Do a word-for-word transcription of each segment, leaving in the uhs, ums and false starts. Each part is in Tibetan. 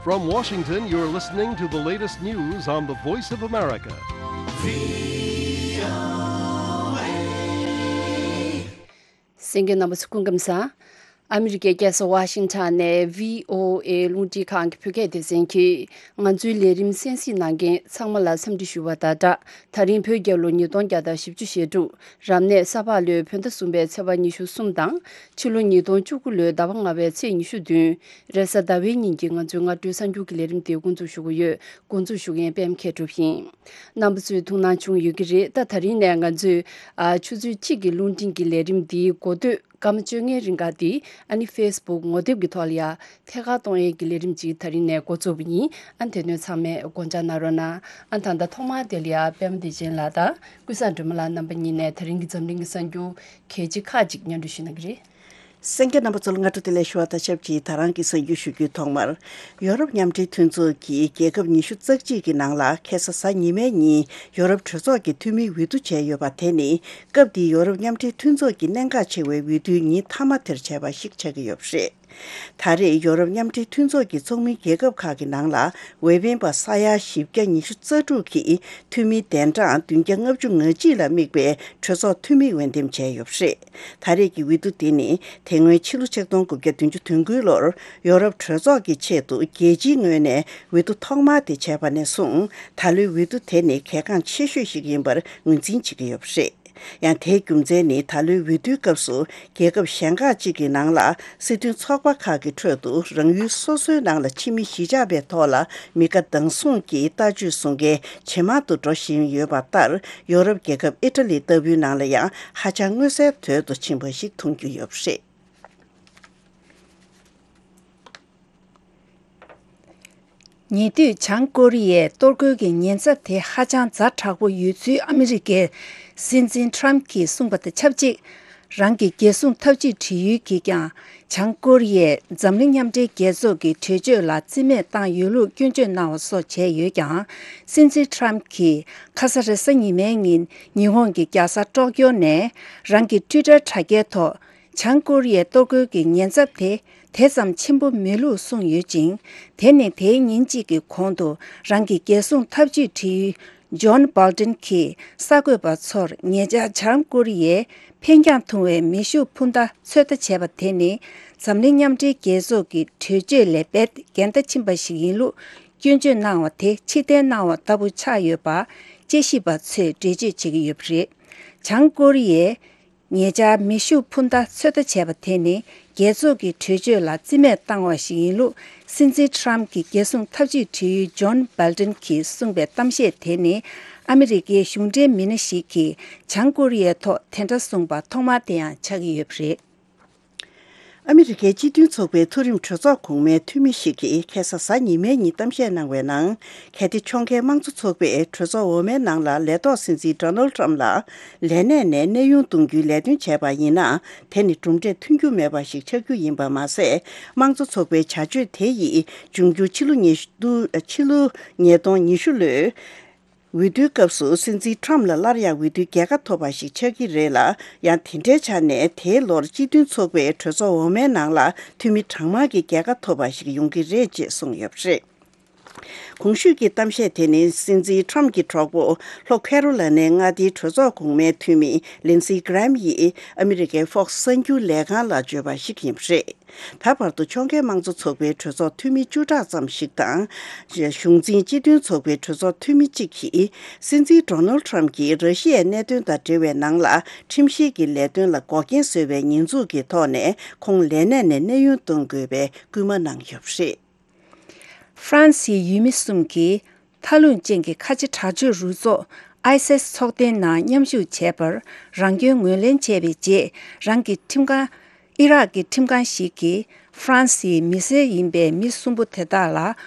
From Washington, you're listening to the latest news on the Voice of America. གསན་མཁན་རྣམ་པ་ཚོ་སྐུ་ཁམས་བཟང་། ཨ་མི་རི་ཀའི་རྒྱལ་ས་ཝ་ཤིང་ཊོན་ནས་བྷི་ཨོ་ཨེ་རླུང་འཕྲིན་ཁང་གི་བོད་སྐད་སྡེ་ཚན་གྱིས་ང་ཚོའི་ལས་རིམ་གསན་གཟིགས་གནང་མཁན་ཚང་མ་ལ་འཚམས་འདྲི་ཞུ་བ་དང་སྦྲགས། ད་རིང་བོད་རྒྱལ་ལོ་ཉིས་སྟོང་བརྒྱ་དང་བཞི་བཅུ་ཞེ་དྲུག་རབ་གནས་ས་ཕག་ལོའི་བོད་ཟླ་གསུམ་པའི་ཚེས་པ་ཉི་ཤུ་གསུམ་དང་། ཕྱི་ལོ་ཉིས་སྟོང་བཅུ་དགུ་ལོའི་ཟླ་བ་ལྔ་པའི་ཚེས་ཉི་ཤུ་བདུན། རེས་གཟའ་ཟླ་བའི་ཉིན་གྱི་ང་ཚོའི་སྔ་དྲོའི་གསར་འགྱུར་གྱི་ལས་རིམ་དེ་འགོ་འཛུགས་ཞུ་གི་ཡོད། འགོ་འཛུགས་ཞུ་མཁན་པད་མ་མཁས་གྲུབ་ཡིན། རྣམ་པ་ཚོས་ཐུགས་སྣང་བྱུང་ཡོད་ཀྱི་རེད། ད་ད་རིང་ནས་ང་ཚོས་ཨ་ཆུ་ཚོད་གཅིག་གི་རླུང་འཕྲིན་གྱི་ལས་རིམ་འདིའི་འགོ་སྟོད་སྐར་མ་བཅོ་ལྔའི་རིང་ག་འདི་ཨ་ནི་ཕེ་སི་བུག་ངོ་དེབ་ཀྱི་ཐོག་ལ་ཡ་ཐད་ཀར་གཏོང་ཡས་ཀྱི་ལས་རིམ་ཅིག་ད་རིང་ནས་འགོ་བཙུགས་པ་ཡིན། ཨ་དེ་དོན་ཚང་མས་དགོངས་འཇགས་གནང་རོགས་གནང་། ཨ་ད་ལྟ་ཐོག་མར་དེ་ལ་ཡ་པད་མ་བདེ་ཆེན་ལགས་དང་ཀུན་བཟང་སྒྲོལ་མ་ལགས་རྣམ་པ་གཉིས་ནས་ད་རིང་གི་འཛམ་གླིང་གི་གསར་འགྱུར་གལ་ཆེ་ཁག་ཅིག་སྙན་སྒྲོན་ཞུ་གནང་གི་རེད། གསན་མཁན་རྣམ་པ་ཚོ་ལ་སྔ་དྲོ་བདེ་ལེགས་ཞུ་བ་དང་ཆབས་ཅིག་ད་རང་གི་གསར་འགྱུར་ཞུ་རྒྱུའི་ཐོག་མར། ཡོ་རོབ་མཉམ་འབྲེལ་མཐུན་ཚོགས་ཀྱིས་རྒྱལ་ཁབ་ཉི་ཤུ་རྩ་གཅིག་གི་ནང་ལ་ཁ་སང་གཟའ་ཉི་མའི་ཉིན་ཡོ་རོབ་གྲོས་ཚོགས་ཀྱི་འཐུས་མིའི་འོས་བསྡུ་བྱས་ཡོད་པ་དེ་ནི་སྐབས་འདིའི་ཡོ་རོབ་མཉམ་འབྲེལ་མཐུན་ཚོགས་ཀྱི་གནད་འགག་ཆེ་བའི་འོས་བསྡུ་ཉིན་མཐའ་མ་དེར་བྱས་པ་ཞིག་ཆགས་ཀྱི་ཡོད་པ་རེད། ད་རེས་ཡོ་རོབ་མཉམ་འབྲེལ་མཐུན་ཚོགས་ཀྱི་ཚོགས་མི་རྒྱལ་ཁབ་ཁག་གི་ནང་ལ་འོས་འཕེན་པ་ས་ཡ་བཞི་བརྒྱ་ཉི་ཤུ་རྩ་དྲུག་གིས་འཐུས་མི་གདན་གྲངས་བདུན་བརྒྱ་ལྔ་བཅུ་ང་གཅིག་ལ་དམིགས་པའི་གྲོས་ཚོགས་འཐུས་མི་འོས་འདེམས་བྱས་ཡོད་པ་རེད། ད་རེས་ཀྱི་འོས་བསྡུ་དེ་ནི་དེ་སྔོན་ཕྱི་ལོ་ཆིག་སྟོང་དགུ་བརྒྱ་བདུན་ཅུ་དོན་དགུའི་ལོར་ཡོ་རོབ་གྲོས་ཚོགས་ཀྱི་ཆེད་དུ་རྒྱལ་སྤྱིའི་ངོས་ནས་འོས་བསྡུ་ཐོག་མ་དེ་བྱས་པ་ནས་བཟུང་ད་ལོའི་འོས་བསྡུ་དེ་ནི་གལ་འགངས་ཆེ་ཤོས་ཤིག་ཡིན་པར་ངོས་འཛིན་བྱེད་ཀྱི་ཡོད་པ་རེད། ཡང་དེའི་རྒྱུ་མཚན་ནི་ད་ལོའི་འོས་བསྡུའི་སྐབས་སུ་རྒྱལ་ཁབ་གཞན་ཁག་ཅིག་གི་ནང་ལ་སྲིད་དོན་ཚོགས་པ་ཁག་གི་ཁྲོད་དུ་རང་ཡུལ་སོ་སོའི་ནང་ལ་ཕྱི་མི་གཞིས་ཆགས་པའི་ཐོག་ལ་མི་དགའ་སྡང་ཟུང་གི་ལྟ་སྤྱོད་བཟུང་མཁན་ཇེ་མང་དུ་འགྲོ་བཞིན་ཡོད་པ་ལྟར་ཡོ་རོབ་རྒྱལ་ཁབ་ཨི་ཊ་ལི་ལྟ་བུའི་ནང་ལ་ཡང་ཧ་ཅང་མངོན་གསལ་དོད་དུ་ཕྱིན་པ་ཞིག་མཐོང་རྒྱུ་ཡོད་པ་རེད། ཉེ་དུས་བྱང་ཀོ་རི་ཡའི་གཏོར་རྒོལ་གྱི་ཉེན་ཚབས་དེ་ཧ་ཅང་ཛ་དྲག་པོ་ཡོད་ཚུལ་ཨ་མི་རི་ཀའི་སྲིད་འཛིན་ཊམ་གྱིས་གསུངས་པ་དང་ཆབས་ཅིག་རང་གི་རྒྱལ་སྲུང་འཐབ་ཇུས་བྲིས་ཡུལ་གྱིས་ཀྱང་བྱང་ཀོ་རི་ཡས་འཛམ་གླིང་མཉམ་འབྲེལ་རྒྱལ་ཚོགས་ཀྱི་གྲོས་ཆོད་ལ་རྩིས་མེད་བཏང་ཡོད་ལུགས་སྐྱོན་བརྗོད་གནང་བ་སོགས་བྱས་ཡོད་ཀྱང་། སྲིད་འཛིན་ཊམ་གྱིས་ཁ་ས་རེས་གཟའ་ཉི་མའི་ཉིན་ཉི་ཧོང་གི་རྒྱལ་ས་ཀྲོག་ཀྱོ་ནས་རང་གི་ཊུའི་ཊར་དྲ་རྒྱའི་ཐོག་བྱང་ཀོ་རི་ཡའི་གཏོར་རྒོལ་གྱི་ཉེན་ཚབས་དེ་དེ་ཙམ་ཆེན་པོ་མེད་ལུགས་གསུངས་ཡོད་ཅིང་། དེ་ནི་དེའི་ཉིན་གཅིག་གི་གོང་དུ་རང་གི་རྒྱལ་སྲུང་འཐབ་ཇུས་བྲིས་ཡུལ་ཇོན་སྦལ་ཏན་གྱིས་གསར་འགོད་པ་ཚོར་ཉེ་ཆར་བྱང་ཀོ་རི་ཡས་འཕེན་རྒྱང་ཐུང་བའི་མེ་ཤུགས་འཕུར་མདའ་ཚོད་ལྟ་བྱས་པ་དེ་ནི་འཛམ་གླིང་མཉམ་འབྲེལ་རྒྱལ་ཚོགས་ཀྱི་གྲོས་ཆོད་ལས་རྦད་འགལ་ཟླ་ཕྱིན་པ་ཞིག་ཡིན་ལུགས་སྐྱོན་བརྗོད་གནང་བ་དེ་ཕྱིར་འཐེན་གནང་བ་ལྟ་བུ་ཆགས་ཡོད་པ་དཔྱད་ཞིབ་པ་ཚོས་འགྲེལ་བརྗོད་བྱེད་ཀྱི་ཡོད་པ་རེད། བྱང་ཀོ་རི་ཡས། ཉེ་ཆར་མེ་ཤུགས་འཕུར་མདའ་ཚོད་ལྟ་བྱས་པ་དེ་ནི་རྒྱལ་ཚོགས་ཀྱི་གྲོས་ཆོད་ལ་རྩིས་མེད་བཏང་བ་ཞིག་ཡིན་ལུགས་སྲིད་འཛིན་ཊམ་གྱི་རྒྱལ་སྲུང་འཐབ་ཇུས་བྲིས་ཡུལ་ཇོན་སྦལ་ཏན་གྱིས་གསུངས་པའི་གཏམ་བཤད་དེ་ནི་ཨ་མི་རི་ཀའི་གཞུང་འབྲེལ་མི་སྣ་ཞིག་གིས་བྱང་ཀོ་རི་ཡའི་ཐོག་དེ་འདྲ་གསུངས་པ་ཐོག་མ་དེ་ཡང་ཆགས་ཀྱི་ཡོད་པ་རེད། ཨ་མི་རི་ཀའི་སྤྱི་མཐུན་ཚོགས་པའི་མཐོ་རིམ་གྲོས་ཚོགས་གོང་མའི་འཐུས་མི་ཞིག་གིས་ཁ་སང་གཟའ་ཉི་མའི་ཉིན་གཏམ་བཤད་གནང་བའི་ནང་། གལ་ཏེ་ཕྱོགས་འགལ་དམངས་གཙོ་ཚོགས་པས་གྲོས་ཚོགས་འོག་མའི་ནང་ལ་ལས་ཐོག་སྲིད་འཛིན་ཌོ་ནལ་ཌི་ཊམ་ཕ་ལ་ལས་གནས་ནས་གནས་དབྱུང་གཏོང་རྒྱུའི་ལས་དོན་བྱས་པ་ཡིན་ན། དེ་ནི་གྲུབ་འབྲས་ཐོན་རྒྱུ་མེད་པ་ཞིག་ཆགས་རྒྱུ་ཡིན་པ་མ་ཟད། དམངས་གཙོ་ཚོགས་པའི་བྱ་སྤྱོད་དེ་ཡིས་འབྱུང་འགྱུར་ཕྱི་ལོ་ཉི་ཤུ། ཕྱི་ལོ་ཉིས་སྟོང་ཉི་ཤུ་ལོའི་འོས་བསྡུའི་སྐབས་སུ་སྲིད་འཛིན་ཊམ་ཕ་ལ་སླར་ཡང་འོས་བསྡུའི་རྒྱལ་ཁ་ཐོབ་པ་ཞིག་ཆགས་ཀྱི་རེད་ལ། ཡང་དེ་འདྲའི་ཆ་ནས་དེའི་ལོར་སྤྱི་མཐུན་ཚོགས་པའི་གྲོས་ཚོགས་འོག་མའི་ནང་ལ་འཐུས་མི་གྲངས་མང་གི་རྒྱལ་ཁ་ཐོབ་པ་ཞིག་ཡོང་གི་རེད་ཅེས་གསུངས་ཡོད་པ་རེད། གོང་ཞུས་ཀྱི་གཏམ་བཤད་དེ་ནི་སྲིད་འཛིན་ཊམ་གྱི་གྲོགས་པོ་ལྷོ་ཁེ་རོ་ལ་ནའི་མངའ་སྡེའི་གྲོས་ཚོགས་གོང་མའི་འཐུས་མི་ལིན་སི་གྷི་རེམ་ཡིས་ཨ་མི་རི་ཀའི་ཧྥོག་སི་གསར་འགྱུར་ལས་ཁང་ལ་བརྗོད་པ་ཞིག་ཡིན་པ་རེད། ད་བར་དུ་ཕྱོགས་འགལ་དམངས་གཙོ་ཚོགས་པའི་གྲོས་ཚོགས་འཐུས་མི་བཅུ་ཕྲག་ཙམ་ཞིག་དང་། གཞུང་འཛིན་སྤྱི་མཐུན་ཚོགས་པའི་གྲོས་ཚོགས་འཐུས་མི་གཅིག་གིས། སྲིད་འཛིན་ཌོ་ནལ་ཌི་ཊམ་ཕ་གྱིས་ར་ཤི་ཡའི་གནད་དོན་དང་འབྲེལ་བའི་ནང་ལ་ཁྲིམས་བཤེར་གྱི་ལས་དོན་ལ་འགོག་རྐྱེན་བཟོས་པའི་ཉེས་འཛུགས་ཀྱི་ཐོག་ནས་ཁོང་ལས་གནས་ནས་གནས་དབྱུང་གཏོང་དགོས་པའི་སྐུལ་མ་གནང་ཡོད་པ་རེད། ཧྥ་རན་སིའི་ཡུལ་མི་གསུམ་གྱིས་མཐའ་རླུང་ཅན་གྱི་ཁ་ཆེ་དྲག་སྤྱོད་རུ་ཚོགས་ཨའི་སི་ཨེས་ཚོགས་ཐེངས་ནང་མཉམ་ཞུགས་བྱས་པར་རང་སྐྱོན་ངོས་ལེན་བྱས་པའི་རྗེས། རང་གི་ཁྲིམས་ཁང་། ཨི་རག་གི་ཁྲིམས་ཁང་ཞིག་གིས་ཧྥ་རན་སིའི་མི་སེར་ཡིན་པའི་མི་གསུམ་པོ་དེ་དག་ལ་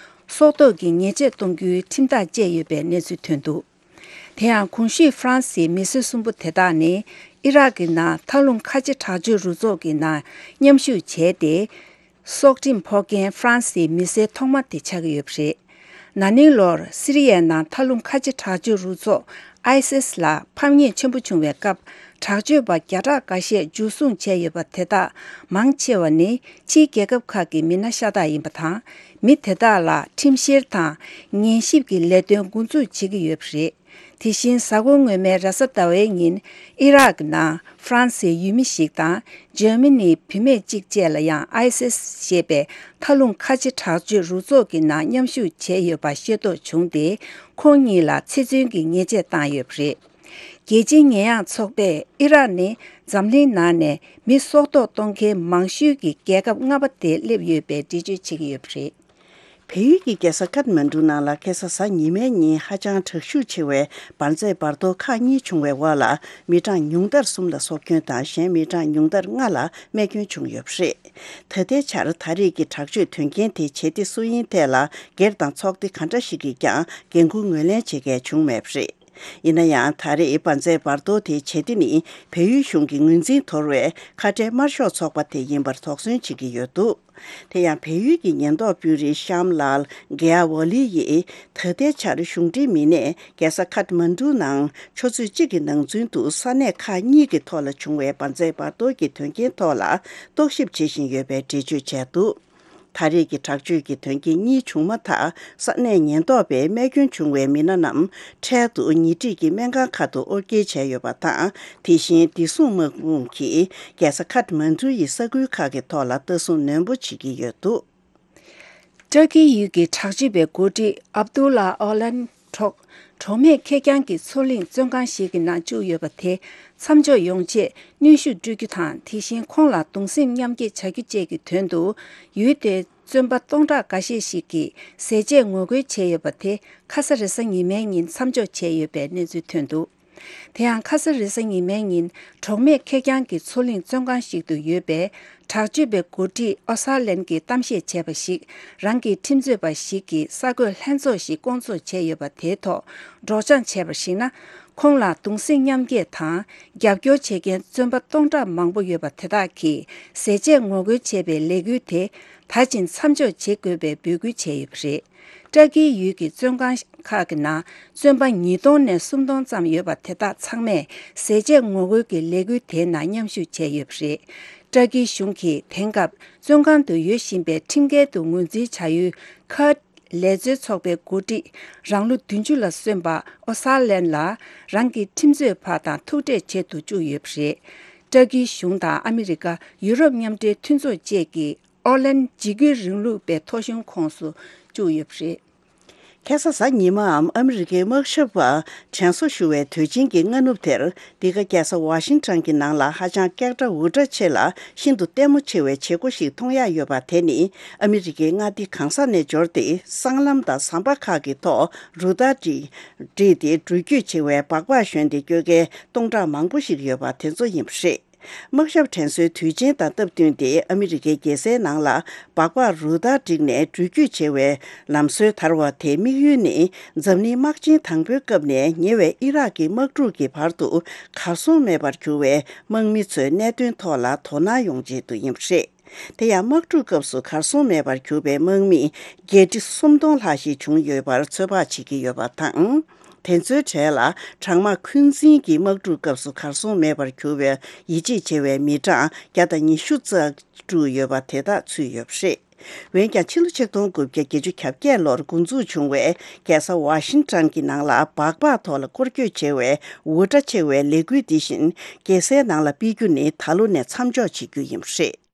སྲོག་ཐོག་གི་ཉེས་ཆད་གཏོང་རྒྱུའི་ཁྲིམས་ཐག་བཅད་ཡོད་པའི་གནས་ཚུལ་ཐོན་འདུག་དེ་ཡང་གོང་ཞུས་ཧྥ་རན་སིའི་མི་སེར་གསུམ་པོ་དེ་དག་ནི་ཨི་རག་གི་ནང་མཐའ་རླུང་ཁ་ཆེ་དྲག་སྤྱོད་རུ་ཚོགས་ཀྱི་ནང་མཉམ་ཞུགས་བྱས་ཏེ། སྲོག་ཁྲིམས་ཕོག་མཁན་ཧྥ་རན་སིའི་མི་སེར་ཐོག་མ་དེ་ཆགས་ཀྱི་ཡོད་པ་རེད། ན་ནིང་ལོར་སི་རི་ཡའི་ནང་མཐའ་རླུང་ཁ་ཆེ་དྲག་སྤྱོད་རུ་ཚོགས་ ཨའི་སིས་ལ་ཕམ་ཉེས་ཆེན་པོ་བྱུང་བའི་སྐབས། དྲག་སྤྱོད་པ་བརྒྱ་ཕྲག་འགའ་ཤས་འཇུ་བཟུང་བྱས་ཡོད་པ་དེ་དག་མང་ཆེ་བ་ནི་ཕྱིའི་རྒྱལ་ཁབ་ཁག་གི་མི་སྣ་ཤ་སྟག་ཡིན་པ་དང་། མི་དེ་དག་ལ་ཁྲིམས་བཤེར་དང་ཉན་ཞིབ་ཀྱི་ལས་དོན་འགོ་འཛུགས་བྱེད་ཀྱི་ཡོད་པ་རེད། དེ་བཞིན་གཟའ་འཁོར་སྔོན་མའི་རེས་གཟའ་ཟླ་བའི་ཉིན་ཨི་རག་གི་ནང་ཧྥ་རན་སིའི་ཡུལ་མི་ཞིག་དང་འཇར་མ་ནིའི་བུད་མེད་གཅིག་བཅས་ལ་ཡང་ཨའི་སིས་ཞེས་པའི་མཐའ་ལྷུང་ཁ་ཆེ་དྲག་སྤྱོད་རུ་ཚོགས་ཀྱི་ནང་མཉམ་ཞུགས་བྱས་ཡོད་པ་ཤེས་རྟོགས་བྱུང་སྟེ། ཁོང་གཉིས་ལ་ཚེ་བཙོན་གྱི་ཉེས་ཆད་བཏང་ཡོད་པ་རེད། རྒྱལ་སྤྱིའི་ཉེས་ཡངས་ཚོགས་པས་ཨི་རག་ནི་འཛམ་གླིང་ནང་ནས་མི་སྲོག་ཐོག་གཏོང་མཁན་མང་ཤོས་ཀྱི་རྒྱལ་ཁབ་ལྔ་པ་དེ་སླེབས་ཡོད་པའི་འགྲེལ་བརྗོད་བྱེད་ཀྱི་ཡོད་པ་རེད། བལ་ཡུལ་གྱི་རྒྱལ་ས་ཀཏ་མན་གྲུ་ནང་ལ་ཁ་སང་གཟའ་ཉི་མའི་ཉིན་ཧ་ཅང་དྲག་ཤུགས་ཆེ་བའི་འབར་རྫས་འབར་གཏོར་ཁག་གཉིས་བྱུང་བའི་འོག་ལ། མི་གྲངས་ཉུང་མཐར་གསུམ་ལ་སྲོག་སྐྱོན་དང་། གཞན་མི་གྲངས་ཉུང་མཐར་ལྔ་ལ་རྨས་སྐྱོན་བྱུང་ཡོད་པ་རེད། ད་ལྟའི་ཆར་ད་རེས་ཀྱི་དྲག་སྤྱོད་དོན་རྐྱེན་དེ་བྱེད་གཏེ་སུ་ཡིན་ཐད་ལ་སྒེར་དང་ཚོགས་སྡེ་ག་འདྲ་ཞིག་གིས་ཀྱང་འགན་འཁུར་ངོས་ལེན་བྱེད་མཁན་བྱུང་མེད་པ་རེད། ཡིན་ན་ཡང་། ད་རེས་འབར་རྫས་འབར་གཏོར་དེའི་བྱེད་གཏེ་ནི་བལ་ཡུལ་གཞུང་གི་ངོས་འཛིན་དོར་བའི་ཁ་བྲལ་དམར་ཤོག་ཚོགས་པ་དེ་ཡིན་པར་དོགས་ཟོན་བྱེད་ཀྱི་ཡོད་འདུག་དེ་ཡང་བལ་ཡུལ་གྱི་ཉེན་རྟོག་དཔོན་རིགས་ཤམ་ལལ་གེ་ཨ་ཝ་ལི་ཡིས། ད་ལྟའི་ཆར་གཞུང་འབྲེལ་མི་སྣས་རྒྱལ་ས་ཁཐ་མན་གྲུ་ནང་ཆུ་ཚོད་གཅིག་གི་ནང་ཚུན་དུ་ས་གནས་ཁག་གཉིས་ཀྱི་ཐོག་ལ་བྱུང་བའི་འབར་རྫས་འབར་གཏོར་གྱི་དོན་རྐྱེན་ཐོག་ལ་རྟོག་ཞིབ་བྱེད་བཞིན་ཡོད་པའི་འགྲེལ་བརྗོད་བྱས་འདུག་ད་རེས་ཀྱི་དྲག་སྤྱོད་ཀྱི་དོན་རྐྱེན་གཉིས་བྱུང་མ་ཐག་ས་གནས་ཉེན་རྟོག་པས་རྨས་སྐྱོན་བྱུང་བའི་མི་སྣ་རྣམས་འཕྲལ་དུ་ཉེ་འཁྲིས་ཀྱི་སྨན་ཁང་ཁག་ཏུ་དབོར་སྐྱེལ་བྱས་ཡོད་པ་དང་། དེ་བཞིན་བདེ་སྲུང་དམག་དཔུང་གིས་རྒྱལ་ས་ཁཐ་མན་གྲུ་ཡི་ས་ཁུལ་ཁག་གི་ཐོག་ལ་ལྟ་སྲུང་ནན་པོ་བྱེད་ཀྱི་ཡོད་འདུག་ཏུར་ཀི་ཡུལ་གྱི་དྲག་སྤྱོད་པའི་འགོ་ཁྲིད་ཨབ་དུ་ལ་ཨོ་ལན་གྲོགས། གྲོགས་མེད་ཁེར་རྐྱང་གི་མཚོ་གླིང་བཙོན་ཁང་ཞིག་གི་ནང་བཅུག་ཡོད་པ་དེ་མཚམས་འཇོག་ཡོང་ཆེད་གནོན་ཤུགས་སྤྲོད་རྒྱུ་དང་། དེ་བཞིན་ཁོང་ལ་གདུང་སེམས་མཉམ་སྐྱེད་བྱ་རྒྱུ་བཅས་ཀྱི་དོན་དུ་ཡུལ་དེའི་བཙོན་པ་སྟོང་ཕྲག་འགའ་ཤས་ཤིག་གིས་ཟས་བཅད་ངོ་རྒོལ་བྱས་ཡོད་པ་དེ་ཁ་ས་རེས་གཟའ་ཉི་མའི་ཉིན་མཚམས་འཇོག་བྱས་ཡོད་པའི་གནས་ཚུལ་ཐོན་འདུག་དེ་ཡང་ཁ་ས་རེས་གཟའ་ཉི་མའི་ཉིན་གྲོགས་མེད་ཁེར་རྐྱང་གི་མཚོ་གླིང་བཙོན་ཁང་ཞིག་ཏུ་ཡོད་པའི་དྲག་སྤྱོད་པའི་འགོ་ཁྲིད་ཨོ་སཱ་ལན་གྱིས་གཏམ་བཤད་བྱས་པ་ཞིག་རང་གི་ཁྲིམས་རྩོད་པ་ཞིག་གིས་གསར་འགོད་ལྷན་ཚོགས་ཤིག་བསྐོང་ཚོགས་བྱས་ཡོད་པ་དེའི་ཐོག་སྒྲོག་སྦྱང་བྱས་པར་གཞིགས་ན། ཁོང་ལ་གདུང་སེམས་མཉམ་སྐྱེད་དང་རྒྱབ་སྐྱོར་བྱེད་མཁན་བཙོན་པ་སྟོང་ཕྲག་མང་པོ་ཡོད་པ་དེ་དག་གིས་ཟས་བཅད་ངོ་རྒོལ་བྱས་པའི་ལས་འགུལ་དེ་ད་ཕྱིན་མཚམས་འཇོག་བྱེད་དགོས་པའི་འབོད་སྐུལ་བྱས་ཡོད་པ་རེད། ཏུར་ཀིའི་ཡུལ་གྱི་བཙོན་ཁང་ཁག་གི་ནང་བཙོན་པ་ཉིས་སྟོང་ནས་སུམ་སྟོང་ཙམ་ཡོད་པ་དེ་དག་ཚང་མས་ཟས་བཅད་ངོ་རྒོལ་གྱི་ལས་འགུལ་དེའི་ནང་མཉམ་ཞུགས་བྱས་ཡོད་པ་རེད། ཏུར་ཀིའི་གཞུང་གིས་དེང་སྐབས་བཙོན་ཁང་དུ་ཡོད་བཞིན་པའི་ཁྲིམས་འགལ་དུ་ངོས་འཛིན་བྱ་ཡུལ་ཁར་ཌི་ལས་བཟོའི་ཚོགས་པའི་འགོ་ཁྲིད་རང་ལོ་བདུན་ཅུ་ལ་སོན་པ་ཨོ་སཱ་ལན་ལ་རང་གི་ཁྲིམས་རྩོད་པ་དང་ཐུག་འཕྲད་བྱེད་དུ་བཅུག་ཡོད་པ་རེད། ཏུར་ཀིའི་གཞུང་དང་ཨ་མི་རི་ཀ། ཡུ་རོབ་མཉམ་འབྲེལ་མཐུན་ཚོགས་བཅས་ཀྱིས་ཨོ་ལན་འཇིགས་སྐུལ་རིང་ལུགས་པའི་ཐོ་གཞུང་ཁོངས་སུ་བཅུག་ཡོད་པ་རེད། ཁ་སང་གཟའ་ཉི་མའམ་ཨ་མི་རི་ཀའི་དམག་ཞབས་པ་དྲན་གསོ་ཞུ་བའི་དུས་ཆེན་གྱི་སྔ་ནུབ་དེར། འདི་ག་རྒྱལ་ས་ཝ་ཤིང་ཊོན་གྱི་ནང་ལ་ཧ་ཅང་སྐད་གྲགས་འུར་སྒྲ་ཆེ་ལ་ཤིན་ཏུ་ལྟད་མོ་ཆེ་བའི་བྱེད་སྒོ་ཞིག་མཐོང་ཡག་ཡོད་པ་དེ་ནི། ཨ་མི་རི་ཀའི་མངའ་སྡེ་གང་ས་ནས་འབྱོར་ཏེ། སྲང་ལམ་དང་ཟམ་པ་ཁག་གི་ཐོག་རུ་སྟར་བསྒྲིགས་ཏེ། འགྲུལ་སྐྱོད་བྱེད་པའི་སྦག་སྦག་ཞོན་ཏེ་སྐྱོད་མཁན་སྟོང་ཕྲག་མང་པོ་ཞིག་ཡོད་པ་དེ་ཚོ་ཡིན་པ་རེད། དམག་ཞབས་དྲན་གསོའི་དུས་ཆེན་དང་སྟབས་བསྟུན་ཏེ། ཨ་མི་རི་ཀའི་རྒྱལ་སའི་ནང་ལ་སྦག་སྦག་རུ་སྟར་བསྒྲིགས་ནས་འགྲུལ་སྐྱོད་བྱེད་པའི་ལམ་སྲོལ་དར་བ་དེའི་དམིགས་ཡུལ་ནི། འཛམ་གླིང་དམག་ཆེན་དང་པོའི་སྐབས་ནས་ཉེ་བའི་ཨི་རག་གི་དམག་འཁྲུག་གི་བར་དུ་གར་སོང་མེད་པར་གྱུར་བའི་དམག་མི་ཚོའི་གནད་དོན་ཐོག་ལ་དོ་སྣང་ཡོང་ཆེད་དུ་ཡིན་པ་རེད། དེ་ཡང་། དམག་འཁྲུག་སྐབས་སུ་གར་སོང་མེད་པར་གྱུར་པའི་དམག་མི་བརྒྱད་ཁྲི་སུམ་སྟོང་ལྷག་ཞིག་བྱུང་ཡོད་པར་ཚོད་དཔག་བྱེད་ཀྱི་ཡོད་པ་དང་། དེ་ཚོའི་གྲས་ལ་གྲང་དམག་འཁོན་འཛིན་གྱི་དམག་འཁྲུག་སྐབས་སུ་གར་སོང་མེད་པར་གྱུར་བའི་ཡིད་ཆེས་བྱེད་པའི་མི་གྲངས་བརྒྱ་དང་ཉི་ཤུ་རྩ་དྲུག་ཡོད་པ་དེ་དག་ཚུད་ཡོད་པ་རེད། འོན་ཀྱང་། ཕྱི་ལོ་ཆིག་སྟོང་དགུ་བརྒྱ་བརྒྱད་ཅུ་གྱ་བརྒྱད་ལོར་འགོ་འཛུགས་བྱུང་བའི་རྒྱལ་ས་ཝ་ཤིང་ཊོན་གྱི་ནང་ལ་སྦག་སྦག་ཐོག་ལ་སྐོར་སྐྱོད་བྱེད་པའི་འུར་སྒྲ་ཆེ་བའི་ལས་འགུལ་འདི་བཞིན་རྒྱལ་སའི་ནང་ལ་སྤེལ་རྒྱུ་ནི་ད་ལོ་ནས་མཚམས་འཇོག་བྱེད་རྒྱུ་ཡིན་པ་རེད།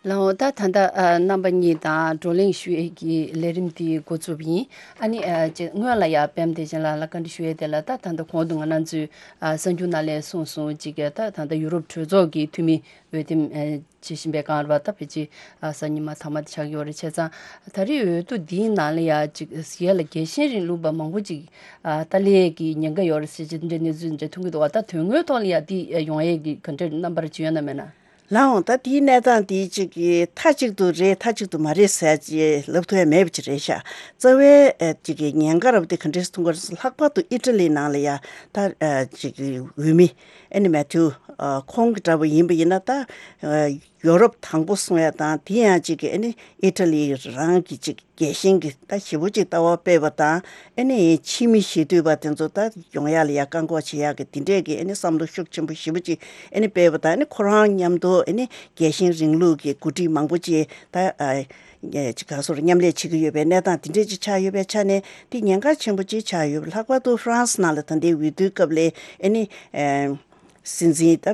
ལགས་འོང་། ད་ད་ལྟ་ཨ་རྣམ་པ་གཉིས་དང་བགྲོ་གླེང་ཞུ་ཡས་ཀྱི་ལས་རིམ་དེ་འགོ་བཙུགས་པ་ཡིན། ཨ་ནི་ཨ་ཅེ་སྔོན་ལ་ཡ་པད་མ་བདེ་ཆེན་ལགས་ལ་བཀའ་འདྲི་ཞུ་ཡས་དེ་ལ། ད་ད་ལྟ་གོང་དུ་ང་རང་ཚོས་ཨ་གསར་འགྱུར་ནང་ལ་གསུངས་སོང་། ཅིག་གི་ད་ད་ལྟ་ཡུ་རོབ་གྲོས་ཚོགས་ཀྱི་འཐུས་མི་འོས་འདེམས་ཨ་བྱེད་བཞིན་པའི་སྒང་རེད་པ། ད་ཕལ་ཆེར་ཨ་གཟའ་ཉི་མ་མཐའ་མ་དེ་ཆགས་ཀྱི་ཡོད་རེད། བྱས་ཙང་ད་རེས་འོས་བསྡུ་འདིའི་ནང་ལ་ཡ་ཅིག་ཡ་ལ་རྒྱལ་ཞེན་རིང་ལུགས་པ་མང་པོ་ཅིག་ཨ་ཏཱ་ལའི་གི་ཉེན་ཁ་ཡོད་རེད་ཟེར་གྱི་འདྲ་གནས་ཚུལ་འདྲ་ཐོན་གྱི་འདུག་བ། ད་དོན་དངོས་ཐོག་ལ་ཡ་འདི་ཡོང་ཡས་ཀྱི་ག་འདྲའི་རྣམ་པ་ཅིག་ཡོད་ན་མེད་ན། ལགས་འོང་། ད་དེའི་གནས་སྟངས་འདི་ཅིག་གི་མཐའ་གཅིག་ཏུ་རེད་མཐའ་གཅིག་ཏུ་མ་རེད་ཟེར་ཅིག་ལབ་ཐུབ་ཡ་མེད་པ་ཅིག་རེད་ཤག་རྩ་བའི་ཨ་ཅིག་གི་ཉེན་ཁ་རབ་དེ་ག་འདྲས་མཐོང་གི་རེད་ཟེར། ལྷག་པར་དུ་ཨི་ཊ་ལི་ནང་ལ་ཡ་ད་ཨ་ཅིག་གི་འོས་མི་ཨེ་ནི་མེ་ཐིའུ་ ཨ་ཁོང་གི་འདྲ་པོ་ཡིན་པ་ཡིན་ན་ད་ཨ་ཡོ་རོབ་དང་པོ་གསུང་ཡ་དང་དེ་ཡང་ཅིག་གི་ཨ་ནི་ཨི་ཊ་ལི་རང་གི་ཅིག་རྒྱལ་ཞེན་གྱི་ད་ཞེ་པོ་ཅིག་ལྟ་བ་སྤེལ་བ་དང་ཨ་ནི་ཕྱི་མི་ཞེ་འདོད་པ་དེ་ཚོ་ད་ཡོང་ཡ་ལ་ཡ་བཀག་འགོག་བྱེད་ཡ་གི་དེ་འདྲས་ཀྱི་ཨ་ནི་བསམ་བློ་ཤུགས་ཆེན་པོ་ཞེ་པོ་ཅིག་ཨ་ནི་སྤེལ་བ་དང་ཨ་ནི་ཁོ་རང་མཉམ་དུ་ཨ་ནི་རྒྱལ་ཞེན་རིང་ལུགས་ཀྱི་འགོ་ཁྲིད་མང་པོ་ཅིག་ད་ཨ་ཅིག་ག་སོར་མཉམ་ལས་བྱེད་ཀྱི་ཡོད་པའི་གནས་སྟངས་དེ་འདྲས་ཅིག་ཆགས་ཡོད་པའི་ཆ་ནས་དེ་ཉེན་ཁ་ཆེན་པོ་ཅིག་ཆགས་ཡོད། ལྷག་པར་དུ་ཧྥ་རན་སི་ནང་ལ་ད་ལྟའི་འོས་བསྡུའི་སྐབས་ལ་ཨ་ནི་ཨ་སྲིད་འཛིན་ད་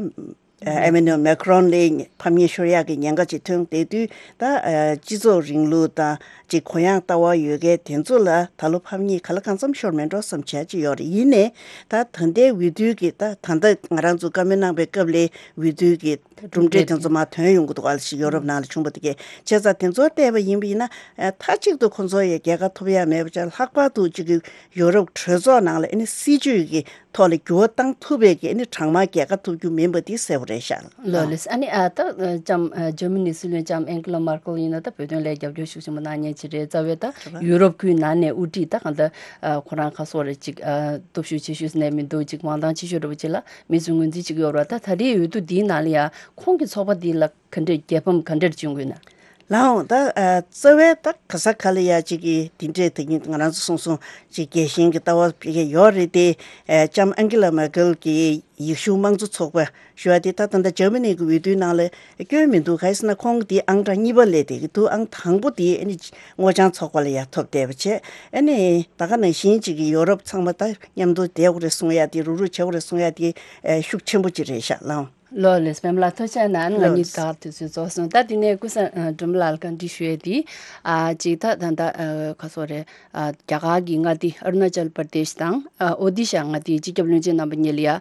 ཨ་ཨེ་མེ་ནུ་ཨེལ་མེ་ཁ་རོན་ལ་ཕམ་ཉེས་ཤོར་ཡག་གི་ཉེན་ཁ་ཅིག་ཐོན་བསྡད་དུས་ད་ཨ་སྤྱི་ཚོགས་རིང་ལུགས་དང་ཅིག་གུ་ཡངས་ལྟ་བ་ཡོད་མཁན་དེ་ཚོ་ལ་ད་ལོ་ཕམ་ཉེས་ག་ལ་གང་འཚམ་ཤོར་མེད་འགྲོ་བསམ་བྱས་ཅིག་ཡོད་རེད། ཡིན་ནའི་ད་ད་ལྟའི་འོས་བསྡུའི་གི་ད་ད་ལྟ་ང་རང་ཚོ་བཀའ་མོལ་གནང་པའི་སྐབས་ལ་འོས་བསྡུའི་གི་གྲུབ་འབྲས་དེ་ཚོ་མར་ཐོན་ཡོང་གི་འདུག་ཨ་ལ་ཞིག་ཡོ་རོབ་ནང་ལ་བྱུང་བ་དེ་གས་བྱས་ཙང་དེ་ཚོ་བལྟས་པ་ཡིན་པ་ཡིན་ན་ཨ་མཐའ་གཅིག་ཏུ་ཁོ་ཚོ་ཡི་རྒྱལ་ཁ་ཐོབ་ཡ་མེད་པ་ཅག་ལྷག་པར་དུ་ཅིག་གི་ཡོ་རོབ་གྲོས་ཚོགས་ནང་ལ་ཨ་ནི་སྲིད་ཇུས་ཀྱི་ཐོག་ལ་འགྱུར་བ་བཏང་ཐུབ་པའི་གི་ཨ་ནི་གྲངས་མང་རྒྱལ་ཁ་ཐོབ་རྒྱུ་མིན་པ་འདི་གསལ་པོ་རེད་ཤག་ལགས། ལགས་ལགས། ཨ་ནི་ཨ་ད་ལྕམ་ཨ་འཇར་མ་ནི་སྲིད་བློན་ལྕམ་ཨན་ཀི་ལ་མར་ཀལ་ཡིན་ན་ད་བོད་དོན་ལ་རྒྱབ་སྐྱོར་ཤུགས་ཆེན་པོ་གནང་མཁན་ཅིག་རེད། རྩ་བའི་ད་རེད་བ། ཡུ་རོབ་ཁུལ་ནང་ནས་དབུ་ཁྲིད་ད་གང་ལྟར་ཨ་ཁོ་རང་ཁ་སོ་རེ་ཅིག་ཨ་སྟོབས་ཤུགས་ཆེ་ཤོས་ནས་མི་འདུག་ཅིག་མང་ཐང་ཆེ་ཤོས་འདྲ་པོ་ཅིག་ལ་མི་ཚོས་ངོས་འཛིན་བྱེད་ཀྱི་ཡོད་རེད་བ། ད་ད་རེས་འོས་བསྡུ་འདིའི་ནང་ལ་ཡ་ཁོང་གི་ཚོགས་པ་འདི་ལ་ག་འདྲས་རྒྱལ་ཕམ་ག་འདྲས་བྱུང་དགོས་ན། ལགས་འོང་། ད་ཨ་རྩ་བའི་ད་ག་ས་ག་ལ་ཡ་གཅིག་གི་དེ་འདྲས་དེ་ཉིད་ང་རང་ཚོ་སོང་སོང་གཅིག་རྒྱལ་ཞེན་གྱི་ལྟ་བ་ཕ་གི་ཡོད་རེད་དེ། ཨ་ལྕམ་ཨན་ཀི་ལ་མར་ཀལ་གྱིས་ཡེ་ཤུ་དམངས་གཙོ་ཚོགས་པ་ཞུ་བ་དེ་ད་ད་ལྟ་འཇར་མ་ནི་གི་འོས་བསྡུའི་ནང་ལ་སྐྱོན་མི་འདུག་ག་ཡིན་ཟེར་ན་ཁོང་གི་དེ་ཨང་གྲངས་གཉིས་པ་སླེབས་བསྡད་ཀྱི་འདུག་ཨང་དང་པོ་དེ་ཨ་ནི་སྔོ་ལྗང་ཚོགས་པ་ལ་ཡ་ཐོབ་བསྡད་པ་བྱས། ཨ་ནི་ད་ག་ནང་བཞིན་གཅིག་གི་ཡོ་རོབ་ཚང་མ་ད་མཉམ་དུ་བསྡད་དགོས་རེད་གསུང་ཡ་དེ་རུག་རུག་བྱེད་དགོས་རེད་གསུང་ཡ་དེ་ཨ་ཤུགས་ཆེན་པོ་ཅིག་རེད་ཤག་ལགས་འོང་། ལགས་ལགས། པད་མ་ལགས་ཐུགས་རྗེ་གནང་། ང་གཉིས་ལགས། ད་དུས་ཚོད་རྫོགས་སོང་། ད་དེ་ནས་ཀུན་བཟང་ཨ་སྒྲོལ་མ་ལགས་ལ་བཀའ་འདྲི་ཞུ་ཡས་དེ། ཨ་གཅིག་ད་ད་ལྟ་ཨ་ག་སོ་རེད། ཨ་རྒྱ་གར་གྱི་མངའ་སྡེ་ཨ་རུ་ན་ཅལ་པར་དེཤ་དང་ཨ་ཨོ་ཏི་ཤ་མངའ་སྡེའི་སྤྱི་ཁྱབ་བློན་ཆེན་རྣམ་པ་གཉིས་ལ་ཡ་ཨ་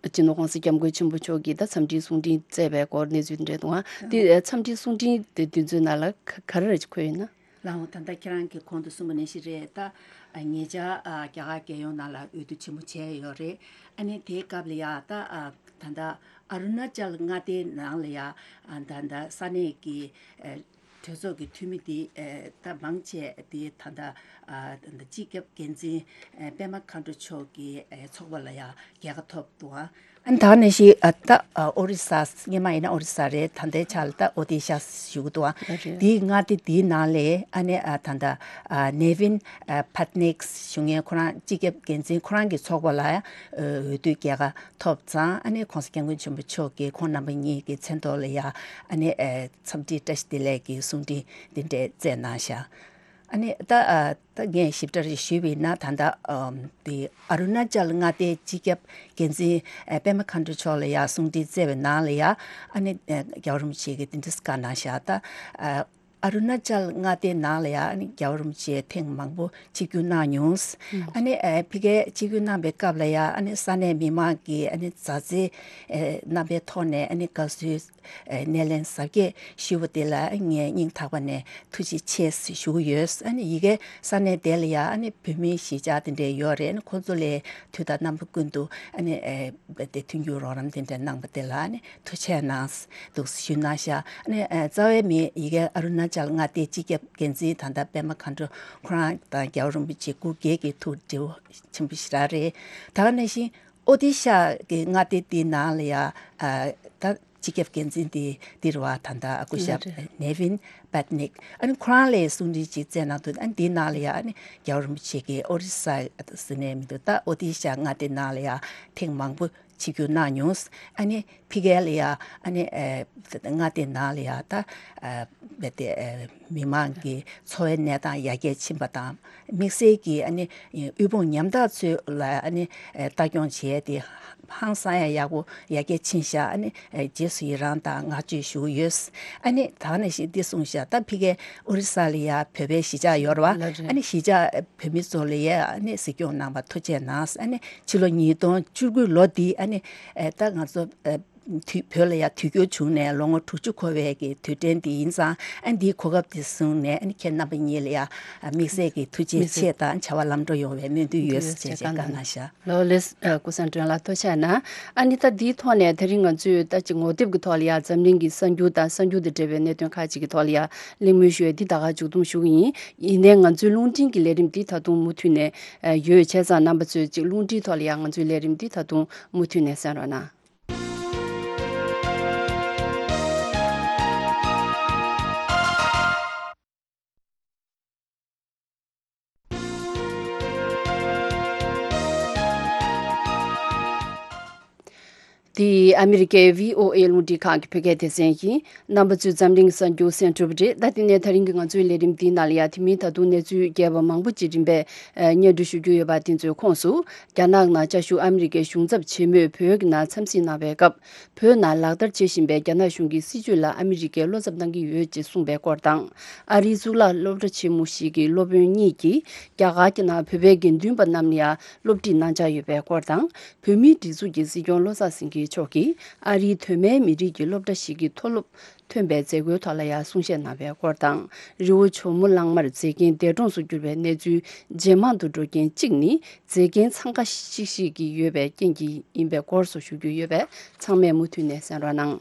སྤྱི་ནོར་༸གོང་ས་༸སྐྱབས་མགོན་ཆེན་པོ་མཆོག་གིས་ད་འཚམས་འདྲིའི་གསུང་འཕྲིན་བསྩལ་བའི་སྐོར་གནས་ཚུལ་འདྲ་འདུག་ཨ། དེ་ཨ་འཚམས་འདྲིའི་གསུང་འཕྲིན་དེ་དུས་ཚོད་ནང་ལ་ག་ག་རེ་རེ་འཁོད་ཡོད་ན། ལགས་འོང་། ད་ལྟ་ཁྱེད་རང་གིས་གོང་དུ་གསུངས་པ་ནང་བཞིན་རེད། ད་ཨ་ཉེ་ཆར་ཨ་རྒྱ་གར་རྒྱལ་ཡོངས་ནང་ལ་འོས་བསྡུ་ཆེན་མོ་བྱས་ཡོད་རེད། ཨ་ནི་དེའི་སྐབས་ལ་ཡ་ད་ཨ་ད་ལྟ་ཨ་རུ་ན་ཅལ་མངའ་སྡེའི་ནང་ལ་ཡ་ཨ་ད་ལྟ་ས་གནས་ཀྱི་ཨ་གྲོས་ཚོགས་ཀྱི་འཐུས་མི་དེ་ཨ་ད་མང་ཆེ་དེ་ད་ལྟ་ཨ་ད་ལྟ་སྤྱི་ཁྱབ་འགན་འཛིན་ཨ་པད་མ་མཁའ་འགྲོ་མཆོག་གི་ཨ་ཚོགས་པ་ལ་ཡ་རྒྱལ་ཁ་ཐོབ་འདུག་ཨ། ཨ་ནི་ད་ག་ནང་བཞིན་ཨ་ད་ཨ་ཨོ་རི་ས། སྔོན་མ་ཡིན་ན་ཨོ་རི་ས་རེད། ད་ལྟའི་ཆ་ལ་ད་ཨོ་ཏི་ཤ་ཞུ་གི་འདུག་ཨ། ཨ་རེད། དེའི་མངའ་སྡེ་དེའི་ནང་ལས་ཨ་ནི་ཨ་ད་ལྟ་ཨ་ནེ་ཝིན་ཨ་པད་ནེག་ཞུ་མཁན་ཁོ་རང་སྤྱི་ཁྱབ་འགན་འཛིན་ཁོ་རང་གི་ཚོགས་པ་ལ་ཨ་འོས་བསྡུའི་རྒྱལ་ཁ་ཐོབ་ཙང་ཨ་ནི་༸གོང་ས་༸སྐྱབས་མགོན་ཆེན་པོ་མཆོག་གིས་ཁོང་རྣམ་པ་གཉིས་ཀྱི་མཚན་ཐོག་ལ་ཡ་ཨ་ནི་ཨ་འཚམས་འདྲི་བཀྲ་ཤིས་བདེ་ལེགས་ཀྱི་གསུང་འཕྲིན་འདི་འདྲས་བསྩལ་གནང་ཤག་ཨ་ནི་ད་ཨ་ད་ངས་ཞིབ་ཕྲ་རེ་ཞུས་པ་ཡིན་ན་ད་ལྟ་ཨམ་དེ་ཨ་རུ་ན་ཅལ་མངའ་སྡེའི་སྤྱི་ཁྱབ་འགན་འཛིན་ཨ་པད་མ་མཁའ་འགྲོ་མཆོག་ལ་ཡ་གསུང་འཕྲིན་བསྩལ་བའི་ནང་ལ་ཡ་ཨ་ནི་ཨ་རྒྱལ་བ་རིན་པོ་ཆེ་གིས་དེ་འདྲ་བཀའ་གནང་ཤག་ད་ཨ་ཨ་རུ་ན་ཅལ་མངའ་སྡེའི་ནང་ལ་ཡ་ཨ་ནི་རྒྱལ་བ་རིན་པོ་ཆེ་ཐེངས་མང་པོ་ཆིབས་བསྒྱུར་གནང་མྱོང་། ཨ་ནི་ཨ་ཕ་གིར་ཆིབས་བསྒྱུར་གནང་པའི་སྐབས་ལ་ཡ་ཨ་ནི་ས་གནས་མི་མང་གིས་ཨ་ནི་མཛའ་བརྩེ་ཨ་རྣམ་པའི་ཐོག་ནས་ཨ་ནི་དགའ་བསུའི་ཨེ་སྣེ་ལེན་གཟབ་རྒྱས་ཞུས་པ་དེ་ལ་ངས་སྙིང་ཐག་པ་ནས་ཐུགས་རྗེ་ཆེ་ཞུ་གི་ཡོད། ཨ་ནི་ཡ་གིར་ས་གནས་དེ་ལ་ཡ་ཨ་ནི་བོད་མི་གཞིས་ཆགས་དེ་འདྲ་ཡོད་རེད། ཨ་ནི་ཁོང་ཚོ་ལ་དུས་དང་རྣམ་པ་ཀུན་ཏུ་ཨ་ནི་ཨེ་དེ་མཐུན་འགྱུར་རོགས་རམ་དེ་འདྲ་གནང་པ་དེ་ལ་ཨ་ནི་ཐུགས་རྗེ་ཆེ་གནང་འདུག་ཞུས་གནང་ཤག་ཨ་ནི་ཨེ་རྩ་བའི་མི་ཡ་གིར་ཨ་རུ་ན་ཅལ་མངའ་སྡེའི་སྤྱི་ཁྱབ་འགན་འཛིན་ད་ལྟ་པད་མ་མཁའ་འགྲོ་ཁོ་རང་དང་རྒྱལ་བ་རིན་པོ་ཆེ་སྐུ་སྒེར་གྱི་ཐུགས་འདྲི་བ་ཆེན་པོ་ཞེ་དྲག་རེད། ད་ག་ནང་བཞིན་ཨོ་ཏི་ཤ་གི་མངའ་སྡེ་དེའི་ནང་ལ་ཡ་ཨ་ད་སྤྱི་ཁྱབ་འགན་འཛིན་དེ་འདིར་བ་ད་ལྟ་སྐུ་ཞབས་ལགས་རེད། ནེ་ཝིན་པད་ནིག་ཨ་ནི་ཁོ་རང་ལ་གསུང་འཕྲིན་ཅིག་བསྩལ་གནང་འདུག་ཨ་ནི་དེའི་ནང་ལ་ཡ་ཨ་ནི་རྒྱལ་བ་རིན་པོ་ཆེ་གིས་ཨོ་རི་ས་ཟེར་ནས་མི་འདུག་ད་ཨོ་ཏི་ཤ་མངའ་སྡེ་ནང་ལ་ཡ་ཐེངས་མང་པོ་ཆིབས་བསྒྱུར་གནང་མྱོང་། ཨ་ནི་ཕ་གི་ལ་ཡ་ཨ་ནི་ཨ་མངའ་སྡེ་ནང་ལ་ཡ་ད་ཨ་རྦད་དེ་ཨ་མི་མང་གི་འཚོ་བའི་གནས་སྟངས་ཡར་རྒྱས་ཕྱིན་པ་དང་། དམིགས་བསལ་གྱིས་ཨ་ནི་དབུལ་ཕོངས་ཉམ་ཐག་ཚོ་ལ་ཨ་ནི་ལྟ་སྐྱོང་བྱས་ཏེ་ཧང་སང་ཡ་ཡག་པོ་ཡར་རྒྱས་ཕྱིན་ཤག་ཨ་ནི་རྗེས་སུ་ཡི་རང་དང་བསྔགས་བརྗོད་ཞུ་གི་ཡོད། ཨ་ནི་ད་ནང་བཞིན་འདི་གསུངས་ཤག་ད་ཕ་གིར་ཨོ་རི་ས་ལ་ཡ་བོད་པའི་གཞིས་ཆགས་ཡོད་རེད་བ། ལགས་རེད། ཨ་ནི་གཞིས་ཆགས་བོད་མི་ཚོ་ལ་ཡ་ཨ་ནི་གཟིགས་སྐྱོང་གནང་བ་ཐུགས་རྗེ་གནང་། ཨ་ནི་ཕྱི་ལོ་ཉིས་སྟོང་བཅུ་དགུ་ལོ་འདི་ཨ་ནི་ད་ང་ཚོ་དུས་བོད་ལ་ཡ་དུས་འགྱུར་བྱུང་ནས་ལོ་ངོ་དྲུག་ཅུ་འཁོར་བའི་གི་དུས་དྲན་འདི་ཡིན་ཙང་ཨ་འདིའི་གོ་སྐབས་འདི་བཟུང་ནས་ཨ་ནི་ཁྱེད་རྣམ་པ་གཉིས་ལ་ཡ་དམིགས་བསལ་གྱི་ཐུགས་རྗེ་ཆེ་དང་བྱ་བ་ལམ་འགྲོ་ཡོང་བའི་སྨོན་འདུན་ཡོད་ཟེར་བྱས་བཀའ་གནང་ཤག་ལགས་ལགས། ཀུན་བཟང་སྒྲོལ་ལགས་ཐུགས་རྗེ་གནང་། ཨ་ནི་ད་འདིའི་ཐོག་ནས་དེ་རིང་ང་ཚོས་ད་ཅིག་ངོ་དེབ་ཀྱི་ཐོག་ལ་ཡ་འཛམ་གླིང་གི་གསར་འགྱུར་དང་གསར་འགྱུར་དང་འབྲེལ་བའི་གནད་དོན་ཁག་ཅིག་གི་ཐོག་ལ་ཡ་གླེང་མོལ་ཞུ་ཡ་འདི་ད་ག་མཇུག་བསྡོམས་ཞུ་གི་ཡིན། ཡིན་ནའི་ང་ཚོའི་རླུང་འཕྲིན་གྱི་ལས་རིམ་འདི་ད་དུང་མུ་མཐུད་ནས་ཡོད། བྱས་ཙང་རྣམ་པ་ཚོས་ཅིག་རླུང་འཕྲིན་ཐོག་ལ་ཡ་ང་ཚོའི་ལས་རིམ་འདི་ད་དུང་མུ་མཐུད་ནས་གསན་རོགས་གནང་། འདི་ཨ་མི་རི་ཀའི་བྷི་ཨོ་ཨེ་རླུང་འཕྲིན་ཁང་གི་བོད་སྐད་སྡེ་ཚན་ཡིན། རྣམ་པ་ཚོས་འཛམ་གླིང་གསར་འགྱུར་གསན་གྲུབ་རེད། ད་དེ་ནས་ད་རིང་གི་ང་ཚོའི་ལས་རིམ་འདིའི་ནང་ལ་ཡ་དེ་མིན་ད་དུང་གནས་ཚུལ་རྒྱས་པ་མང་པོ་ཅིག་རིམ་པས་སྙན་སྒྲོན་ཞུ་རྒྱུ་ཡོད་པ། དེ་ཚོའི་ཁོངས་སུ། རྒྱ་ནག་ནང་བཅའ་བཞུགས་ཨ་མི་རི་ཀའི་གཞུང་ཚབ་ཆེན་མོས་བོད་ཀྱི་ནང་འཚམས་གཟིགས་གནང་བའི་སྐབས། བོད་ནང་ལག་བསྟར་བྱེད་བཞིན་པའི་རྒྱ་ནག་གཞུང་གི་སྲིད་བྱུས་ལ་ཨ་མི་རི་ཀས་བློ་འཚབ་གནང་གི་ཡོད་ཅེས་གསུངས་པའི་སྐོར་དང་། ཨ་རིའི་གཙུག་ལག་སློབ་གྲྭ་ཆེན་མོ་ཞིག་གི་སློབ་དཔོན་གཉིས་ཀྱིས་རྒྱ་གར་གྱི་ནང་བོད་པའི་དགེ་འདུན་པ་རྣམས་ལ་ཡང་སློབ་ཁྲིད་གནང་འཆར་ཡོད་པའི་སྐོར་དང་། བོད་མིའི་སྒྲིག་འཛུགས་ཀྱི་སྲིད་སྐྱོང་བློ་བཟང་སེང་གེ་མཆོག་གིས་ཨ་རིའི་གདོད་མའི་མི་རིགས་ཀྱི་སློབ་གྲྭ་ཞིག་གི་མཐོ་སློབ་ཐོན་པའི་མཛད་སྒོའི་ཐོག་ལ་ཡང་གསུང་བཤད་གནང་བའི་སྐོར་དང་། རི་བོ་ཇོ་མོ་གླང་མར་མཛེས་རྒྱན་འདས་གྲོངས་སུ་གྱུར་བའི་གནས་ཚུལ་ཇེ་མང་དུ་འགྲོ་རྐྱེན་གཅིག་ནི། མཛེས་རྒྱན་འཚང་ཁ་ཤིག་ཤིག་གི་ཡོད་པའི་རྐྱེན་གྱིས་ཡིན་པའི་སྐོར་སོགས་ཞུ་རྒྱུ་ཡོད་པས། ཚང་མས་མུ་མཐུད་ནས་གསན་རོགས་གནང་།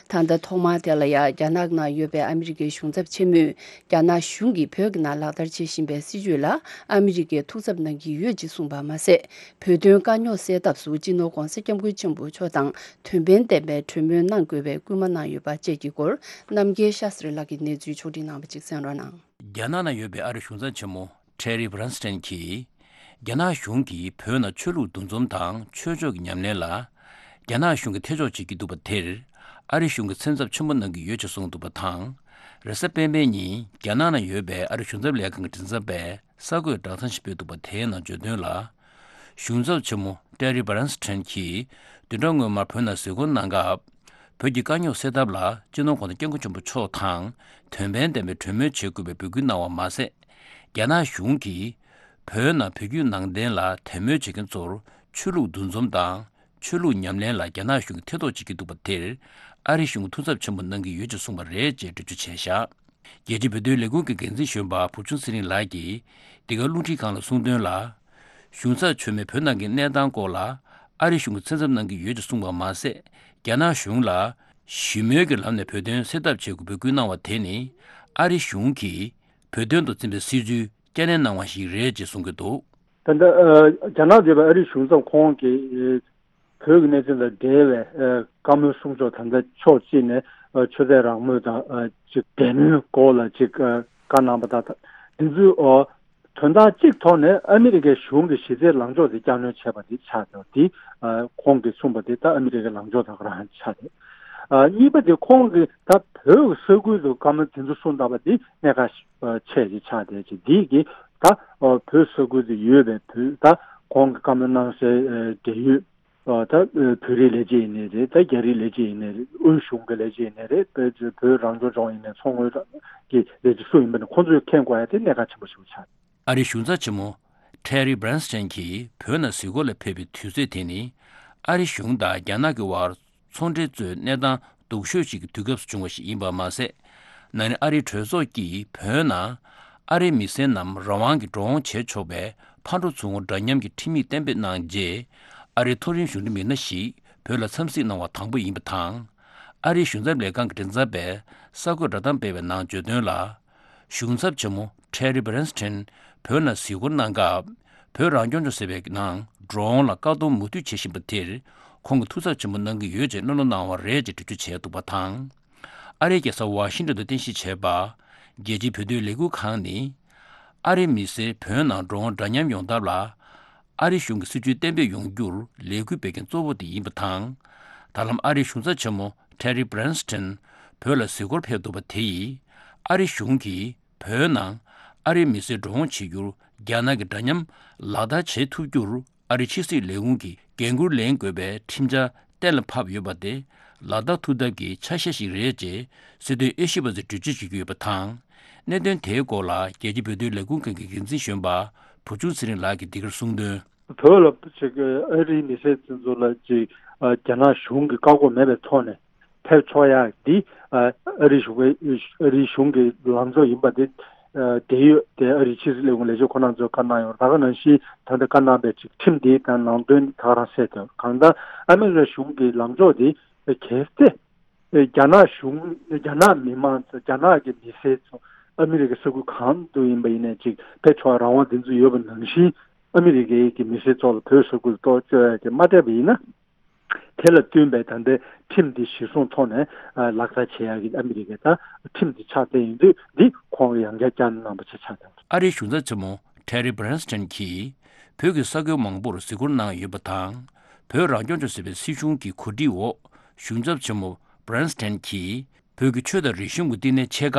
ད་ལྟ་ཐོག་མར་དེ་ལ་ཡ་རྒྱ་ནག་ནང་ཡོད་པའི་ཨ་མི་རི་ཀའི་གཞུང་ཚབ་ཆེན་མོས་རྒྱ་ནག་གཞུང་གིས་བོད་ཀྱི་ནང་ལག་བསྟར་བྱེད་བཞིན་པའི་སྲིད་བྱུས་ལ་ཨ་མི་རི་ཀས་ཐུགས་འཚབ་གནང་གི་ཡོད་ཅེས་གསུངས་པ་མ་ཟད། བོད་དོན་དཀའ་རྙོག་སེལ་ཐབས་སུ་སྤྱི་ནོར་༧གོང་ས་༧སྐྱབས་མགོན་ཆེན་པོ་མཆོག་དང་དོན་ཕན་ལྡན་པའི་གྲོས་མོལ་གནང་དགོས་པའི་སྐུལ་མ་གནང་ཡོད་པ་བཅས་ཀྱི་སྐོར། རྣམ་རྒྱལ་ཤཱ་སྟྲི་ལགས་ཀྱིས་གནས་ཚུལ་ཕྱོགས་སྒྲིག་གནང་བ་ཅིག་གསན་རོགས་གནང་། རྒྱ་ནག་ནང་ཡོད་པའི་ཨ་རིའི་གཞུང་ཚབ་ཆེན་མོ་ཊེ་རི་བྷི་རན་སི་ཊན་གྱིས། རྒྱ་ནག་གཞུང་གིས་བོད་ནང་ཆོས་ལུགས་འདུ་འཛོམས་དང་ཆོས་ཕྱོགས་ཀྱི་ཉམས་ལེན་ལ། རྒྱ་ནག་གཞུང་གིས་ཐེ་གཏོགས་བྱེད་ཀྱི་འདུག་པ་དེར། ཨ་རི་གཞུང་གིས་སེམས་འཚབ་ཆེན་པོ་གནང་གི་ཡོད་ཅེས་གསུངས་འདུག་པ་དང་། རེས་གཟའ་སྤེན་པའི་ཉིན་རྒྱ་ནག་ནང་ཡོད་པའི་ཨ་རིའི་གཞུང་ཚབ་ལས་ཁང་གི་མགྲིན་ཚབ་པས་གསར་འགོད་བསྒྲགས་གཏམ་ཞིག་སྤེལ་འདུག་པ། དེའི་ནང་བརྗོད་དོན་ལ། གཞུང་ཚབ་ཆེན་མོ་ཊེ་རི་བྷི་རན་སི་ཊན་གྱིས་བདུན་ཕྲག་སྔོན་མར་བོད་ནང་གཟིགས་སྐོར་གནང་སྐབས། བོད་ཀྱི་དཀའ་རྙོག་སེལ་ཐབས་ལ་སྤྱི་ནོར་༧གོང་ས་༧སྐྱབས་མགོན་ཆེན་པོ་མཆོག་དང་དོན་ཕན་ལྡན་པའི་གྲོས་མོལ་བྱེད་དགོས་པའི་འབོད་སྐུལ་གནང་བ་མ་ཟད། རྒྱ་ནག་གཞུང་གིས་བོད་ནང་བོད་བརྒྱུད་ནང་བསྟན་ལ་དད་མོས་བྱེད་མཁན་ཚོར་ཆོས་ལུགས་འདུ་འཛོམས་དང་ཆོས་ལུགས་ཉམས་ལེན་ལ་རྒྱ་ནག་གཞུང་གིས་ཐེ་གཏོགས་བྱེད་ཀྱི་འདུག་པ་དེར། ཨ་རི་གཞུང་གིས་ཐུགས་འཚབ་ཆེན་པོ་གནང་གི་ཡོད་ཅེས་གསུངས་པ་རེད་ཅེས་འགྲེལ་བརྗོད་བྱས་བཞག་རྒྱལ་སྤྱིའི་བོད་དོན་ལས་ཁུངས་ཀྱི་འགན་འཛིན་གཞོན་པ་བུ་ཆུང་ཚེ་རིང་ལགས་ཀྱིས་འདི་ག་རླུང་འཕྲིན་ཁང་ལ་གསུངས་དོན་ལ། གཞུང་ཚབ་ཆེན་མོས་བོད་ནང་གི་གནས་སྟངས་སྐོར་ལ་ཨ་རི་གཞུང་གིས་སེམས་འཚབ་གནང་གི་ཡོད་ཅེས་གསུངས་པ་མ་ཟད། རྒྱ་ནག་གཞུང་ལ་ཞི་མོལ་གྱི་ལམ་ནས་བོད་དོན་སེལ་ཐབས་བྱེད་དགོས་འབོད་སྐུལ་གནང་བ་དེ་ནི་ཨ་རི་གཞུང་གིས་བོད་དོན་དུ་འཛིན་པའི་སྲིད་བྱུས་བསྐྱར་ནན་གནང་བ་ཞིག་རེད་ཅེས་གསུང་གི་འདུག་ད་ལྟ་ཨ་རྒྱ་ནག་འདས་པའི་ཨ་རིའི་གཞུང་ཚབ་ཁོང་གིས་བོད་ཀྱི་གནས་ཚུལ་དང་འབྲེལ་བའི་ཨ་བཀའ་མོལ་གསུང་ཕྱོགས། ད་ལྟ་ཕྱོགས་གཅིག་ནས་ཨ་ཆོས་དད་རང་མོས་དང་ཨ་ཅིག་དད་མོས་སྐོར་ལ་ཅིག་ཨ་བཀའ་གནང་བ་དང་། འདི་ཚོའི་ཨ་དོན་དག་གཅིག་ཐོག་ནས་ཨ་མི་རི་ཀའི་གཞུང་གིས་གཞི་རྩའི་ལངས་ཕྱོགས་དེ་བསྐྱར་སྣོན་བྱས་པ་དེ་ཆགས་ཡོད། དེ་ཨ་ཁོང་གིས་གསུངས་པ་དེ་ད་ཨ་མི་རི་ཀའི་ལངས་ཕྱོགས་དེ་ག་རང་ཆགས་ཏེ། ཨ་གཉིས་པ་དེ་ཁོང་གིས་ད་བོད་ཀྱི་ས་ཁུལ་དུ་བཀའ་མོལ་དེ་ཚོ་གསུངས་བསྡད་པ་དེ་གནད་འགག་ཆེ་ཞིག་ཆགས་བསྡད་ཅིག་འདི་གིས་ད་ཨ་བོད་ས་ཁུལ་དུ་ཡོད་པའི་བོད་ད་ཁོང་གིས་བཀའ་མོལ་གནང་སའི་ཨ་འབྲེལ་ཡོད། ཨ་ད་བོད་རིགས་ལས་བྱེད་ཡིན་ནའི་རེད། ད་རྒྱ་རིགས་ལས་བྱེད་ཡིན་ནའི་རེད། དབུས་གཞུང་གི་ལས་བྱེད་ཡིན་ནའི་རེད། བོད་བོད་རང་སྐྱོང་ལྗོངས་ཡིན་ནའི་མཚོ་སྔོན་གྱི་ལས་བྱེད་སུ་ཡིན་པ་ནི་ཁོང་ཚོས་མཁྱེན་དགོས་ཡ་དེ་གནད་འགག་ཆེན་པོ་ཞིག་ཆགས། ཨ་རིའི་གཞུང་ཚབ་ཆེན་མོ་ཊེ་རི་བྷི་རན་སི་ཊན་གྱིས་བོད་ནང་གཟིགས་སྐོར་ལ་ཕེབས་པའི་དུས་ཚོད་དེ་ནི་ཨ་རི་གཞུང་དང་རྒྱ་ནག་གི་དབར་ཚོང་འབྲེལ་གཙོས་གནས་སྟངས་སྡུག་ཤོས་ཤིག་གི་དུས་སྐབས་སུ་བྱུང་བ་ཞིག་ཡིན་པ་མ་ཟད། ན་ནིང་ཨ་རིའི་གྲོས་ཚོགས་ཀྱིས་བོད་ནང་ཨ་རིའི་མི་སེར་རྣམས་རང་དབང་གིས་འགྲོ་འོང་བྱེད་ཆོག་པའི་ཕར་འགྲོ་ཚུར་འོང་འདྲ་མཉམ་གྱི་ཁྲིམས་ཡིག་གཏན་འབེབས་གནང་རྗེས། ཨ་རིའི་མཐོ་རིམ་གཞུང་འབྲེལ་མི་སྣ་ཞིག་བོད་ལ་འཚམས་གཟིགས་གནང་བ་དང་པོ་ཡིན་པ་དང་། ཨ་རིའི་གཞུང་ཚབ་ལས་ཁང་གི་མགྲིན་ཚབ་པས་གསར་འགོད་བསྒྲགས་གཏམ་སྤེལ་བའི་ནང་བརྗོད་དོན་ལ། གཞུང་ཚབ་ཆེན་མོ་ཊེ་རི་བྷི་རན་སི་ཊན་བོད་ནང་གཟིགས་སྐོར་གནང་སྐབས། བོད་རང་སྐྱོང་ལྗོངས་ཟེར་བའི་ནང་འགྲོ་འོང་ལ་བཀག་སྡོམ་མུ་མཐུད་བྱེད་བཞིན་པ་དེར་ཁོང་གིས་ཐུགས་འཚབ་ཆེན་པོ་གནང་གི་ཡོད་ཅེས་གླེང་སློང་གནང་བ་རེད་ཅེས་འགྲེལ་བརྗོད་བྱས་འདུག་པ་དང་། ཨ་རིའི་རྒྱལ་ས་ཝ་ཤིང་ཊོན་དུ་རྟེན་གཞི་བྱས་པ། རྒྱལ་སྤྱིའི་བོད་དོན་ལས་འགུལ་ཁང་ནི། ཨ་རིའི་མི་སེར་བོད་ནང་འགྲོ་འོང་འདྲ་མཉམ་ཡོང་ཐབས་ལ། ཨ་རི་གཞུང་གི་སྲིད་བྱུས་གཏན་འབེབས་ཡོང་རྒྱུར་ལས་འགུལ་སྤེལ་མཁན་གཙོ་བོ་དེ་ཡིན་པ་དང་། ད་ལམ་ཨ་རིའི་གཞུང་ཚབ་ཆེན་མོ་ཊེ་རི་བྷི་རན་སི་ཊན་བོད་ལ་གཟིགས་སྐོར་ཕེབས་འདུག་པ་དེ་ཡིས། ཨ་རི་གཞུང་གིས་བོད་ནང་ཨ་རིའི་མི་སེར་འགྲོ་འོང་བྱེད་རྒྱུར་རྒྱ་ནག་གི་འདྲ་མཉམ་ལག་བསྟར་བྱེད་ཐུབ་རྒྱུར་ཨ་རིའི་ཕྱི་སྲིད་ལས་ཁུངས་ཀྱིས་འགན་འཁུར་ལེན་དགོས་པའི་ཁྲིམས་འཆར་གཏན་ལ་ཕབ་ཡོད་པ་དེ་ལག་བསྟར་ཐུབ་ཐབས་ཀྱི་ཆ་ཤས་ཤིག་རེད་ཅེས་སྲིད་དོན་དབྱེ་ཞིབ་པ་ཚོས་འགྲེལ་བརྗོད་བྱེད་ཀྱི་ཡོད་པ་དང་། གནད་དོན་དེའི་སྐོར་ལ་རྒྱལ་སྤྱིའི་བོད་དོན་ལས་ཁུངས་ཁང་གི་འགན་འཛིན་གཞོན་པ་བུ་ཆུང་ཚེ་རིང་ལགས་ཀྱིས་འདི་གར་གསུངས་དོན། བོད་ལ་ཅིག་ཨ་རིའི་མི་སེར་ཚོ་ལ་ཅིག་རྒྱ་ནག་གཞུང་གིས་བཀག་འགོག་མེད་པའི་ཐོག་ནས་ཕེབས་ཆོག་ཡག་འདི་ཨ་རིའི་གཞུང་གི་ཨ་རིའི་གཞུང་གི་ལངས་ཕྱོགས་ཡིན་པ་འདི། ཨ་དེ་ཡོད་དེ་ཨ་རིའི་ཕྱི་སྲིད་ལས་ཁུངས་ལས་བྱེད་ཁོ་རང་ཚོས་བཀའ་གནང་ཡོད། ད་ག་ནང་བཞིན་ད་ལྟ་བཀའ་གནང་པའི་ཅིག་ཁྲིམས་འདི་དང་ནང་དོན་ད་ག་རང་གསལ་དོད། གང་ལྟར་ཨ་མི་རི་ཀ་གཞུང་གི་ལངས་ཕྱོགས་འདི་གལ་ཏེ། རྒྱ་ནག་གཞུང་རྒྱ་ནག་མི་མང་ཚོ་རྒྱ་ནག་གི་མི་སེར་ཚོ་ཨ་མི་རི་ཀའི་ས་ཁུལ་གང་དུ་ཡིན་པ་ཡིན་ནའི་ཅིག་ཕེབས་ཆོག་རང་དབང་དེ་ཚོ་ཡོད་པ་ནང་བཞིན་ཨ་མི་རི་ཀའི་གི་མི་སེར་ཚོ་ལ་བོད་ས་ཁུལ་གཏོགས་བཅོལ་ཡ་དེ་མ་སྤྲད་པ་ཡིན་ན། དེ་ལ་བསྟུན་པའི་ད་ལྟའི་ཁྲིམས་འདི་གཞིར་བཟུང་ཐོག་ནས་ལག་བསྟར་བྱེད་ཡ་གི་ཨ་མི་རི་ཀའི་ད་ཁྲིམས་འདི་ཆགས་བསྡད་ཡིན་དུས་འདི་ཁོང་གིས་ཡང་བསྐྱར་བསྐྱར་གནང་པ་ཆགས་ཆགས་དང་། ཨ་རིའི་གཞུང་ཚབ་ཆེན་མོ་ཊེ་རི་བྷི་རན་སི་ཊན་གྱིས་བོད་ཀྱི་ས་ཁུལ་མང་པོར་གཟིགས་སྐོར་གནང་ཡོད་པ་དང་། བོད་རང་སྐྱོང་ལྗོངས་ཟེར་བའི་སྲིད་གཞུང་གི་གོ་སྒྲིག་འོག་གཞུང་ཚབ་ཆེན་མོ་Branstad་གྱིས་བོད་ཀྱི་ཆོས་དང་རིག་གཞུང་གི་བསྟི་གནས་ཆེ་ཁག་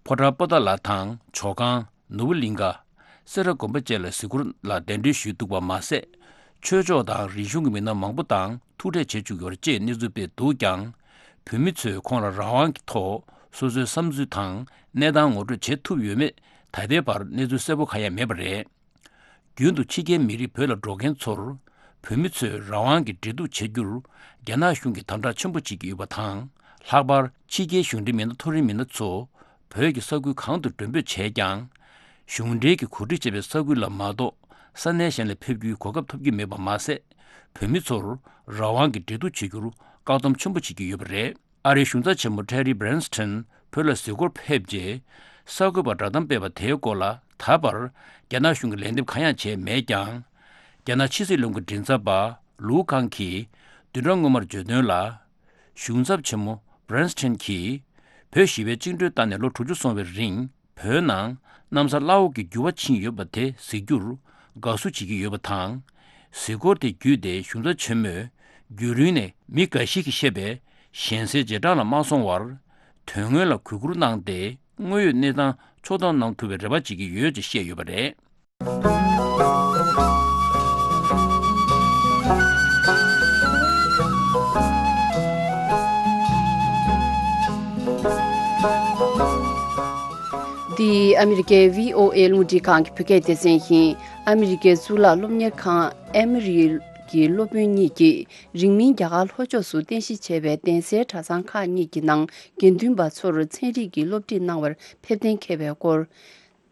ཕོ་བྲང་པོ་ཏཱ་ལ་དང་ཇོ་ཁང་ནོར་བུ་གླིང་ཁ་སེ་ར་དགོན་པ་བཅས་ལ་གཟིགས་སྐོར་ལ་གདན་འདྲེན་ཞུས་འདུག་པ་མ་ཟད། ཆོས་ཕྱོགས་དང་རིག་གཞུང་གི་མི་སྣ་མང་པོ་དང་ཐུག་འཕྲད་བྱེད་བཅུག་ཡོད་པ་བཅས་གནས་ཚུལ་སྤེལ་འདུག་ཀྱང་། བོད་མི་ཚོས་ཁོང་ལ་རང་དབང་གི་ཐོག་སོ་སོའི་བསམ་ཚུལ་དང་གནས་སྟངས་ངོ་སྤྲོད་བྱེད་ཐུབ་ཡོད་མེད་ད་ལྟའི་བར་གནས་ཚུལ་གསལ་པོ་གང་ཡང་མེད་པ་རེད། རྒྱུན་དུ་ཕྱི་རྒྱལ་མི་རིགས་བོད་ལ་འགྲོ་མཁན་ཚོར། བོད་མི་ཚོས་རང་དབང་གི་འབྲེལ་གཏུག་བྱེད་རྒྱུར། རྒྱ་ནག་གཞུང་གིས་དམ་དྲག་ཆེན་པོ་བྱེད་ཀྱི་ཡོད་པ་དང་། ལྷག་པར་ཕྱི་རྒྱལ་གཞུང་འབྲེལ་མི་སྣ་མཐོ་རིམ་མི་སྣ་ཚོ། བོད་ཀྱི་ས་ཁུལ་གང་དུ་མགྲོན་འབོད་བྱས་ཀྱང་། གཞུང་འབྲེལ་གྱིས་གོ་སྒྲིག་བྱས་པའི་ས་ཁུལ་ལ་མ་གཏོགས། ས་གནས་གཞན་ལ་ཕེབས་རྒྱུའི་གོ་སྐབས་ཐོབ་ཀྱི་མེད་པ་མ་ཟད། བོད་མི་ཚོར་རང་དབང་གི་འབྲེལ་གཏུག་བྱེད་རྒྱུར་བཀག་སྡོམ་ཆེན་པོ་བྱེད་ཀྱི་ཡོད་པ་རེད། ཨ་རིའི་གཞུང་ཚབ་ཆེན་མོ་Terry Branstad་བོད་ལ་གཟིགས་སྐོར་ཕེབས་རྗེས། གསར་འགོད་པར་བསྒྲགས་གཏམ་སྤེལ་བ་དེའི་སྐོར་ལ་ད་བར་རྒྱ་ནག་གཞུང་གིས་ལན་འདེབས་གང་ཡང་བྱས་མེད་ཀྱང་། རྒྱ་ནག་ཕྱི་སྲིད་བློན་ཁང་མགྲིན་ཚབ་པ་ལུའུ་ཀང་གིས་བདུན་ཕྲག་སྔོན་མར་བརྗོད་དོན་ལ། གཞུང་ཚབ་ཆེན་མོ་Branstad་གྱིས་བོད་ཞི་བའི་བཅིངས་འགྲོལ་བཏང་ནས་ལོ་དྲུག་ཅུ་སོང་བའི་རིང་། བོད་ནང་གནམ་ས་བླ་འོག་གི་འགྱུར་བ་ཕྱིན་ཡོད་པ་དེ་གཟིགས་རྒྱུར་དགའ་བསུ་བྱེད་ཀྱི་ཡོད་པ་དང་། གཟིགས་སྐོར་དེ་བརྒྱུད་དེ་གཞུང་ཚབ་ཆེན་མོས་རྒྱུན་རིང་ནས་མི་འགའ་ཞིག་གིས་བཤད་པའི་ཞེན་སའི་རྗེས་འབྲང་ལ་མ་སོང་བར། དོན་དངོས་ལ་གུས་བཀུར་གནང་སྟེ་དངོས་ཡོད་གནས་སྟངས་ཕྱོགས་བསྡོམས་གནང་ཐུབ་པའི་རེ་བ་བྱེད་ཀྱི་ཡོད་ཅེས་བཤད་ཡོད་པ་རེད། འདི་ཨ་མི་རི་ཀའི་བྷི་ཨོ་ཨེ་རླུང་འཕྲིན་ཁང་གི་བོད་སྐད་སྡེ་ཚན་ཡིན། ཨ་མི་རི་ཀའི་གཙུག་ལག་སློབ་གཉེར་ཁང་ཨེ་མོ་རི་གི་སློབ་དཔོན་གཉིས་ཀྱིས་རིང་མིན་རྒྱ་གར་ལྷོ་ཕྱོགས་སུ་རྟེན་གཞི་བྱས་པའི་གདན་སའི་གྲྭ་ཚང་ཁག་གཉིས་ཀྱི་ནང་དགེ་འདུན་པ་ཚོར་ཚན་རིག་གི་སློབ་ཁྲིད་གནང་བར་ཕེབས་གཏན་འཁེལ་བའི་སྐོར།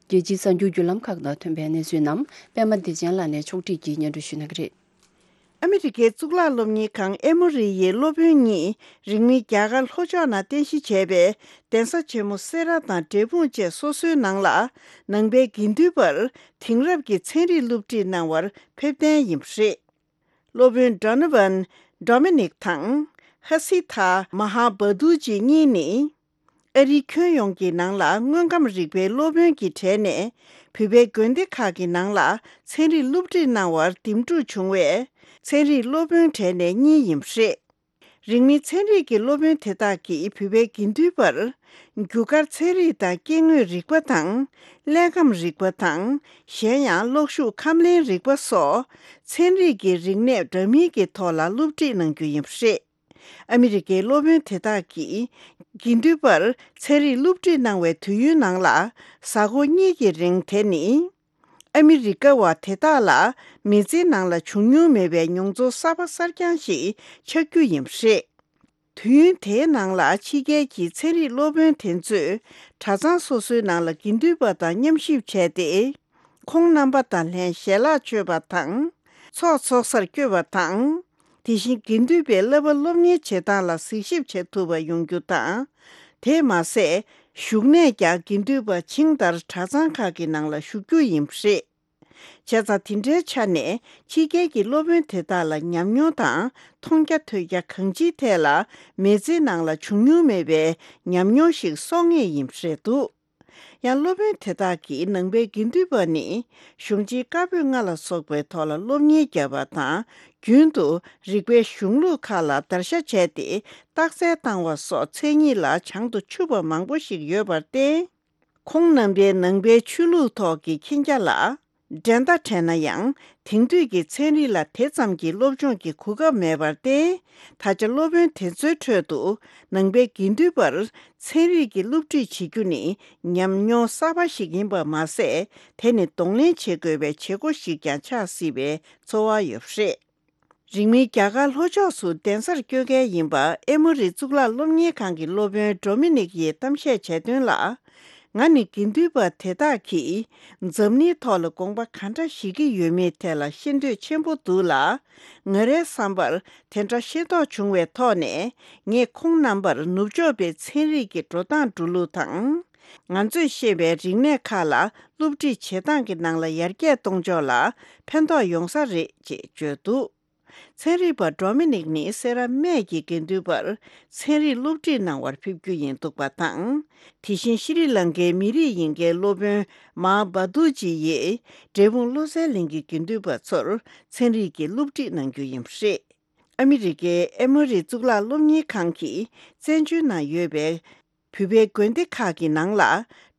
རྒྱལ་སྤྱིའི་གསར་འགྱུར་བརྒྱུད་ལམ་ཁག་ནང་ཐོན་པའི་གནས་ཚུལ་རྣམས་པད་མ་བདེ་ཆེན་ལགས་ནས་ཕྱོགས་སྒྲིག་གིས་སྙན་སྒྲོན་ཞུ་གནང་གི་རེད། ཨ་མི་རི་ཀའི་གཙུག་ལག་སློབ་གཉེར་ཁང་ཨེ་མོ་རི་ཡི་སློབ་དཔོན་གཉིས་རིང་མིན་རྒྱ་གར་ལྷོ་ཕྱོགས་ནང་རྟེན་གཞི་བྱས་པའི་གདན་ས་ཆེན་མོ་སེ་ར་དང་འབྲས་སྤུངས་བཅས་སོ་སོའི་ནང་ལ་ནང་པའི་དགེ་འདུན་པར་དེང་རབས་ཀྱི་ཚན་རིག་སློབ་ཁྲིད་གནང་བར་ཕེབས་གཏན་ཡིན་པ་རེད། སློབ་དཔོན་Donovan Dominic་དང་ཧ་སི་ཐ་མ་ཧ་བ་དུ་ཇི་གཉིས་ནི། ཨ་རིའི་ཁྱོན་ཡོངས་ཀྱི་ནང་ལ་དངོས་ཁམས་རིག་པའི་སློབ་དཔོན་གྱི་གྲས་ནས་བོད་པའི་དགོན་སྡེ་ཁག་གི་ནང་ལ་ཚན་རིག་སློབ་ཁྲིད་གནང་བར་འདེམས་སྒྲུག་བྱུང་བས། ཚན་རིག་སློབ་དཔོན་གྲས་ནས་གཉིས་ཡིན་པ་རེད། རིང་མིན་ཚན་རིག་གི་སློབ་དཔོན་དེ་དག་གིས་བོད་པའི་དགེ་འདུན་པར་རྒྱུ་སྐར་ཚན་རིག་དང་སྐྱེ་དངོས་རིག་པ་དང་། ཀླད་ཁམས་རིག་པ་དང་། གཞན་ཡང་གློག་ཤུགས་ཁམས་ལེན་རིག་པ་སོགས་ཚན་རིག་གི་རིག་གནས་འདྲ་མིན་གྱི་ཐོག་ལ་སློབ་ཁྲིད་གནང་རྒྱུ་ཡིན་པ་རེད། ཨ་མི་རི་ཀའི་སློབ་དཔོན་དེ་དག་གིས་དགེ་འདུན་པར་ཚན་རིག་སློབ་ཁྲིད་གནང་བའི་དུས་ཡུན་ནང་ལ་གཟའ་འཁོར་གཉིས་ཀྱི་རིང་། དེ་ནི་ཨ་མི་རི་ཀ་བ་དེ་དག་ལ་མི་ཚེའི་ནང་ལ་བྱུང་མྱོང་མེད་པའི་མྱོང་ཚོར་གསར་པ་གསར་རྐྱང་ཞིག་ཆགས་རྒྱུ་ཡིན་པ་རེད། དུས་ཡུན་དེའི་ནང་ལ་ཕྱི་རྒྱལ་གྱི་ཚན་རིག་སློབ་དཔོན་དེ་ཚོས་གྲྭ་ཚང་སོ་སོའི་ནང་ལ་དགེ་འདུན་པ་དང་མཉམ་གཤིབ་བྱས་ཏེ། ཁོང་རྣམ་པ་དང་ལྷན་ཞལ་ལག་མཆོད་པ་དང་། ཚོགས་འཚོགས་སར་བསྐྱོད་པ་དང་། དེ་བཞིན་དགེ་འདུན་པའི་བསླབ་པ་སློབ་གཉེར་བྱེད་སྟངས་ལ་གཟིགས་ཞིབ་བྱེད་ཐུབ་པ་ཡོང་རྒྱུ་དང་། དེས་མ་ཟད། བཞུགས་གནས་ཀྱང་དགེ་འདུན་པ་བྱིངས་ལྟར་གྲྭ་ཚང་ཁག་གི་ནང་ལ་བཞུགས་རྒྱུ་ཡིན་པ་རེད། བྱས་ཙང་དེ་འདྲའི་ཆ་ནས་ཕྱི་རྒྱལ་གྱི་སློབ་དཔོན་དེ་དག་ལ་ཉམས་མྱོང་དང་མཐོང་རྒྱ་ཐོས་རྒྱ་གང་ཅིའི་ཐད་ལ་མི་ཚེའི་ནང་ལ་བྱུང་མྱོང་མེད་པའི་ཉམས་མྱོང་ཞིག་གསོག་ངེས་ཡིན་པ་རེད་འདུག་ཡང་སློབ་དཔོན་དེ་དག་གིས་ནང་པའི་དགེ་འདུན་པ་ནི་གཞུང་ཆེན་བཀའ་པོད་ལྔ་ལ་སོགས་པའི་ཐོག་ལ་སློབ་གཉེར་བརྒྱབ་པ་དང་། རྒྱུན་དུ་རིག་པའི་གཞུང་ལུགས་ཁག་ལ་བརྡར་ཤ་བྱས་ཏེ་རྟགས་གསལ་བཏང་བ་སོགས་མཚན་ཉིད་ལ་བྱང་དུ་ཆུད་པ་མང་པོ་ཞིག་ཡོད་པར་བརྟེན། ཁོང་རྣམ་པའི་ནང་པའི་ཆོས་ལུགས་ཐོག་གི་མཁྱེན་རྒྱ་ལ་འགྲན་ཟླ་འཕྲད་ན་ཡང་། དེང་དུས་ཀྱི་ཚན་རིག་ལ་དེ་ཙམ་གྱི་སློབ་སྦྱོང་གི་གོ་སྐབས་མེད་པར་བརྟེན། ད་ཆ་སློབ་དཔོན་དེ་ཚོའི་ཁྲོད་དུ་ནང་པའི་དགེ་འདུན་པར་ཚན་རིག་གི་སློབ་ཁྲིད་བྱེད་རྒྱུ་ནི་ཉམས་མྱོང་གསར་པ་ཞིག་ཡིན་པ་མ་ཟད། དེ་ནི་གདོང་ལེན་བྱེད་དགོས་པའི་བྱེད་སྒོ་ཞིག་ཀྱང་ཆགས་སྲིད་པའི་ཚོར་བ་ཡོད་པ་རེད། རིང་མིན་རྒྱ་གར་ལྷོ་ཕྱོགས་སུ་གདན་སར་བསྐྱོད་མཁན་ཡིན་པ་ཨེ་མོ་རི་གཙུག་ལག་སློབ་གཉེར་ཁང་གི་སློབ་དཔོན་ཌོ་མི་ནིག་ཡིས་གཏམ་བཤད་བྱས་དོན་ལ། ང་ནི་དགེ་འདུན་པ་དེ་དག་གིས་འཛམ་གླིང་ཐོག་ལ་དགོངས་པ་ག་འདྲ་བཞེས་ཀྱི་ཡོད་མེད་ཐད་ལ་ཤེས་འདོད་ཆེན་པོ་འདུག་ལ། ང་རའི་བསམ་པར་དེ་འདྲ་ཤེས་རྟོགས་བྱུང་བའི་ཐོག་ནས། ངས་ཁོང་རྣམ་པར་ནུབ་ཕྱོགས་པའི་ཚན་རིག་གི་འགྲོ་སྟངས་འགྲོ་ལུགས་དང་། ང་ཚོས་ཤེས་པའི་རིག་གནས་ཁག་ལ་སློབ་ཁྲིད་བྱེད་སྟངས་ཀྱི་ནང་ལ་ཡར་རྒྱས་གཏོང་ཕྱོགས་ལ་ཕན་ཐོགས་ཡོང་ས་རེད་ཅེས་བརྗོད་འདུག་ཚན་རིག་པ་ཌོ་མི་ནིག་ནི་སེ་ར་སྨད་ཀྱི་དགེ་འདུན་པར་ཚན་རིག་སློབ་ཁྲིད་གནང་བར་ཕེབས་རྒྱུ་ཡིན་འདུག་པ་དང་། དེ་བཞིན་ཤྲི་ལང་ཀའི་མི་རིགས་ཡིན་མཁན་སློབ་དཔོན་མཱ་བ་ཏུ་ཅི་ཡིས་འབྲས་སྤུངས་བློ་གསལ་གླིང་གི་དགེ་འདུན་པ་ཚོར་ཚན་རིག་གི་སློབ་ཁྲིད་གནང་རྒྱུ་ཡིན་པ་རེད། ཨ་མི་རི་ཀའི་ཨེ་མོ་རི་གཙུག་ལག་སློབ་གཉེར་ཁང་གིས་བཙན་བྱོལ་ནང་ཡོད་པའི་བོད་པའི་དགོན་སྡེ་ཁག་གི་ནང་ལ་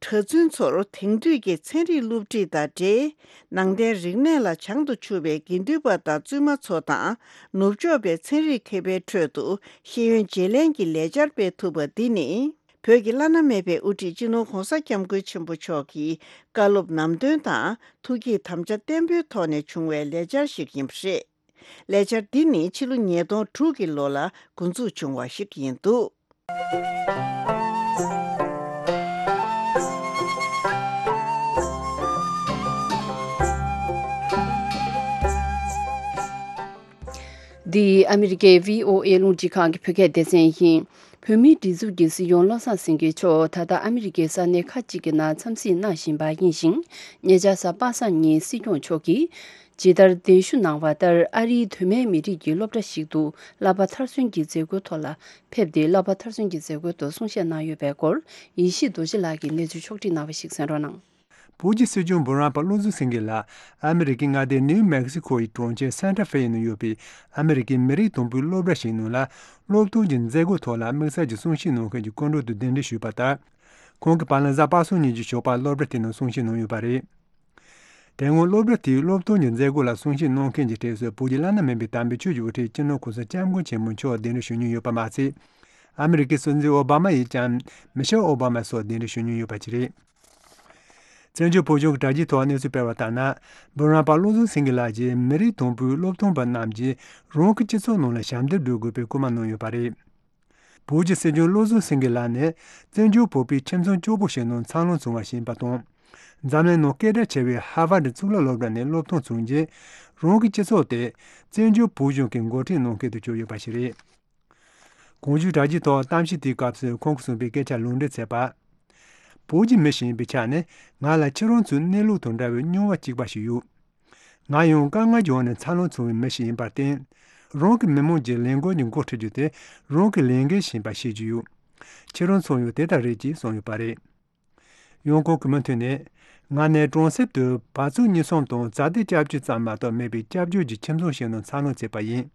གྲྭ་བཙུན་ཚོར་དེང་དུས་ཀྱི་ཚན་རིག་སློབ་ཁྲིད་དང་འབྲེལ། ནང་བསྟན་རིག་གནས་ལ་བྱང་དུ་ཆུབ་པའི་དགེ་འདུན་པ་དང་བཙུན་མ་ཚོ་དང་ནུབ་ཕྱོགས་པའི་ཚན་རིག་མཁས་པའི་ཁྲོད་དུ་ཤེས་ཡོན་བརྗེ་ལེན་གྱི་ལས་འཆར་སྤེལ་ཐུབ་པ་འདི་ནི། བོད་ཀྱི་བླ་ན་མེད་པའི་དབུ་ཁྲིད་སྤྱི་ནོར་༧གོང་ས་༧སྐྱབས་མགོན་ཆེན་པོ་མཆོག་གི་བཀའ་སློབ་ནམ་དོན་དང་ཐུགས་བསྐྱེད་དམ་བཅའ་བརྟན་པོའི་ཐོག་ནས་བྱུང་བའི་ལས་འཆར་ཞིག་ཡིན་པ་རེད། ལས་འཆར་འདི་ནི་ཕྱི་ལོ་ཉིས་སྟོང་དྲུག་གི་ལོ་ལ་འགོ་འཛུགས་བྱུང་བ་ཞིག་ཡིན་འདུག། འདི་ཨ་མི་རི་ཀའི་བྷི་ཨོ་ཨེ་རླུང་འཕྲིན་ཁང་གི་བོད་སྐད་སྡེ་ཚན་ཡིན། བོད་མིའི་སྒྲིག་འཛུགས་ཀྱི་སྲིད་སྐྱོང་བློ་བཟང་སེང་གེ་མཆོག་ད་ལྟ་ཨ་མི་རི་ཀའི་ས་གནས་ཁག་ཅིག་གི་ནང་འཚམས་གཟིགས་གནང་བཞིན་པ་ཡིན་ཞིང་། ཉེ་ཆར་གཟའ་པ་སངས་ཉིན་སྲིད་སྐྱོང་མཆོག་གིས་ཇི་ལྟར་གདན་ཞུ་གནང་བ་ལྟར་ཨ་རིའི་གདོད་མའི་མི་རིགས་ཀྱི་སློབ་གྲྭ་ཞིག་ཏུ་བསླབ་པ་མཐར་སོན་གྱི་མཛད་སྒོའི་ཐོག་ལ་ཕེབས་ཏེ་བསླབ་པ་མཐར་སོན་གྱི་མཛད་སྒོའི་ཐོག་གསུང་བཤད་གནང་ཡོད་པའི་སྐོར་ཡེ་ཤེས་རྡོ་རྗེ་ལགས་ཀྱིས་གནས་ཚུལ་ཕྱོགས་བསྒྲིགས་གནང་བ་ཞིག་གསན་རོགས་གནང་། བོད་ཀྱི་སྲིད་སྐྱོང་འབུམ་རམས་པ་བློ་བཟང་སེང་གེ་ལགས་ཨ་མི་རི་ཀའི་མངའ་སྡེ་ནིའུ་མེག་སི་ཁོ་ཡི་གྲོང་ཁྱེར་སན་ཏྲ་ཧྥེ་ཡི་ནང་ཡོད་པའི་ཨ་མི་རི་ཀའི་མི་རིགས་དང་པོའི་སློབ་གྲྭ་ཞིག་ནང་ལ་སློབ་སྟོན་གྱི་མཛད་སྒོའི་ཐོག་ལ་དམིགས་བསལ་གྱི་གསུང་བཤད་གནང་མཁན་གྱི་སྐུ་མགྲོན་དུ་གདན་འདྲེན་ཞུས་པ་ལྟར། ཁོང་གིས་བར་ལམ་གཟའ་པ་སངས་ཉིན་གྱི་ཞོགས་པར་སློབ་གྲྭ་དེ་ནང་གསུང་བཤད་གནང་ཡོད་པ་རེད། དེ་སྔོན་སློབ་གྲྭ་དེའི་སློབ་སྟོན་གྱི་མཛད་སྒོ་ལ་གསུང་བཤད་གནང་མཁན་གྱི་གྲས་སུ་བོད་ཀྱི་བླ་ན་མེད་པའི་དམ་པའི་ཆོས་ཀྱི་དབུ་ཁྲིད་སྤྱི་ནོར་གོང་ས་སྐྱབས་མགོན་ཆེན་པོ་མཆོག་གདན་འདྲེན་ཞུ་མྱོང་ཡོད་པ་མ་ཚད། ཨ་མི་རི་ཀའི་སྲིད་འཛིན་ཨོ་བྷ་མ་ཡིས་ཀྱང་མི་ཤེལ་ཨོ་བྷ་མ་སོགས་གདན་འདྲེན་ཞུ་མྱོང་ཡོད་པ་ཅིག་རེད། བཙན་བྱོལ་བོད་གཞུང་གི་དྲ་རྒྱའི་ཐོག་གནས་ཚུལ་སྤེལ་བ་ལྟར་ན། འབུམ་རམས་པ་བློ་བཟང་སེང་གེ་ལགས་ཀྱིས་མི་རིགས་དང་པོའི་སློབ་སྟོན་པ་རྣམས་ཀྱིས་རང་གི་སྤྱི་ཚོགས་ནང་ལ་ཞབས་འདེགས་སྒྲུབ་དགོས་པའི་སྐུལ་མ་གནང་ཡོད་པ་རེད། བོད་ཀྱི་སྲིད་སྐྱོང་བློ་བཟང་སེང་གེ་ལགས་ནི་བཙན་བྱོལ་བོད་པའི་ཁྱིམ་ཚང་སྐྱོ་པོ་ཞིག་ནང་འཚར་ལོངས་བྱུང་བ་ཞིག་ཡིན་པ་དང་། འཛམ་གླིང་ནང་སྐད་གྲགས་ཆེ་བའི་ཧར་ཝར་ཌི་གཙུག་ལག་སློབ་གྲྭ་ནས་སློབ་ཐོན་བྱུང་རྗེས། རང་གི་སྤྱི་ཚོགས་དེ་བཙན་བྱོལ་བོད་གཞུང་གི་འགོ་ཁྲིད་གནང་མཁན་དུ་གྱུར་ཡོད་པ་ཞིག་རེད། གོང་ཞུས་དྲ་རྒྱའི་ཐོག་གཏམ་བཤད་དེའི་སྐབས་སུ་ཁོང་གིས་གསུངས་པའི་སྐད་ཆ་ལུང་འདྲེན་མཛད་པ། བོད་ཀྱི་མི་ཞིག་ཡིན་པའི་ཆ་ནས་ང་ལ་ཁྱེད་རང་ཚོའི་གནས་ལུགས་དང་འདྲ་བའི་མྱོང་བ་གཅིག་པ་ཞིག་ཡོད། ང་ཡང་དཀའ་ངལ་གྱི་འོག་ནས་འཚར་ལོངས་བྱུང་བའི་མི་ཞིག་ཡིན་པར་བརྟེན། རང་གི་མི་མང་གྱི་ལས་འགུལ་གྱི་འགོ་ཁྲིད་རྒྱུ་དེ་རང་གི་ལས་འགན་ཞིག་ཡིན་པ་ཤེས་ཀྱི་ཡོད། ཁྱེད་རང་ཚོ་ཡང་དེ་ལྟར་རེད་ཅེས་གསུངས་ཡོད་པ་རེད། ཡང་ཁོང་གིས་མུ་མཐུད་ནས། ང་ནི་གྲོང་གསེབ་ཏུ་བ་ཕྱུགས་གཉིས་གསུམ་དང་བྱ་དེ་སྐྱབས་བཅོལ་ཙམ་མ་གཏོགས་མེད་པའི་སྐྱབས་བཅོལ་གྱི་ཁྱིམ་ཚང་ཞིག་ནང་འཚར་ལོངས་བྱས་པ་ཡིན།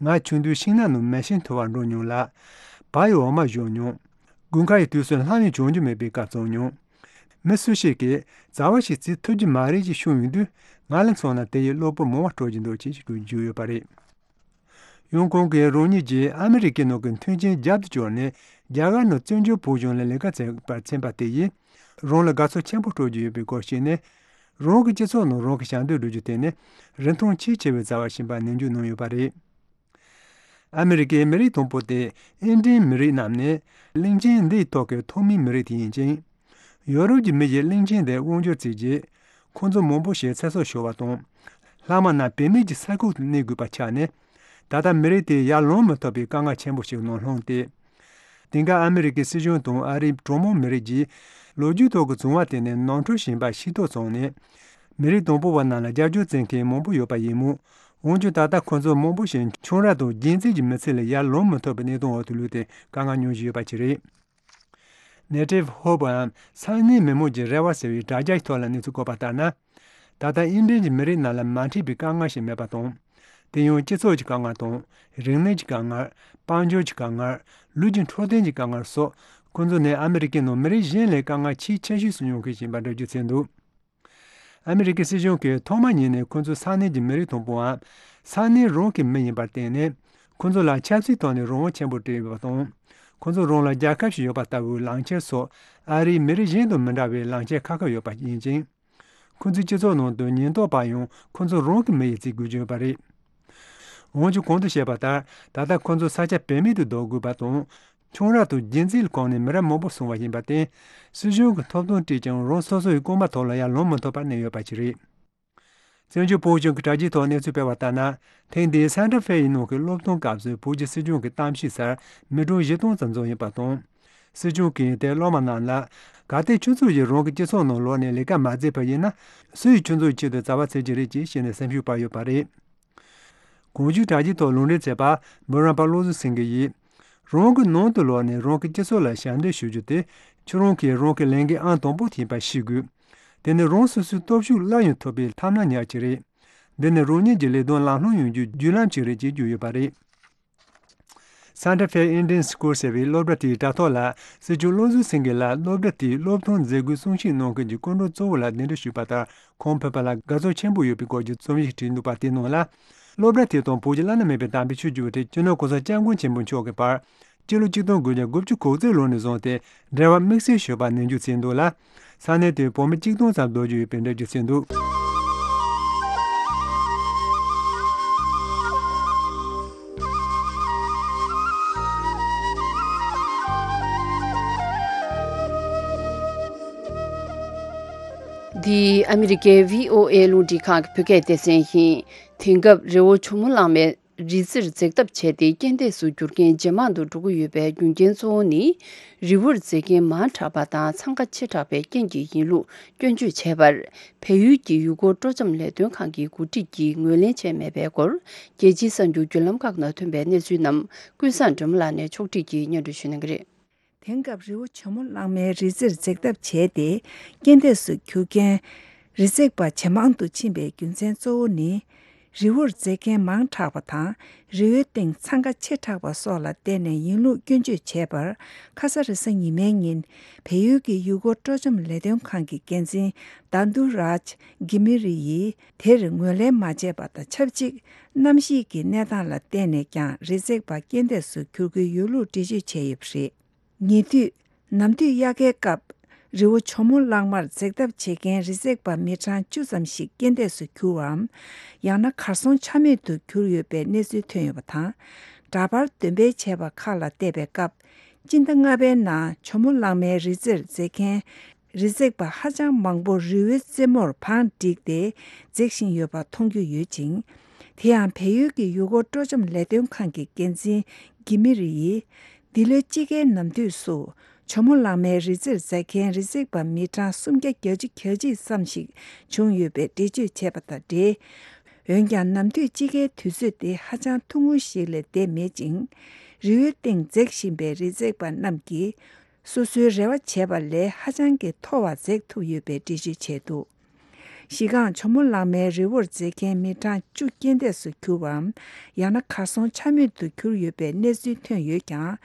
ང་ཆུང་དུས་ཤིང་ནགས་ནང་མེ་ཤིང་འཐུ་བར་འགྲོ་མྱོང་ལ། བ་ཡི་འོ་མ་བཞོ་མྱོང་། དགུན་ཁ་ཡི་དུས་སུ་ལྷམ་ཡང་གྱོན་རྒྱུ་མེད་པའི་སྐབས་བྱུང་མྱོང་། མི་སུ་ཞིག་གིས་རྩ་བ་ཞིག་བརྩི་ཐུབ་ཀྱི་མ་རེད་ཅེས་གསུངས་ཡོང་དུས། ང་ལ་མཚོན་ན་དེ་ཡིས་གློ་བུར་མོ་བ་སྤྲོད་ཀྱི་འདུག་ཅེས་ཞུ་རྒྱུ་ཡོད་པ་རེད། ཡང་ཁོང་གིས་རང་ཉིད་ཀྱིས་ཨ་མི་རི་ཀའི་ནང་གི་མཐུན་རྐྱེན་རྒྱབ་ཏུ་བསྐྱུར་ནས་རྒྱ་གར་ནང་བཙན་བྱོལ་བོད་གཞུང་ལ་ལས་ཀ་བྱེད་པར་ཕྱིན་པ་དེ་ཡིས་རང་ལ་དགའ་ཚོར་ཆེན་པོ་སྤྲོད་ཀྱི་ཡོད་པའི་སྐོར་བཤད་ནས། རང་གི་སྤྱི་ཚོགས་ནང་རང་གི་ཞབས་འདེགས་སྒྲུབ་རྒྱུ་དེ་ནི་རིན་ཐང་ཆེས་ཆེ་བའི་བྱ་བ་ཞིག་ཡིན་པ་ནན་བརྗོད་གནང་ཡོད་པ་རེད། ཨ་མི་རི་ཀའི་མི་རིགས་དང་པོ་སྟེ་ཨིན་ཌིན་མི་རིགས་རྣམས་ནི་གླིང་ཆེན་འདིའི་ཐོག་གི་ཐོག་མའི་མི་རིགས་དེ་ཡིན་ཅིང་། ཡོ་རོབ་ཀྱི་མི་ཡིས་གླིང་ཆེན་དེར་དབང་སྒྱུར་བྱས་རྗེས། ཁོང་ཚོ་མང་པོ་ཞིག་ཚེ་སྲོག་ཤོར་བ་དང་། ལྷག་མ་རྣམས་བེད་མེད་ཀྱི་ས་ཁུག་ཏུ་གནས་དགོས་པ་ཆགས་ནས། ད་ལྟ་མི་རིགས་དེ་ཡར་ལོང་མི་ཐུབ་པའི་དཀའ་ངལ་ཆེན་པོ་ཞིག་ནང་ལྷུང་སྟེ། དེང་སྐབས་ཨ་མི་རི་ཀའི་སྲིད་གཞུང་དང་ཨ་རིའི་གྲོས་མོལ་མི་རིགས་ཀྱིས་ལོ་རྒྱུས་ཐོག་གི་བྱུང་བ་དེ་ནི་ནོར་འཁྲུལ་ཞིག་ཡིན་པ་ཤེས་རྟོགས་བྱུང་ནས། མི་རིགས་དང་པོ་བ་རྣམས་ལ་རྒྱབ་སྐྱོར་བྱེད་མཁན་མང་པོ་ཡོད་པ་ཡིན་མོད། འོན་ཀྱང་ད་ལྟ་ཁོ་ཚོ་མང་པོ་ཞིག་ཁྱུང་ར་དང་རྒྱལ་མཚན་གྱི་མི་ཚེ་ལས་ཡར་ལོང་མི་ཐུབ་པའི་གནས་སྟངས་འོག་ཏུ་ལུས་ཏེ་དཀའ་ངལ་མྱོང་བཞིན་ཡོད་པ་ཅིག་རེད། Native Hope འམ་ས་གནས་མི་མང་གི་རེ་བ་ཟེར་བའི་དྲ་རྒྱའི་ཐོག་ལ་གནས་ཚུལ་བཀོད་པ་ལྟར་ན། ད་ལྟ་ཨིན་ཌིན་གྱི་མི་རིགས་རྣམས་ལ་མ་འཕྲད་པའི་དཀའ་ངལ་ཞིག་མེད་པ་དང་། དེ་ཡང་སྤྱི་ཚོགས་ཀྱི་དཀའ་ངལ་དང་། རིག་གནས་ཀྱི་དཀའ་ངལ། དཔལ་འབྱོར་གྱི་དཀའ་ངལ། ལུས་ཀྱི་འཕྲོད་བསྟེན་གྱི་དཀའ་ངལ་སོགས་ཁོང་ཚོ་ནི་ཨ་མི་རི་ཀའི་ནང་མི་རིགས་གཞན་ལས་དཀའ་ངལ་ཆེས་ཆེ་ཤོས་སུ་མྱོང་མཁན་ཞིག་ཡིན་པ་འགྲེལ་བརྗོད་བྱས་འདུག། ཨ་མི་རི་ཀའི་སྲིད་གཞུང་གིས་ཐོག་མ་ཉིད་ནས་ཁོ་ཚོ་ས་གནས་ཀྱི་མི་རིགས་དང་པོའམ་ས་གནས་རང་གི་མི་ཡིན་པར་བརྟེན་ནས། ཁོ་ཚོ་ལ་ཆབ་སྲིད་ཐོག་ནས་རང་དབང་ཆེན་པོ་སྤྲད་ཡོད་པ་དང་། ཁོ་ཚོ་རང་ལ་རྒྱལ་ཁབ་ཞིག་ཡོད་པ་ལྟ་བུའི་ལངས་འཆར་སོགས་ཨ་རིའི་མི་རིགས་གཞན་དང་མི་འདྲ་བའི་ལངས་འཆར་ཁག་ཁག་ཡོད་པ་ཡིན་ཅིང་། ཁོ་ཚོའི་སྤྱི་ཚོགས་ནང་དུ་ཉེན་རྟོག་པ་ཡང་ཁོ་ཚོ་རང་གི་མི་ཡིས་བརྩི་དགོས་ཀྱི་ཡོད་པ་རེད། འོན་ཀྱང་གོང་དུ་བཤད་པ་ལྟར། ད་ལྟ་ཁོ་ཚོ་ས་ཆ་བེད་མེད་དུ་བཟློག་དགོས་པ་དང་། ཁྱུང་ར་དང་རྒྱུན་འཛིན་ལ་གོང་ནས་མི་རབས་མང་པོ་སོང་བ་ཡིན་པར་བརྟེན། སྲིད་གཞུང་གིས་ཐོབ་ཐང་སྤྲད་ཀྱང་རང་སོ་སོ་ཡི་རྐང་པ་ཐོག་ལ་ཡར་ལོང་མི་ཐུབ་པར་གནས་ཡོད་པ་ཞིག་རེད། བཙན་བྱོལ་བོད་གཞུང་གི་དྲ་རྒྱའི་ཐོག་གནས་ཚུལ་སྤེལ་བ་ལྟར་ན། ཐེངས་འདིའི་སན་ཏྲ་ཧྥེ་ཡི་ནང་གི་སློབ་སྟོན་སྐབས་སུ་བོད་ཀྱི་སྲིད་སྐྱོང་གི་གཏམ་བཤད་སར་མི་གྲངས་བཞི་སྟོང་ཙམ་འཛོམས་ཡོད་པ་དང་། སྲིད་སྐྱོང་གིས་དེར་སློབ་མ་རྣམས་ལ། གལ་ཏེ་ཁྱོད་ཚོ་ཡིས་རང་གི་སྤྱི་ཚོགས་ནང་ལོག་ནས་ལས་ཀ་མ་མཛད་པ་ཡིན་ན། སུ་ཡིས་ཁྱོད་ཚོའི་ཆེད་དུ་བྱ་བ་བྱེད་ཀྱི་རེད་ཅེས་བཤད་ནས་སེམས་ཤུགས་སྤར་ཡོད་པ་རེད། གོང་ཞུས་དྲ་རྒྱའི་ཐོག་ལུང་འདྲེན་མཛད་པ་འབུམ་རམས་པ་བློ་བཟང་སེང་གེ་ཡིས། རང་གི་ནང་དུ་ལོག་ནས་རང་གི་སྤྱི་ཚོགས་ལ་ཞབས་འདེགས་ཞུ་རྒྱུ་དེ་ཁྱོད་རང་གིས་རང་གི་ལས་འགན་ཨང་དང་པོ་ཡིན་པ་ཤེས་དགོས། དེ་ནི་རང་སོ་སོའི་སྟོབས་ཤུགས་སླར་ཡང་ཐོབ་པའི་ཐབས་སྣ་ཉག་ཅིག་རེད། འདི་ནི་རང་ཉིད་ཀྱི་ལས་དོན་ལམ་ལྷོང་ཡོང་རྒྱུའི་བརྒྱུད་ལམ་ཅིག་རེད་ཅེས་བརྗོད་ཡོད་པ་རེད། Santa Fe Indian School ཟེར་བའི་སློབ་གྲྭ་དེའི་དྲ་ཐོག་ལ་སྲིད་སྐྱོང་བློ་བཟང་སེང་གེ་ལ་སློབ་གྲྭ་དེའི་སློབ་ཐོན་མཛད་སྒོའི་གསུང་བཤད་གནང་མཁན་གྱི་སྐུ་མགྲོན་གཙོ་བོ་ལ་གདན་འདྲེན་ཞུས་པ་ལྟར། ཁོང་ཕེབས་པ་ལ་དགའ་ཚོར་ཆེན་པོ་ཡོད་པའི་སྐོར་གྱི་རྩོམ་ཡིག་བྲིས་འདུག་པ་དེའི་ནང་ལ། སློབ་གྲྭ་དེ་དང་བོད་ཀྱི་བླ་ན་མེད་པའི་དམ་པའི་ཆོས་བརྒྱུད་པ་སྤྱི་ནོར་གོང་ས་སྐྱབས་མགོན་ཆེན་པོ་མཆོག་གི་བར་སྤྱི་ལོ་ཆིག་སྟོང་དགུ་བརྒྱ་དགུ་བཅུ་གོ་གཅིག་ལོ་ནས་བཟུང་སྟེ་འབྲེལ་བ་དམིགས་བསལ་ཞུ་བ་ནན་འཇུག་བྱས་འདུག་ལ། ས་གནས་དེའི་བོད་མི་ཆིག་སྟོང་ཙམ་བསྡུ་རྒྱུ་ཡོད་པའི་འགྲེལ་བརྗོད་བྱས་འདུག། འདི་ཨ་མི་རི་ཀའི་བྷི་ཨོ་ཨེ་རླུང་འཕྲིན་ཁང་གི་བོད་སྐད་སྡེ་ཚན་ཡིན། དེང་སྐབས་རི་བོ་ཇོ་མོ་གླང་མའི་རི་རྩེར་འཛེགས་ཐབས་བྱས་ཏེ་རྐྱེན་འདས་སུ་གྱུར་མཁན་ཇེ་མང་དུ་འགྲོ་གི་ཡོད་པའི་རྒྱུ་རྐྱེན་གཙོ་བོ་ནི། རི་བོར་འཛེགས་མཁན་མང་དྲགས་པ་དང་འཚང་ཁ་ཆེ་དྲགས་པའི་རྐྱེན་གྱིས་ཡིན་ལུགས་སྐྱོན་བརྗོད་བྱས་པར། བལ་ཡུལ་གྱི་ཡུལ་སྐོར་སྤྲོ་འཆམ་ལས་དོན་ཁང་གི་འགོ་ཁྲིད་ཀྱིས་ངོས་ལེན་བྱས་མེད་པའི་སྐོར། རྒྱལ་སྤྱིའི་གསར་འགྱུར་བརྒྱུད་ལམ་ཁག་ནང་ཐོན་པའི་གནས་ཚུལ་རྣམས་ཀུན་བཟང་སྒྲོལ་མ་ལགས་ནས་ཕྱོགས་བསྒྲིགས་ཀྱིས་སྙན་སྒྲོན་ཞུ་གནང་གི་རེད། དེང་སྐབས་རི་བོ་ཇོ་མོ་གླང་མའི་རི་རྩེར་འཛེགས་ཐབས་བྱས་ཏེ། རྐྱེན་འདས་སུ་གྱུར་མཁན་རི་འཛེགས་པ་ཇེ་མང་དུ་ཕྱིན་པའི་རྒྱུ་མཚན་གཙོ་བོ་ནི། རི་བོར་འཛེགས་མཁན་མང་དྲགས་པ་དང་། རི་བོའི་སྟེང་འཚང་ཁ་ཆེ་དྲགས་པ་སོགས་ལ་བརྟེན་ནས་ཡིན་ལུགས་སྐྱོན་བརྗོད་བྱས་པར། ཁ་ས་རེས་གཟའ་ཉི་མའི་ཉིན་བལ་ཡུལ་གྱི་ཡུལ་སྐོར་སྤྲོ་འཆམ་ལས་དོན་ཁང་གི་འགན་འཛིན་དཱ་དུ་རཱཇ་གྷི་མི་རི་ཡིས་དེར་ངོས་ལེན་མ་བྱས་པ་དང་ཆབས་ཅིག་གནམ་གཤིས་ཀྱི་གནས་སྟངས་ལ་བརྟེན་ནས་ཀྱང་རི་འཛེགས་པ་རྐྱེན་འདས་སུ་གྱུར་གྱི་ཡོད་ལུགས་འགྲེལ་བརྗོད་བྱས་ཡོད་པ་རེད། ཉེ་དུས། ནམ་དུས་དབྱར་ཁའི་སྐབས། རི་བོ་ཇོ་མོ་གླང་མར་འཛེགས་ཐབས་བྱེད་མཁན་རི་འཛེགས་པ་མི་གྲངས་བཅུ་ཙམ་ཞིག་རྐྱེན་འདས་སུ་གྱུར་བའམ། ཡང་ན་གར་སོང་ཆ་མེད་དུ་གྱུར་ཡོད་པའི་གནས་ཚུལ་ཐོན་ཡོད་པ་དང་། འདྲ་པར་འདོན་སྤེལ་བྱས་པ་ཁག་ལ་བལྟས་པའི་སྐབས། སྤྱི་ཟླ་ལྔ་པའི་ནང་ཇོ་མོ་གླང་མའི་རི་རྩེར་འཛེགས་མཁན་རི་འཛེགས་པ་ཧ་ཅང་མང་པོ་རི་བོའི་རྩེ་མོར་བང་བསྒྲིགས་ཏེ་འཛེགས་བཞིན་ཡོད་པ་མཐོང་རྒྱུ་ཡོད་ཅིང་། དེ་ཡང་བལ་ཡུལ་གྱི་ཡུལ་སྐོར་སྤྲོ་འཆམ་ལས་དོན་ཁང་གི་འགན་འཛིན་གྷི་མི་རི་ཡིས། འདི་ལོའི་དཔྱིད་ཀའི་ནམ་དུས་སུ། ཇོ་མོ་གླང་མའི་རི་རྩེར་འཛེགས་མཁན་རི་འཛེགས་པ་མི་གྲངས་སུམ་བརྒྱ་གྱ་གཅིག་ཙམ་ཞིག་བྱུང་ཡོད་པའི་འགྲེལ་བརྗོད་བྱས་པ་དང་འབྲེལ། འོན་ཀྱང་ནམ་དུས་དཔྱིད་ཀའི་དུས་ཚོད་དེ་ཧ་ཅང་ཐུང་ངུ་ཞིག་ལས་བསྡད་མེད་ཅིང་། རི་བོའི་སྟེང་འཛེགས་བཞིན་པའི་རི་འཛེགས་པ་རྣམས་ཀྱིས། སོ་སོའི་རེ་བ་བྱས་པ་ལས་ཧ་ཅང་གི་མཐོ་བ་འཛེགས་ཐུབ་ཡོད་པའི་འགྲེལ་བརྗོད་བྱས་འདུག། གཞི་རྐང་ཇོ་མོ་གླང་མའི་རི་བོར་འཛེགས་མཁན་མི་གྲངས་བཅུ་རྐྱེན་འདས་སུ་གྱུར་བའམ། ཡང་ན་གར་སོང་ཆ་མེད་དུ་གྱུར་ཡོད་པའི་གནས་ཚུལ་ཐོན་ཡོད་ཀྱང་།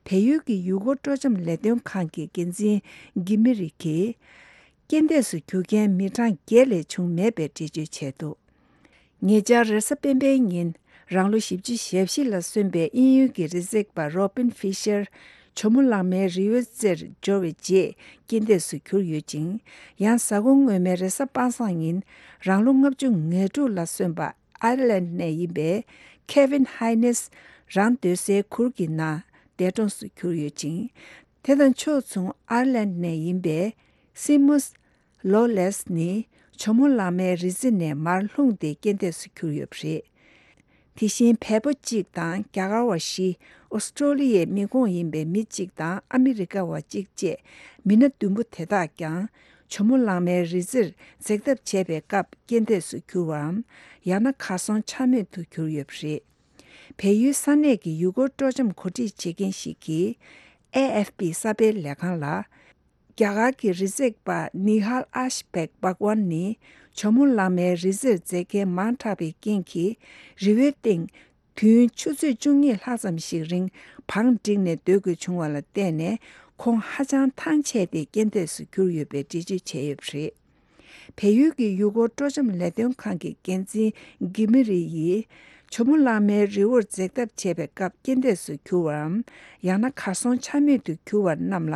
བལ་ཡུལ་གྱི་ཡུལ་སྐོར་སྤྲོ་འཆམ་ལས་དོན་ཁང་གི་འགན་འཛིན་གྷི་མི་རི་གིས། རྐྱེན་འདས་སུ་གྱུར་མཁན་མི་གྲངས་བརྒྱད་ལས་བྱུང་མེད་པའི་འགྲེལ་བརྗོད་བྱས་འདུག། ཉེ་ཆར་རེས་གཟའ་སྤེན་པའི་ཉིན་རང་ལོ་བཞི་བཅུ་ཞེ་བཞི་ལ་སོན་པའི་དབྱིན་ཡུལ་གྱི་རི་འཛེགས་པ་རོ་པིན་ཧྥི་ཤར་ཇོ་མོ་གླང་མའི་རི་བོའི་རྩེར་འབྱོར་བའི་རྗེས་རྐྱེན་འདས་སུ་གྱུར་ཡོད་ཅིང་། ཡང་གཟའ་འཁོར་སྔོན་མའི་རེས་གཟའ་པ་སངས་ཉིན་རང་ལོ་ལྔ་བཅུ་ང་དྲུག་ལ་སོན་པ་ཨའི་ལན་ནས་ཡིན་པའི་ཁེ་ཝིན་ཧའི་ནེས་རང་སྡོད་སའི་གུར་གྱི་ནང་འདས་གྲོངས་སུ་གྱུར་ཡོད་ཅིང་། དེ་དང་ཕྱོགས་མཚུངས་ཨའི་ལན་ནས་ཡིན་པའི་སི་མུས་ལོ་ལེས་ནི་ཇོ་མོ་གླང་མའི་རི་རྩེ་ནས་མར་ལྷུང་སྟེ་རྐྱེན་འདས་སུ་གྱུར་ཡོད་པ་རེད། དེ་བཞིན་བལ་པོ་གཅིག་དང་རྒྱ་གར་བ་བཞི། ཨོ་སི་ཀྲོ་ལི་ཡའི་མི་ཁོངས་ཡིན་པའི་མི་གཅིག་དང་ཨ་མི་རི་ཀ་བ་གཅིག་བཅས་མི་སྣ་བདུན་པོ་དེ་དག་ཀྱང་ཇོ་མོ་གླང་མའི་རི་རྩེར་འཛེགས་ཐབས་བྱས་པའི་སྐབས་རྐྱེན་འདས་སུ་གྱུར་བའམ། ཡང་ན་གར་སོང་ཆ་མེད་དུ་གྱུར་ཡོད་པ་རེད། བལ་ཡུལ་ས་གནས་ཀྱི་ཡུལ་སྐོར་སྤྲོ་འཆམ་གོ་སྒྲིག་བྱེད་མཁན་ཞིག་གིས་ཨེ་ཨེཕ་པི་གསར་སྤེལ་ལས་ཁང་ལ། རྒྱ་གར་གྱི་རི་འཛེགས་པ་ནི་ཧལ་ཨ་ཤ་བེག་བྷག་ཝན་ནི་ཇོ་མོ་གླང་མའི་རི་རྩེར་འཛེགས་མཁན་མང་དྲགས་པའི་རྐྱེན་གྱིས་རི་བོའི་སྟེང་དུས་ཡུན་ཆུ་ཚོད་བཅུ་གཉིས་ལྷག་ཙམ་ཞིག་རིང་བང་བསྒྲིགས་ནས་སྡོད་དགོས་བྱུང་བ་ལ་བརྟེན་ནས་ཁོང་ཧ་ཅང་ཐང་ཆད་དེ་རྐྱེན་འདས་སུ་གྱུར་ཡོད་པའི་འགྲེལ་བརྗོད་བྱས་ཡོད་པ་རེད། བལ་ཡུལ་གྱི་ཡུལ་སྐོར་སྤྲོ་འཆམ་ལས་དོན་ཁང་གི་འགན་འཛིན་གྷི་མི་རི་ཡིས། ཇོ་མོ་གླང་མའི་རི་བོར་འཛེགས་ཐབས་བྱས་པའི་སྐབས་རྐྱེན་འདས་སུ་གྱུར་བའམ། ཡང་ན་གར་སོང་ཆ་མེད་དུ་གྱུར་བ་རྣམས་ལ་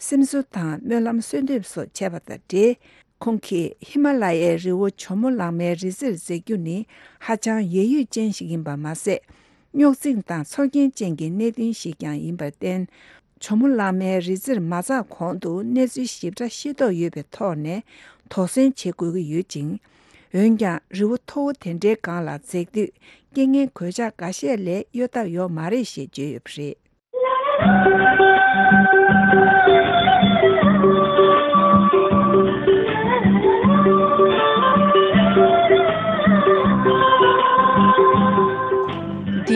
སེམས་གསོ་དང་སྨོན་ལམ་གསོལ་འདེབས་སོགས་བྱས་པ་དང་འབྲེལ། ཁོང་གིས་ཧི་མ་ལ་ཡའི་རི་བོ་ཇོ་མོ་གླང་མའི་རི་རྩེར་འཛེགས་རྒྱུ་ནི་ཧ་ཅང་ཡད་ཡུད་ཅན་ཞིག་ཡིན་པ་མ་ཟད། རྙོག་འཛིང་དང་ཚོར་སྐྱེན་ཅན་གྱི་གནད་དོན་ཞིག་ཀྱང་ཡིན་པར་བརྟེན། ཇོ་མོ་གླང་མའི་རི་རྩེར་མ་འཛེགས་གོང་དུ་གནས་ཚུལ་ཞིབ་ཕྲ་ཤེས་རྟོགས་ཡོད་པའི་ཐོག་ནས་དོགས་ཟོན་བྱེད་དགོས་ཀྱི་ཡོད་ཅིང་། འོན་ཀྱང་རི་བོ་མཐོ་བོ་དེ་འདྲའི་སྒང་ལ་འཛེགས་དུས་རྐྱེན་ངན་གོད་ཆག་འགའ་ཤས་ལས་གཡོལ་ཐབས་ཡོད་མ་རེད་ཞེས་བརྗོད་ཡོད་པ་རེད།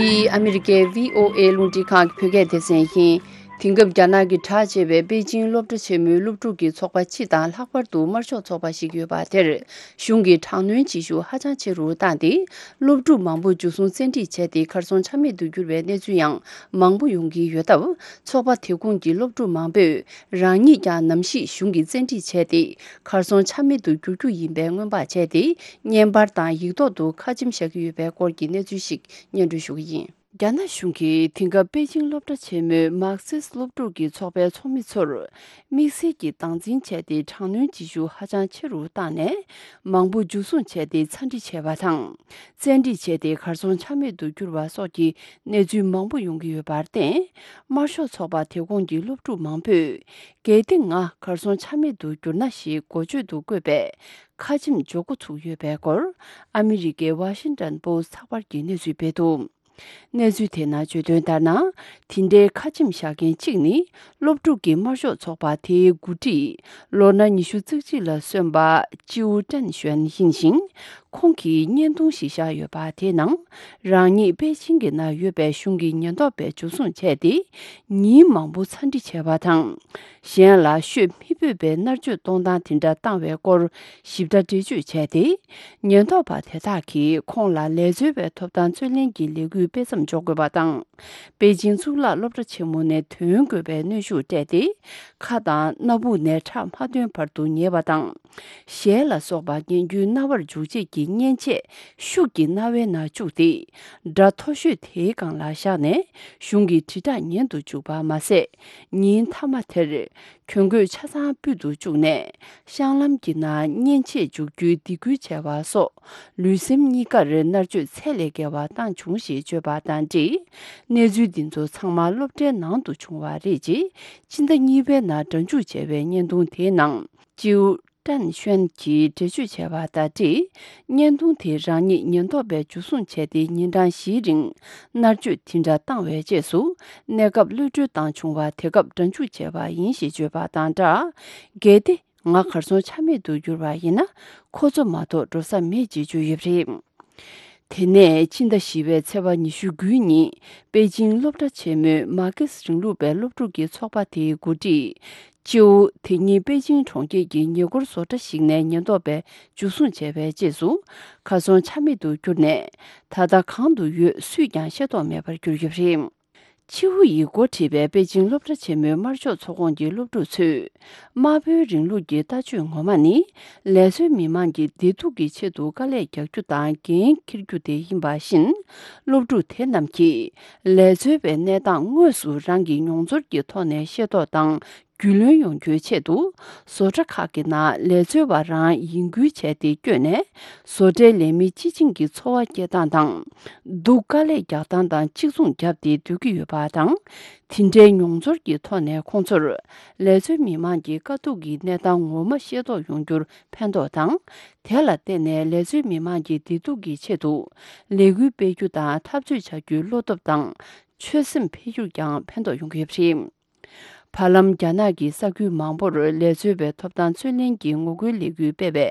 འདི་ཨ་མི་རི་ཀའི་བྷི་ཨོ་ཨེ་རླུང་འཕྲིན་ཁང་གི་བོད་སྐད་སྡེ་ཚན་ཡིན། དེང་སྐབས་རྒྱ་ནག་གི་གྲགས་ཆེ་བའི་པེ་ཅིང་སློབ་གྲྭ་ཆེན་མོའི་སློབ་ཕྲུག་གི་ཚོགས་པ་སྤྱི་དང་ལྷག་པར་དུ་དམར་ཤོག་ཚོགས་པ་ཞིག་ཡོད་པ་དེར། གཞུང་གིས་དྲག་གནོན་བྱེད་ཤུགས་ཧ་ཅང་ཆེ་རུ་བཏང་སྟེ། སློབ་ཕྲུག་མང་པོ་འཇུ་བཟུང་བཙན་ཁྲིད་བྱས་ཏེ་གར་སོང་ཆ་མེད་དུ་གྱུར་བའི་གནས་ཚུལ་ཡང་མང་པོ་ཡོང་གི་ཡོད་སྟབས། ཚོགས་པ་དེ་ཁོངས་ཀྱི་སློབ་ཕྲུག་མང་པོས་རང་ཉིད་ཀྱང་ནམ་ཞིག་གཞུང་གིས་བཙན་ཁྲིད་བྱས་ཏེ་གར་སོང་ཆ་མེད་དུ་འགྱུར་རྒྱུ་ཡིན་པའི་སྔོན་དཔག་བྱས་ཏེ། བརྙན་པར་དང་ཡིག་ཐོག་ཏུ་ཁ་ཆེམས་བཞག་གི་ཡོད་པའི་སྐོར་གྱི་གནས་ཚུལ་ཞིག་སྙན་སྒྲོན་ཞུ་གི་ཡིན། རྒྱ་ནག་གཞུང་གིས་དེང་སྐབས་པེ་ཅིང་སློབ་གྲྭ་ཆེན་མོའི་མར་ཁི་སི་སློབ་ཕྲུག་གི་ཚོགས་པའི་ཚོགས་མི་ཚོར་དམིགས་བསལ་གྱིས་སྟངས་འཛིན་བྱས་ཏེ་དྲག་གནོན་བྱེད་ཤུགས་ཧ་ཅང་ཆེ་རུ་བཏང་ནས། མང་པོ་འཇུ་བཟུང་བྱས་ཏེ་ཚ་འདྲི་བྱས་པ་དང་། བཙན་ཁྲིད་བྱས་ཏེ་གར་སོང་ཆ་མེད་དུ་གྱུར་བ་སོགས་ཀྱི་གནས་ཚུལ་མང་པོ་ཡོང་གི་ཡོད་པར་བརྟེན། དམར་ཤོག་ཚོགས་པ་དེ་ཁོངས་ཀྱི་སློབ་ཕྲུག་མང་པོས། གལ་ཏེ་ང་གར་སོང་ཆ་མེད་དུ་གྱུར་ན་ཞེས་འགོ་བརྗོད་དུ་བཀོད་པའི་ཁ་ཆེམས་འཇོག་འགོ་ཚུགས་ཡོད་པའི་སྐོར། ཨ་མི་རི་ཀའི་ཝ་ཤིང་ཏོན་པོ་སི་ཚགས་པར་གྱིས་གནས་ཚུལ་སྤེལ་འདུག་གནས་ཚུལ་དེ་ནང་བརྗོད་དོན་ལྟར་ན། དེ་འདྲའི་ཁ་ཆེམས་བཞག་མཁན་གཅིག་ནི། སློབ་ཕྲུག་གི་དམར་ཤོག་ཚོགས་པ་དེའི་འགོ་ཁྲིད། ལོ་ན་ཉི་ཤུ་རྩ་གཅིག་ལ་སོན་པ་ཅིའུ་ཀྲན་ཞོན་ཡིན་ཞིང་། ཁོང་གིས་བརྙན་ཐུང་ཞིག་བཞག་ཡོད་པ་དེའི་ནང་། རང་ཉིད་པེ་ཅིང་གི་ནང་ཡོད་པའི་གཞུང་གི་ཉེན་རྟོག་པས་འཇུ་བཟུང་བྱས་ཏེ། ཉིན་མང་པོ་ཚ་འདྲི་བྱས་པ་དང་། གཞན་ལ་ཤོད་མི་ཕོད་པའི་མནར་གཅོད་གཏོང་སྟངས་དེ་འདྲ་བཏང་བའི་སྐོར་ཞིབ་ཕྲ་འགྲེལ་བརྗོད་བྱས་ཏེ། ཉེན་རྟོག་པ་དེ་དག་གིས་ཁོང་ལ་ལས་འཚོལ་བའི་ཐོབ་ཐང་རྩོད་ལེན་གྱི་ལས་འགུལ་སྤེལ་མཚམས་འཇོག་དགོས་པ་དང་། པེ་ཅིང་གཙུག་ལག་སློབ་གྲྭ་ཆེན་མོ་ནས་ཐོན་དགོས་པའི་གནོན་ཤུགས་སྤྲད་དེ། ཁ་དང་སྣ་བུག་ནས་ཁྲག་མ་ཐོན་བར་དུ་ཉལ་བ་དང་། ཞལ་ལ་སོགས་པ་ངན་རྒྱུའི་རྣ་བར་འཇུག་བྱེད་ཀྱི་མཉེན་ཆས་ཤུགས་ཀྱིས་རྣ་བའི་ནང་བཅུག་སྟེ། སྒྲ་མཐོ་ཤོས་དེའི་སྒང་ལ་བཞག་ནས་གཞུང་གི་དྲིལ་བསྒྲགས་ཉན་དུ་བཅུག་པ་མ་ཟད། ཉིན་མཐའ་མ་དེར་གྱོན་གོས་ཆ་ཚང་ཕུད་དུ་བཅུག་ནས་བཤང་ལམ་གྱི་ནང་མཉེན་ཆས་འཇུག་རྒྱུའི་སྡིགས་སྐུལ་བྱས་པ་སོགས། ལུས་སེམས་གཉིས་ཀར་མནར་གཅོད་ཚད་ལས་བརྒལ་བ་བཏང་བྱུང་ཞེས་བརྗོད་པ་དང་འབྲེལ། གནས་ཚུལ་འདི་ཚོ་ཚང་མ་སློབ་གྲྭའི་ནང་དུ་བྱུང་བ་རེད། ཅེས་སྤྱི་ཟླ་གཉིས་པའི་ནང་སྒྲ་འཇུག་བྱས་པའི་བརྙན་ཐུང་དེའི་ནང་། ཅིའུ་ཀྲན་ཤོན་གྱིས་འགྲེལ་བརྗོད་བྱས་པ་དང་འབྲེལ། བརྙན་ཐུང་དེ་རང་ཉིད་ཉེན་རྟོག་པས་འཇུ་བཟུང་བྱས་ཏེ་ཉིན་གྲངས་བཞིའི་རིང་མནར་གཅོད་དེ་འདྲ་བཏང་བའི་རྗེས་སུ། གནས་སྐབས་གློད་གྲོལ་བཏང་བྱུང་བ་དེ་སྐབས་སྒྲ་འཇུག་བྱས་པ་ཡིན་ཞེས་བརྗོད་པ་དང་སྦྲགས། གལ་ཏེ། ང་གར་སོང་ཆ་མེད་དུ་གྱུར་བ་ཡིན་ན། ཁོ་ཚོ་མ་གཏོགས་འགྲོ་ས་མེད་ཅེས་བརྗོད་ཡོད་པ་རེད། དེ་ནས་ཕྱི་ཟླ་བཞི་པའི་ཚེས་པ་ཉི་ཤུ་དགུ་ཉིན། པེ་ཅིང་སློབ་གྲྭ་ཆེན་མོའི་མར་ཁེ་སི་རིང་ལུགས་པའི་སློབ་ཕྲུག་གི་ཚོགས་པ་དེའི་འགོ་ཁྲིད་ཅིའུ། དེ་ཉིན་པེ་ཅིང་གྲོང་ཁྱེར་གྱི་ཉེ་འཁོར་བཟོ་གྲྭ་ཞིག་ནས་ཉེན་རྟོག་པས་འཇུ་བཟུང་བྱས་པའི་རྗེས་སུ། གར་སོང་ཆ་མེད་དུ་གྱུར་ནས། ད་ལྟ་གང་དུ་ཡོད་སུས་ཀྱང་ཤེས་རྟོགས་མེད་པར་གྱུར་ཡོད་པ་རེད། ཆིའུ་ཡིས་འགོ་ཁྲིད་པའི་པེ་ཅིང་སློབ་གྲྭ་ཆེན་མོའི་དམར་ཤོག་ཚོགས་ཁོངས་ཀྱི་སློབ་ཕྲུག་ཚོས། དམར་པོའི་རིང་ལུགས་ཀྱི་ལྟ་སྤྱོད་ངོ་མ་ནི། ལས་བཟོའི་མི་མང་གི་བདེ་སྡུག་གི་ཆེད་དུ་དཀའ་ལས་རྒྱག་རྒྱུ་དང་འགན་འཁྱེར་རྒྱུ་དེ་ཡིན་པ་བཞིན། སློབ་ཕྲུག་དེ་རྣམས་ཀྱིས། ལས་བཟོ་བའི་གནས་སྟངས་དངོས་སུ་རང་གི་མྱོང་ཚོར་གྱི་ཐོག་ནས་ཤེས་རྟོགས་དང་རྒྱུས་ལོན་ཡོང་རྒྱུའི་ཆེད་དུ། བཟོ་གྲྭ་ཁག་གི་ནང་ལས་བཟོ་བ་རང་ཡིན་ཁུལ་བྱས་ཏེ་བསྐྱོད་ནས། བཟོ་གྲྭའི་ལས་མི་སྤྱི་བྱིངས་ཀྱི་འཚོ་བ་སྐྱེལ་སྟངས་དང་། སྡུག་དཀའ་ལས་རྒྱག་སྟངས་དང་གཅིག་མཚུངས་བརྒྱབ་སྟེ་སྡོད་ཀྱི་ཡོད་པ་དང་། དེ་འདྲའི་མྱོང་ཚོར་གྱི་ཐོག་ནས་ཁོང་ཚོར། ལས་བཟོའི་མི་མང་གི་དཀའ་སྡུག་གི་གནས་སྟངས་ངོ་མ་ཤེས་རྟོགས་ཡོང་རྒྱུར་ཕན་ཐོགས་དང་། དེ་ལ་བརྟེན་ནས་ལས་བཟོའི་མི་མང་གི་བདེ་སྡུག་གི་ཆེད་དུ། ལས་འགུལ་སྤེལ་རྒྱུ་དང་འཐབ་རྩོད་བྱ་རྒྱུའི་བློ་སྟོབས་དང་། ཆོད་སེམས་འཕེལ་རྒྱུར་ཀྱང་ཕན་ཐོགས་ཡོང་གི་ཡོད་པ་རེད། བར་ལམ། རྒྱ་ནག་གི་ས་ཁུལ་མང་པོར་ལས་བཟོ་བའི་ཐོབ་ཐང་རྩོད་ལེན་གྱི་ངོ་རྒོལ་ལས་འགུལ་སྤེལ་བའི་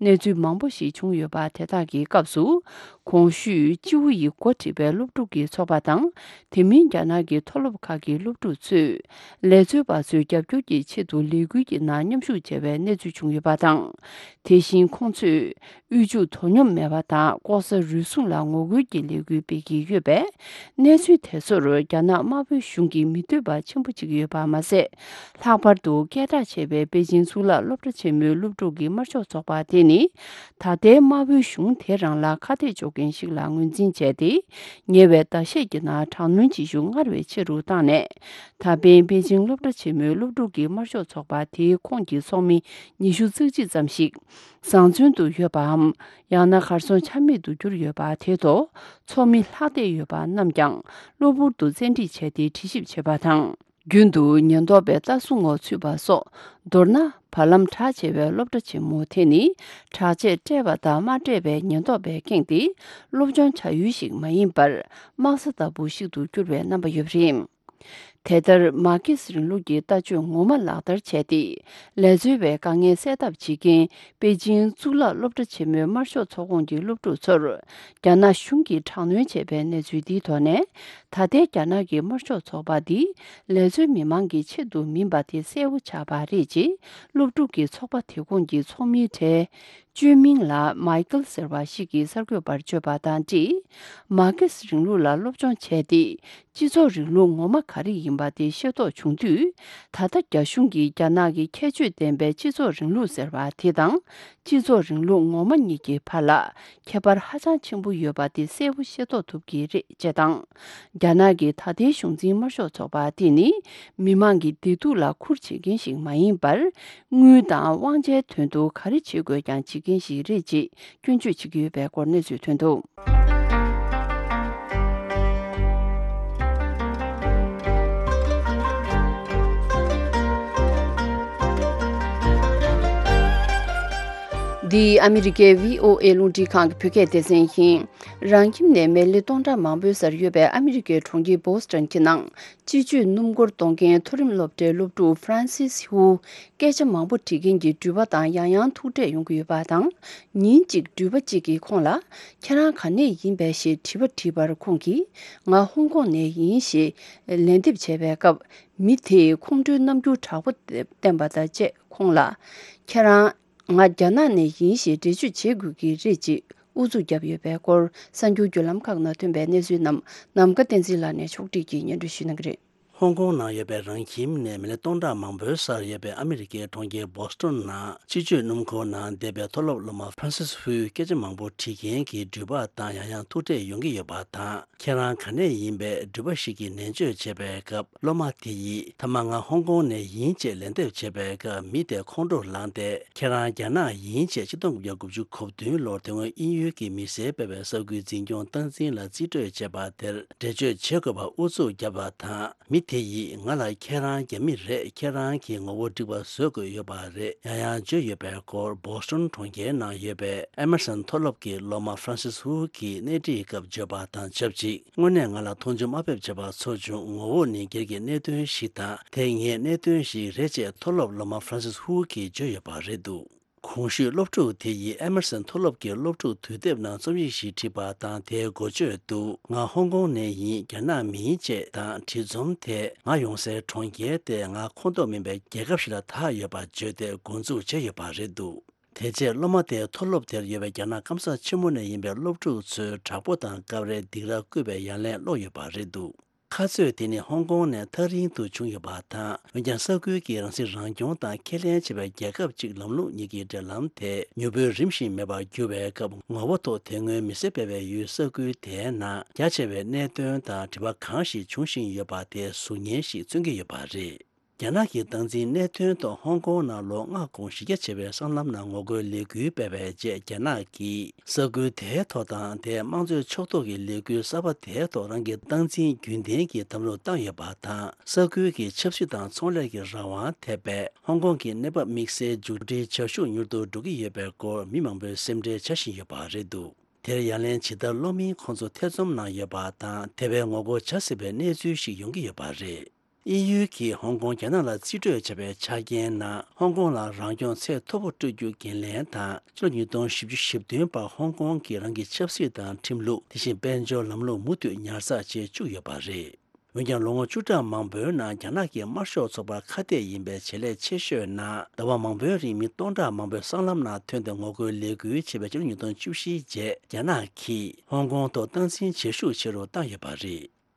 གནས་ཚུལ་མང་པོ་ཞིག་བྱུང་ཡོད་པ། དེ་དག་གི་སྐབས་སུ། གོང་ཞུས་ཅིའུ་ཡིས་འགོ་ཁྲིད་པའི་སློབ་ཕྲུག་གི་ཚོགས་པ་དང་། དེ་མིན་རྒྱ་ནག་གི་མཐོ་སློབ་ཁག་གི་སློབ་ཕྲུག་ཚོས། ལས་བཟོ་བ་ཚོའི་རྒྱབ་སྐྱོར་གྱི་ཆེད་དུ་ལས་འགུལ་གྱི་ནང་མཉམ་ཞུགས་བྱས་པའི་གནས་ཚུལ་བྱུང་ཡོད་པ་དང་། དེ་བཞིན་ཁོང་ཚོས། དབུལ་ཕྱུག་དོ་སྙོམས་མེད་པ་དང་ལྐོག་ཟ་རུལ་སུངས་ལ་ངོ་རྒོལ་གྱི་ལས་འགུལ་སྤེལ་གྱི་ཡོད་པས། གནས་ཚུལ་དེ་ཚོར་རྒྱ་ནག་དམར་པོའི་གཞུང་གིས་མི་འདོད་པ་ཆེན་པོ་བྱེད་ཀྱི་ཡོད་པ་མ་ཟད། ལྷག་པར་དུ་སྐད་གྲགས་ཆེ་བའི་པེ་ཅིང་གཙུག་ལག་སློབ་གྲྭ་ཆེན་མོའི་སློབ་ཕྲུག་གི་དམར་ཤོག་ཚོགས་པ་དེ་ནི། ད་ལྟའི་དམར་པོའི་གཞུང་དེ་རང་ལ་ཁ་གཏད་གཅོག་མཁན་ཞིག་ལ་ངོས་འཛིན་བྱས་ཏེ། ཉེ་བའི་ཟླ་ཤས་ཀྱི་ནང་དྲག་གནོན་བྱེད་ཤུགས་སྔར་བས་ཆེ་རུ་བཏང་ནས། ད་ཕན་པེ་ཅིང་སློབ་གྲྭ་ཆེན་མོའི་སློབ་ཕྲུག་གི་དམར་ཤོག་ཚོགས་པ་དེའི་ཁོངས་ཀྱི་ཚོགས་མི་ཉི་ཤུ་རྩ་གཅིག་ཙམ་ཞིག་བཟང་བཙོན་དུ་ཡོད་པའམ། ཡང་ན་གར་སོང་ཆ་མེད་དུ་གྱུར་ཡོད་པ་དེ་ཐོག་ཚོགས་མི་ལྷག་བསྡད་ཡོད་པ་རྣམས་ཀྱང་གློ་བུར་དུ་བཙན་ཁྲིད་བྱས་ཏེ་དྲི་ཞིབ་བྱེད་པ་དང་། རྒྱུན་དུ་ཉེན་རྟོག་པའི་ལྟ་སྲུང་འོག་ཚུད་པ་སོགས། མདོར་ན། བར་ལམ་གྲགས་ཆེ་བའི་སློབ་གྲྭ་ཆེན་མོ་དེ་ནི། དྲག་ཆས་སྤྲས་པ་དང་མ་སྤྲས་པའི་ཉེན་རྟོག་པས་ཁེངས་ཏེ། སློབ་སྦྱོང་བྱ་ཡུལ་ཞིག་མ་ཡིན་པར། དམག་ས་ལྟ་བུ་ཞིག་ཏུ་གྱུར་བའི་རྣམ་པ་ཡོད་པ་རེད། དེ་ལྟར་མར་ཁེ་སི་རིང་ལུགས་ཀྱི་ལྟ་སྤྱོད་ངོ་མ་ལག་བསྟར་བྱས་ཏེ། ལས་འཚོལ་བའི་དཀའ་ངལ་སེལ་ཐབས་བྱེད་མཁན་པེ་ཅིང་གཙུག་ལག་སློབ་གྲྭ་ཆེན་མོའི་དམར་ཤོག་ཚོགས་ཁོངས་ཀྱི་སློབ་ཕྲུག་ཚོར། རྒྱ་ནག་གཞུང་གིས་དྲག་གནོན་བྱས་པའི་གནས་ཚུལ་འདིའི་ཐོག་ནས། ད་ལྟའི་རྒྱ་ནག་གི་དམར་ཤོག་ཚོགས་པ་འདི་ལས་འཚོལ་མི་མང་གི་ཆེད་དུ་མིན་པ་དེ་གསལ་པོ་ཆགས་པ་རེད་ཅེས། སློབ་ཕྲུག་གི་ཚོགས་པ་དེ་ཁོངས་ཀྱི་ཚོགས་མིའི་གྲས། བཅོས་མིང་ལ་མའི་ཀལ་ཟེར་བ་ཞིག་གིས་གསར་འགོད་པར་བརྗོད་པ་དང་འཁྲིལ། མར་ཁེ་སི་རིང་ལུགས་ལ་སློབ་སྦྱོང་བྱས་ཏེ། སྤྱི་ཚོགས་རིང་ལུགས་ངོ་མ་ག་རེ་ཡིན་པ་དེ་ཤེས་རྟོགས་བྱུང་དུས། ད་ལྟ་རྒྱ་གཞུང་གིས་རྒྱ་ནག་གི་ཁྱད་ཆོས་ལྡན་པའི་སྤྱི་ཚོགས་རིང་ལུགས་ཟེར་བ་དེ་དང་། སྤྱི་ཚོགས་རིང་ལུགས་ངོ་མ་གཉིས་ཀྱི་བར་ལ་ཁྱད་པར་ཧ་ཅང་ཆེན་པོ་ཡོད་པ་དེ་གསལ་པོ་ཤེས་རྟོགས་ཐུབ་ཀྱི་རེད་ཅེས་དང་། རྒྱ་ནག་གི་ད་ལྟའི་གཞུང་འཛིན་དམར་ཤོག་ཚོགས་པ་དེ་ནི། མི་མང་གི་བདེ་སྡུག་ལ་ཁུར་བྱེད་མཁན་ཞིག་མ་ཡིན་པར། དངུལ་དང་དབང་ཆའི་དོན་དུ་ག་རེ་བྱེད་དགོས་ཀྱང་བྱེད་མཁན་ཞིག་རེད་ཅེས་སྐྱོན་བརྗོད་བྱེད་ཀྱི་ཡོད་པའི་སྐོར་གནས་ཚུལ་ཐོན་འདུག། འདི་ཨ་མི་རི་ཀའི་བྷི་ཨོ་ཨེ་རླུང་འཕྲིན་ཁང་གི་བོད་སྐད་སྡེ་ཚན་ཡིན། རང་ཁྱིམ་ནས་མི་ལི་སྟོང་ཕྲག་མང་པོའི་སར་ཡོད་པའི་ཨ་མི་རི་ཀའི་གྲོང་ཁྱེར་བོ་སི་ཊོན་གྱི་ནང་། སྤྱི་སྤྱོད་སྣུམ་འཁོར་གཏོང་མཁན་མཐོ་རིམ་སློབ་གྲྭའི་སློབ་ཕྲུག་ཧྥ་རན་སིས་ཧུའུ་སྐད་ཆ་མང་པོ་དྲི་མཁན་གྱི་འགྲུལ་པ་དང་ཡང་ཡང་ཐུག་འཕྲད་ཡོང་གི་ཡོད་པ་དང་། ཉིན་གཅིག་འགྲུལ་པ་གཅིག་གིས་ཁོང་ལ། ཁྱེད་རང་ག་ནས་ཡིན་པས་ཞེས་དྲི་བ་དྲིས་པར་ཁོང་གིས། ང་ཧོང་ཀོང་ནས་ཡིན་ཞེས་ལན་འདེབས་བྱས་པའི་སྐབས། མི་དེས་ཁོང་ཁྲོའི་རྣམ་འགྱུར་དྲག་པོ་བསྟན་པ་དང་བཅས་ཁོང་ལ། ཁྱེད་རང་། ང་རྒྱ་ནག་ནས་ཡིན་ཞེས་འགྲེལ་བརྗོད་བྱེད་དགོས་ཀྱི་རེད་ཅེས་ཨུ་ཚུགས་བརྒྱབ་ཡོད་པའི་སྐོར། གསར་འགྱུར་བརྒྱུད་ལམ་ཁག་ནང་ཐོན་པའི་གནས་ཚུལ་རྣམས་ནམ་མཁའ་བསྟན་འཛིན་ལགས་ནས་ཕྱོགས་སྒྲིག་གིས་སྙན་སྒྲོན་ཞུ་གནང་གི་རེད། ཧོང་ཀོང་ནང་ཡོད་པའི་རང་ཁྱིམ་ནས་མི་ལི་སྟོང་ཕྲག་མང་པོའི་སར་ཡོད་པའི་ཨ་མི་རི་ཀའི་གྲོང་ཁྱེར་བོ་སི་ཊོན་ནང་སྤྱི་སྤྱོད་སྣུམ་འཁོར་ནང་བསྡད་པའི་མཐོ་སློབ་སློབ་མ་ཧྥ་རན་སིས་ཧུའི་སྐད་ཆ་མང་པོ་དྲི་མཁན་གྱི་འགྲུལ་པ་དང་ཡང་ཡང་ཐུག་འཕྲད་ཡོང་གི་ཡོད་པ་དང་། ཁྱེད་རང་ག་ནས་ཡིན་པའི་འགྲུལ་པ་ཞིག་གིས་ནན་བརྗོད་བྱས་པའི་སྐབས། སློབ་མ་དེ་ཡིས་མཐའ་མ་ང་ཧོང་ཀོང་ནས་ཡིན་ཅེས་ལན་འདེབས་བྱས་པའི་སྐབས། མི་དེ་ཁོང་ཁྲོར་ལངས་ཏེ། ཁྱེད་རང་རྒྱ་ནག་ཡིན་ཅེས་ཆིག་སྟོང་དགུ་བརྒྱ་དགུ་བཅུ་གོ་བདུན་ལོར་དེ་སྔོན་དབྱིན་ཡུལ་གྱི་མི་སེར་སྤེལ་བའི་གསར་འགྱུར་འཛིན་སྐྱོང་སྟངས་འཛིན་ལ་རྩིས་སྤྲོད་བྱས་པ་དེར་འགྲེལ་བརྗོད་བྱེད་དགོས་པར་ཨུ་ཚུགས་བརྒྱབ་པ་དང་། མི་དེ་ཡིས་ང་ལ་ཁྱེད་རང་རྒྱ་མི་རེད། ཁྱེད་རང་གི་ངོ་བོ་འགྲིག་པ་བཟོ་དགོས་ཡོད་པ་རེད། ཡང་ཡང་བརྗོད་ཡོད་པའི་སྐོར། བོ་སི་ཊོན་གྲོང་ཁྱེར་ནང་ཡོད་པའི་ཨེ་མར་སན་མཐོ་སློབ་ཀྱི་སློབ་མ་ཧྥ་རན་སིས་ཧུའུ་གིས་གནས་འདྲིའི་སྐབས་བརྗོད་པ་དང་ཆབས་ཅིག་དངོས་གནས་ང་ལ་མཐོང་ཆུང་དམའ་འབེབས་བྱས་པ་ཚོར་བྱུང་། ངོ་བོ་ནི་སྒེར་གྱི་གནད་དོན་ཞིག་དང་། དེ་ངའི་གནད་དོན་ཞིག་རེད་ཅེས་མཐོ་སློབ་སློབ་མ་ཧྥ་རན་སིས་ཧུའུ་གིས་བརྗོད་ཡོད་པ་རེད་འདུག་གོང་ཞུས་སློབ་ཕྲུག་དེ་ཡིས་ཨེ་མར་སན་མཐོ་སློབ་ཀྱི་སློབ་ཕྲུག་དུས་དེབ་ནང་རྩོམ་ཡིག་ཞིག་བྲིས་པ་དང་། དེའི་འགོ་བརྗོད་དུ། ང་ཧོང་ཀོང་ནས་ཡིན། རྒྱ་ནག་མིན་ཅེས་དང་། བྲིས་རྩོམ་དེས་ང་ཡོང་སའི་གྲོང་ཁྱེར་དེ་ང་ཁོངས་གཏོགས་མིན་པའི་རྒྱལ་ཁབ་ཞིག་ལ་བདག་ཡོད་པ་བརྗོད་དེ་འགོ་འཛུགས་བྱས་ཡོད་པ་རེད་འདུག་དེ་རྗེས་སློབ་མ་དེས་མཐོ་སློབ་དེར་ཡོད་པའི་རྒྱ་ནག་སྐམ་ས་ཆེན་མོ་ནས་ཡིན་པའི་སློབ་ཕྲུག་ཚོའི་དྲག་པོ་དང་སྐབས་རེ་སྡིགས་ར་བསྐུལ་བའི་ཡ་ལན་སློག་ཡོད་པ་རེད་འདུག་ཁ་རྩོད་དེ་ནི་ཧོང་ཀོང་ནས་ཐག་རིང་དུ་བྱུང་ཡོད་པ་དང་། འོན་ཀྱང་ས་ཁུལ་གྱི་རང་སྲིད་རང་སྐྱོང་དང་ཁས་ལེན་བྱེད་པའི་རྒྱལ་ཁབ་ཅིག་ལམ་ལུགས་གཉིས་ཀྱི་འབྲེལ་ལམ་དེ་མྱུར་པོའི་རིམ་བཞིན་མེད་པར་གྱུར་བའི་སྐབས། ངོ་བོ་ཐོག་དེ་སྔོན་མི་སེར་སྤེལ་བའི་ཡུལ་ས་ཁུལ་དེའི་ནང་རྒྱ་ཆེ་བའི་གནད་དོན་དང་འབྲེལ་བ་གང་ཞིག་འབྱུང་བཞིན་ཡོད་པ་དེ་གཟུགས་བརྙན་ཞིག་མཚོན་གྱི་ཡོད་པ་རེད། རྒྱ་ནག་གི་སྟངས་འཛིན་གནད་དོན་ཐོག་ཧོང་ཀོང་ནང་ལོ་ལྔ་གོང་གཞི་རྒྱ་ཆེ་བའི་སྲང་ལམ་ནང་ངོ་རྒོལ་ལས་འགུལ་སྤེལ་བའི་རྗེས། རྒྱ་ནག་གིས་ས་ཁུལ་དེའི་ཐོག་དང་། དེའི་དམངས་གཙོའི་ཕྱོགས་གཏོགས་ཀྱི་ལས་འགུལ་གསར་པ་དེའི་ཐོག་རང་གི་སྟངས་འཛིན་རྒྱུན་ལྡན་གྱི་དམ་བློ་བཏང་ཡོད་པ་དང་། ས་ཁུལ་གྱི་ཆབ་སྲིད་དང་ཚོང་ལས་ཀྱི་རང་དབང་ཐེབས་པས། ཧོང་ཀོང་གི་གནས་བབ་དམིགས་བསལ་མཇུག་སྒྲིལ་བྱ་ཤུགས་མྱུར་དུ་འགྲོ་གི་ཡོད་པའི་སྐོར་མི་མང་པོས་སེམས་ཁྲལ་བྱ་བཞིན་ཡོད་པ་རེད་འདུག་དེར་ཡ་ལན་ཇི་ལྟར་སློག་མིན་ཁོང་ཚོ་ཐེ་ཚོམ་ནང་ཡོད་པ་དང་། དེ་བས་ངོ་རྒོལ་བྱ་སྲིད་པའི་གནས་ཚུལ་ཞིག་ཡོང་གི་ཡོད་པ་རེད། དབྱིན་ཡུལ་གྱིས་ཧོང་ཀོང་རྒྱ་ནག་ལ་རྩིས་སྤྲོད་བྱས་པའི་ཆ་རྐྱེན་ནང་། ཧོང་ཀོང་ལ་རང་སྐྱོང་ཚད་མཐོ་པོ་སྤྲོད་རྒྱུ་འགན་ལེན་དང་། ཕྱི་ལོ་ཉིས་སྟོང་བཞི་བཅུ་ཞེ་བདུན་བར་ཧོང་ཀོང་གིས་རང་གི་ཆབ་སྲིད་དང་ཁྲིམས་ལུགས། དེ་བཞིན་དཔལ་འབྱོར་ལམ་ལུགས་མུ་མཐུད་ཉར་ཚགས་བྱེད་བཅུག་ཡོད་པ་རེད། འོན་ཀྱང་། ལོ་ངོ་བཅུ་ཕྲག་མང་པོའི་ནང་རྒྱ་ནག་གི་དམར་ཤོག་ཚོགས་པར་ཁ་གཏད་ཡིན་པའི་བྱེད་ལས་ཆེ་ཤོས་ནང་། ཟླ་བ་མང་པོའི་རིང་མི་སྟོང་ཕྲག་མང་པོས་སྲང་ལམ་ནང་ཐོན་ཏེ་ངོ་རྒོལ་ལས་འགུལ་བྱས་པའི་ཕྱི་ལོ་ཉིས་སྟོང་བཅུ་བཞིའི་རྗེས། རྒྱ་ནག་གིས་ཧོང་ཀོང་ཐོག་སྟངས་འཛིན་བྱེད་ཤུགས་ཆེ་རུ་བཏང་ཡོད་པ་རེད།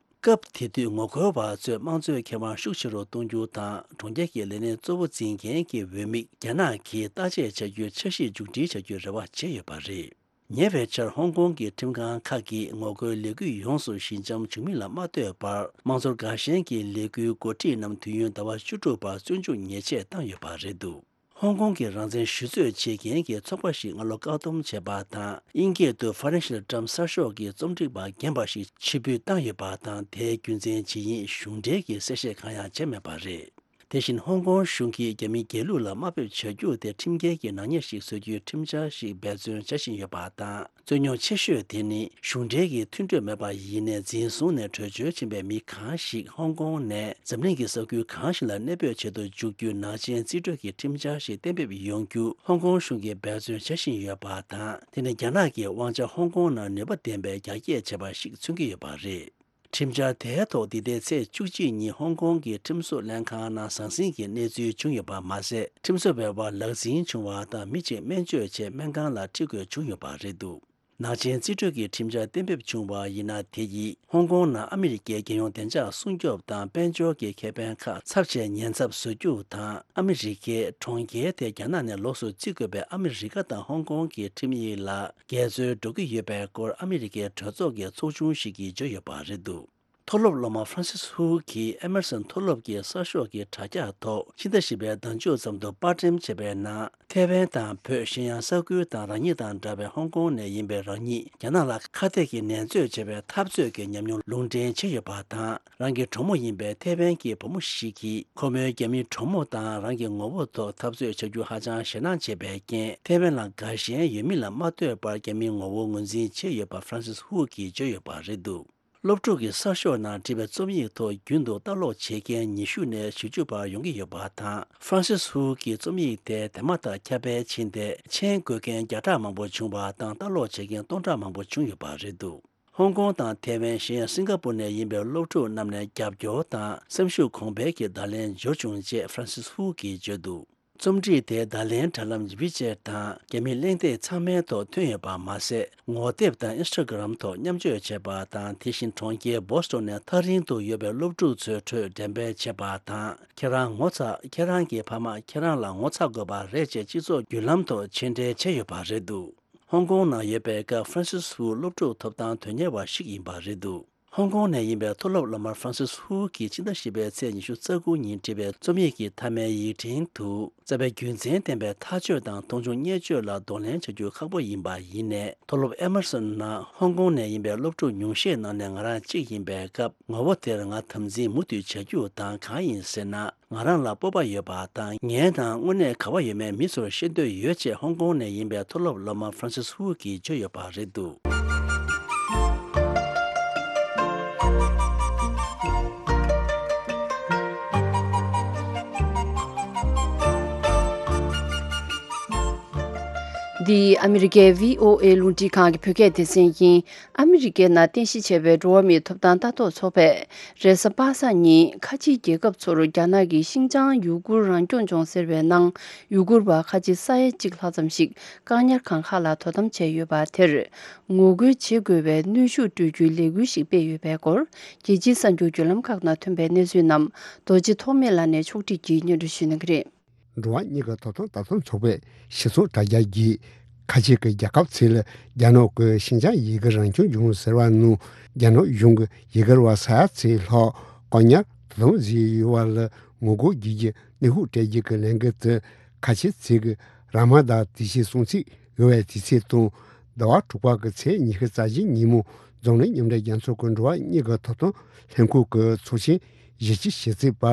སྐབས་དེ་དུས་ངོ་རྒོལ་བ་ཚོས་དམངས་གཙོའི་ཁེ་དབང་ཤུགས་ཆེ་རུ་གཏོང་རྒྱུ་དང་། གྲོང་ཁྱེར་གྱི་ལས་སྣེ་གཙོ་བོ་འཛིན་མཁན་གྱི་འོས་མིར་རྒྱ་ནག་གིས་བརྟག་དཔྱད་བྱ་རྒྱུའི་འཆར་གཞི་མཇུག་སྒྲིལ་བྱ་རྒྱུའི་རེ་བ་བྱས་ཡོད་པ་རེད། ཉེ་བའི་ཆར་ཧོང་ཀོང་གི་ཁྲིམས་ཁང་ཁག་གིས་ངོ་རྒོལ་ལས་འགུལ་ཡོངས་སུ་ཞི་འཇམ་བྱུང་མིན་ལ་མ་ལྟོས་པར། དམངས་གཙོར་དགའ་ཞེན་གྱི་ལས་འགུལ་འགོ་ཁྲིད་རྣམས་དུས་ཡུན་ཟླ་བ་བཅུ་དྲུག་བར་བཙོན་འཇུག་ཉེས་ཆད་བཏང་ཡོད་པ་རེད་འདུག་ཧོང་ཀོང་གི་རང་བཙན་ཞུ་རྩོད་བྱེད་མཁན་གྱི་ཚོགས་པ་ཞིག་སྔ་ལོ་བཀག་སྡོམ་བྱས་པ་དང་། དབྱིན་སྐད་དུ་Financial Times གསར་ཤོག་གི་རྩོམ་སྒྲིག་པ་རྒན་པ་ཞིག་ཕྱིར་འབུད་བཏང་ཡོད་པ་དང་། དེའི་རྒྱུ་མཚན་ཇི་ཡིན་གཞུང་འབྲེལ་གྱི་གསལ་བཤད་གང་ཡང་བྱས་མེད་པ་རེད། དེ་བཞིན་ཧོང་ཀོང་གཞུང་གིས་རྒྱ་མི་སྒེར་ལུགས་ལ་དམའ་འབེབས་བྱ་རྒྱུ་དེ་ཁྲིམས་འགལ་གྱི་ནག་ཉེས་ཤིག་བཟོ་རྒྱུའི་ཁྲིམས་འཆར་ཞིག་འབད་བརྩོན་བྱ་བཞིན་ཡོད་པ་དང་། རྩོད་རྙོག་ཆེ་ཤོས་དེ་ནི་གཞུང་འབྲེལ་གྱི་མཐུན་གྲོས་མེད་པར་ཡིན་ནའི་འཛིན་བཟུང་ནས་བྲོས་བྱོལ་ཕྱིན་པའི་མི་གང་ཞིག་ཧོང་ཀོང་ནས་འཛམ་གླིང་གི་ས་ཁུལ་གང་ཞིག་ལ་གནས་སྤོས་བྱེད་དུ་འཇུག་རྒྱུའི་ནག་ཅན་རྩིས་སྤྲོད་ཀྱི་ཁྲིམས་འཆར་ཞིག་གཏན་འབེབས་ཡོང་རྒྱུ་ཧོང་ཀོང་གཞུང་གིས་འབད་བརྩོན་བྱ་བཞིན་ཡོད་པ་དང་། དེ་ནི་རྒྱ་ནག་གི་དབང་ཆ་ཧོང་ཀོང་ནང་ནུས་པ་ལྡན་པའི་རྒྱ་སྐྱེད་བྱས་པ་ཞིག་མཚོན་གྱི་ཡོད་པ་རེད། ཁྲིམས་འཆར་དེའི་ཐོག་འདི་ཟླའི་ཚེས་བཅུ་གཅིག་ཉིན་ཧོང་ཀོང་གི་ཁྲིམས་བཟོ་ལྷན་ཁང་ནང་ཟང་ཟིང་གི་གནས་ཚུལ་བྱུང་ཡོད་པ་མ་ཟད། ཁྲིམས་བཟོ་བའི་བར་ལག་འཛིང་བྱུང་བ་དང་། མི་གཅིག་སྨན་བཅོས་ཆེད་སྨན་ཁང་ལ་ཁྲིད་དགོས་བྱུང་ཡོད་པ་རེད་འདུག་ནག་ཅན་རྩིས་སྤྲོད་ཀྱི་ཁྲིམས་འཆར་གཏན་འབེབས་བྱུང་བ་ཡིན་ན། དེ་ཡིས་ཧོང་ཀོང་ནང་ཨ་མི་རི་ཀའི་རྒྱལ་ཡོངས་བདེ་འཇགས་སྲུང་སྐྱོབ་དང་དཔལ་འབྱོར་གྱི་ཁེ་ཕན་ཁག་ཚབས་ཆེའི་ཉེན་ཚབས་བཟོ་རྒྱུ་དང་། ཨ་མི་རི་ཀའི་གྲོང་ཁྱེར་དེ་རྒྱ་ནག་ནས་ལོགས་སུ་བརྩི་དགོས་པའི་ཨ་མི་རི་ཀ་དང་ཧོང་ཀོང་གི་ཁྲིམས་ཡིག་ལ་འགལ་འཛོལ་འགྲོ་གི་ཡོད་པའི་སྐོར་ཨ་མི་རི་ཀའི་གྲོས་ཚོགས་ཀྱི་ཚོགས་ཆུང་ཞིག་གིས་བརྗོད་ཡོད་པ་རེད་འདུག་མཐོ་སློབ་སློབ་མ་ཧྥ་རན་སིས་ཧུའུ་གིས་ཨེ་མར་སོན་མཐོ་སློབ་ཀྱི་གསར་ཤོག་གི་དྲ་རྒྱ་ཐོག་ཕྱི་ཟླ་བཞི་པའི་ཟླ་མཇུག་ཙམ་དུ་པར་འགྲེམས་བྱས་པའི་ནང་། ཐའེ་ཝན་དང་བོད། གཞན་ཡང་ས་ཁུལ་དང་རང་ཉིད་དང་འདྲ་བའི་ཧོང་ཀོང་ནས་ཡིན་པའི་རང་ཉིད་རྒྱ་ནག་ལ་ཁ་གཏད་ཀྱི་ནན་རྩོད་བྱས་པའི་འཐབ་རྩོད་ཀྱི་ཉམས་མྱོང་ལུང་འདྲེན་བྱས་ཡོད་པ་དང་། རང་གི་གྲོགས་མོ་ཡིན་པའི་ཐའེ་ཝན་གྱི་བུ་མོ་ཞིག་གིས་ཁོ་མོའི་རྒྱ་མིའི་གྲོགས་མོ་དང་རང་གི་ངོ་བོ་ཐོག་འཐབ་རྩོད་བྱ་རྒྱུ་ཧ་ཅང་ཞེད་སྣང་བྱེད་པའི་རྐྱེན། ཐའེ་ཝན་ལ་དགའ་ཞེན་ཡོད་མིན་ལ་མ་ལྟོས་པར་རྒྱ་མིའི་ངོ་བོ་ངོས་འཛིན་བྱས་ཡོད་པ་ཧྥ་རན་སིས་ཧུའུ་གིས་བརྗོད་ཡོད་པ་རེད་འདུག་སློབ་ཕྲུག་གི་གསར་ཤོག་ནང་བྲིས་པའི་རྩོམ་ཡིག་ཐོག་རྒྱུན་དུ་ལྟ་ཀློག་བྱེད་མཁན་ཉི་ཤུ་ནས་བཞི་བཅུ་བར་ཡོང་གི་ཡོད་པ་དང་། ཧྥ་རན་སིས་ཧུའུ་གིས་རྩོམ་ཡིག་དེ་དེ་མ་ཐག་ཁྱབ་སྤེལ་ཕྱིན་ཏེ། མཆན་འགོད་མཁན་བརྒྱ་ཕྲག་མང་པོ་བྱུང་བ་དང་། ལྟ་ཀློག་བྱེད་མཁན་སྟོང་ཕྲག་མང་པོ་བྱུང་ཡོད་པ་རེད་འདུག་ཧོང་ཀོང་དང་ཐའེ་ཝན། གཞན་ཡང་སིང་ག་པུར་ནས་ཡིན་པའི་སློབ་ཕྲུག་རྣམས་ནས་རྒྱབ་སྐྱོར་དང་སེམས་ཤུགས་གོང་འཕེལ་གྱི་བརྡ་ལན་འབྱོར་བྱུང་ཅེས་ཧྥ་རན་སིས་ཧུའུ་གིས་བརྗོད་འདུག་རྩོམ་སྒྲིག་དེ་བརྡ་ལན་དྲ་ལམ་ཝི་ཅེཊ་དང་། རྒྱ་མིའི་གླེང་སྟེགས་ཚང་མའི་ཐོག་ཐོན་ཡོད་པ་མ་ཟད། ངོ་དེབ་དང་ཨིན་སི་ཊ་གྷི་རམ་ཐོག་མཉམ་སྤྱོད་བྱས་པ་དང་། དེ་བཞིན་གྲོང་ཁྱེར་བོ་སི་ཊོན་ནས་ཐག་རིང་དུ་ཡོད་པའི་སློབ་ཕྲུག་ཚོའི་ཁྲོད་འགྲེམས་སྤེལ་བྱས་པ་དང་། ཁྱེད་རང་ངོ་ཚ། ཁྱེད་རང་གི་ཕ་མ་ཁྱེད་རང་ལ་ངོ་ཚ་དགོས་པ་རེད་ཅེས་སྤྱི་ཚོགས་བརྒྱུད་ལམ་ཐོག་མཆན་འགྲེལ་བྱས་ཡོད་པ་རེད་འདུག་ཧོང་ཀོང་ནང་ཡོད་པའི་སྐབས་ཧྥ་རན་སིས་ཧུའུ་སློབ་ཕྲུག་ཐོབ་ཐང་དོན་གཉེར་བ་ཞིག་ཡིན་པ་རེད་འདུག་ཧོང་ཀོང་ནས་ཡིན་པའི་མཐོ་སློབ་སློབ་མ་ཧྥ་རན་སིས་ཧུའུ་གིས་ཕྱི་ཟླ་བཞི་པའི་ཚེས་ཉི་ཤུ་རྩ་དགུ་ཉིན་བྲིས་པའི་རྩོམ་ཡིག་གི་མཐའ་མའི་ཡིག་ཕྲེང་དུ། རྩ་བའི་རྒྱུ་མཚན་ལྡན་པའི་ཐག་གཅོད་དང་མཐོང་ཆུང་བརྙས་བཅོས་ལ་གདོང་ལེན་བྱ་རྒྱུ་ཁག་པོ་ཡིན་པ་ཡིན་ནའི། མཐོ་སློབ་ཨེ་མར་སོན་ནང་ཧོང་ཀོང་ནས་ཡིན་པའི་སློབ་ཕྲུག་ཉུང་ཤས་ནང་ནས་ང་རང་གཅིག་ཡིན་པའི་སྐབས། ངོ་བོ་དེར་ང་དམ་འཛིན་མུ་མཐུད་བྱ་རྒྱུ་དང་། གང་ཡིན་ཟེར་ན། ང་རང་ལ་སྤོབས་པ་ཡོད་པ་དང་། ངའི་ནང་དངོས་གནས་ག་བ་ཡོད་མེད་མི་ཚོར་ཤེས་འདོད་ཡོད་ཅེས་ཧོང་ཀོང་ནས་ཡིན་པའི་མཐོ་སློབ་སློབ་མ་ཧྥ་རན་སིས་ཧུའུ་གིས་བརྗོད་ཡོད་པ་རེད་འདུག་འདི་ཨ་མི་རི་ཀའི་བྷི་ཨོ་ཨེ་རླུང་འཕྲིན་ཁང་གི་བོད་སྐད་སྡེ་ཚན་ཡིན། ཨ་མི་རི་ཀའི་ནང་རྟེན་གཞི་བྱས་པའི་འགྲོ་བ་མིའི་ཐོབ་ཐང་ལྟ་རྟོག་ཚོགས་པས། རེས་གཟའ་པ་སངས་ཉིན་ཁ་ཆེའི་རྒྱལ་ཁབ་ཚོར་རྒྱ་ནག་གིས་ཤིན་ཅང་ཡུ་གུར་རང་སྐྱོང་ལྗོངས་ཟེར་བའི་ནང་ཡུ་གུར་བ་ཁ་ཆེ་ས་ཡ་གཅིག་ལྷག་ཙམ་ཞིག་བཀག་ཉར་ཁང་ཁག་ལ་དོ་དམ་བྱས་ཡོད་པ་དེར། ངོ་རྒོལ་བྱེད་དགོས་པའི་གནོན་ཤུགས་སྤྲོད་རྒྱུའི་ལས་འགུལ་ཞིག་སྤེལ་ཡོད་པའི་སྐོར། རྒྱལ་སྤྱིའི་གསར་འགྱུར་བརྒྱུད་ལམ་ཁག་ནང་ཐོན་པའི་གནས་ཚུལ་རྣམས་རྡོ་རྗེ་ཐོགས་མེད་ལགས་ནས་ཕྱོགས་སྒྲིག་གིས་སྙན་སྒྲོན་ཞུ་གནང་གི་རེད། འགྲོ་བ་མིའི་ཐོབ་ཐང་ལྟ་རྟོག་ཚོགས་པའི་གཞི་ཚོགས་དྲ་རྒྱ་གིས། ཁ་ཆེ་གི་རྒྱལ་ཁབ་ཚོས་རྒྱ་ནག་གི་ཤིན་ཅང་ཡུ་གུར་རང་སྐྱོང་ལྗོངས་ཟེར་བ་ནང་རྒྱ་ནག་གཞུང་གིས་ཡུ་གུར་བ་ས་ཡ་ཚོ་ལྷག་བཀག་ཉར་དོ་དམ་བཟོས་ཡོད་པ་ལ་ངོ་རྒོལ་བྱེད་རྒྱུའི་གནོན་ཤུགས་སྤྲད་རྒྱུ་གི་ལས་འགུལ་དེ། ཁ་ཆེ་ཚོས་ར་མ་དཱན་དུས་ཆེན་སྲུང་བརྩི་ཡོད་པའི་དུས་ཚིགས་དང་། ཟླ་བ་དྲུག་པ་གི་ཚེས་ཉི་ཤུ་རྩ་བཞི་ཉིན་མོ་འཛམ་གླིང་མཉམ་འབྲེལ་རྒྱལ་ཚོགས་ཀྱི་འགྲོ་བ་མིའི་ཐོབ་ཐང་ལྷན་ཁང་གི་ཚོགས་ཆེན་བཞི་བཅུ་ཞེ་གཅིག་པ་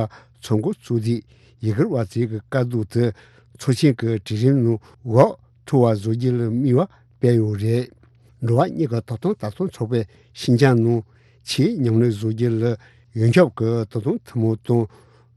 ཚོགས་འགོ་བཙུགས་ཏེ། ཡུ་གུར་བ་ཚོའི་དཀའ་སྡུག་དེ་ཚོགས་ཆེན་གྱི་གྲལ་རིམ་ནང་འགོག་ཐུབ་པ་བཟོ་རྒྱུ་ལ་དམིགས་པ་སྤེལ་ཡོད་རེད། འགྲོ་བ་མིའི་ཐོབ་ཐང་ལྟ་རྟོག་ཚོགས་པས་ཤིན་ཅང་ནང་ཆེས་ཉམས་ལེན་བཟོ་རྒྱུ་ལ་ཡོངས་ཁྱབ་ཀྱི་དོ་དམ་ཐུན་མོང་དང་།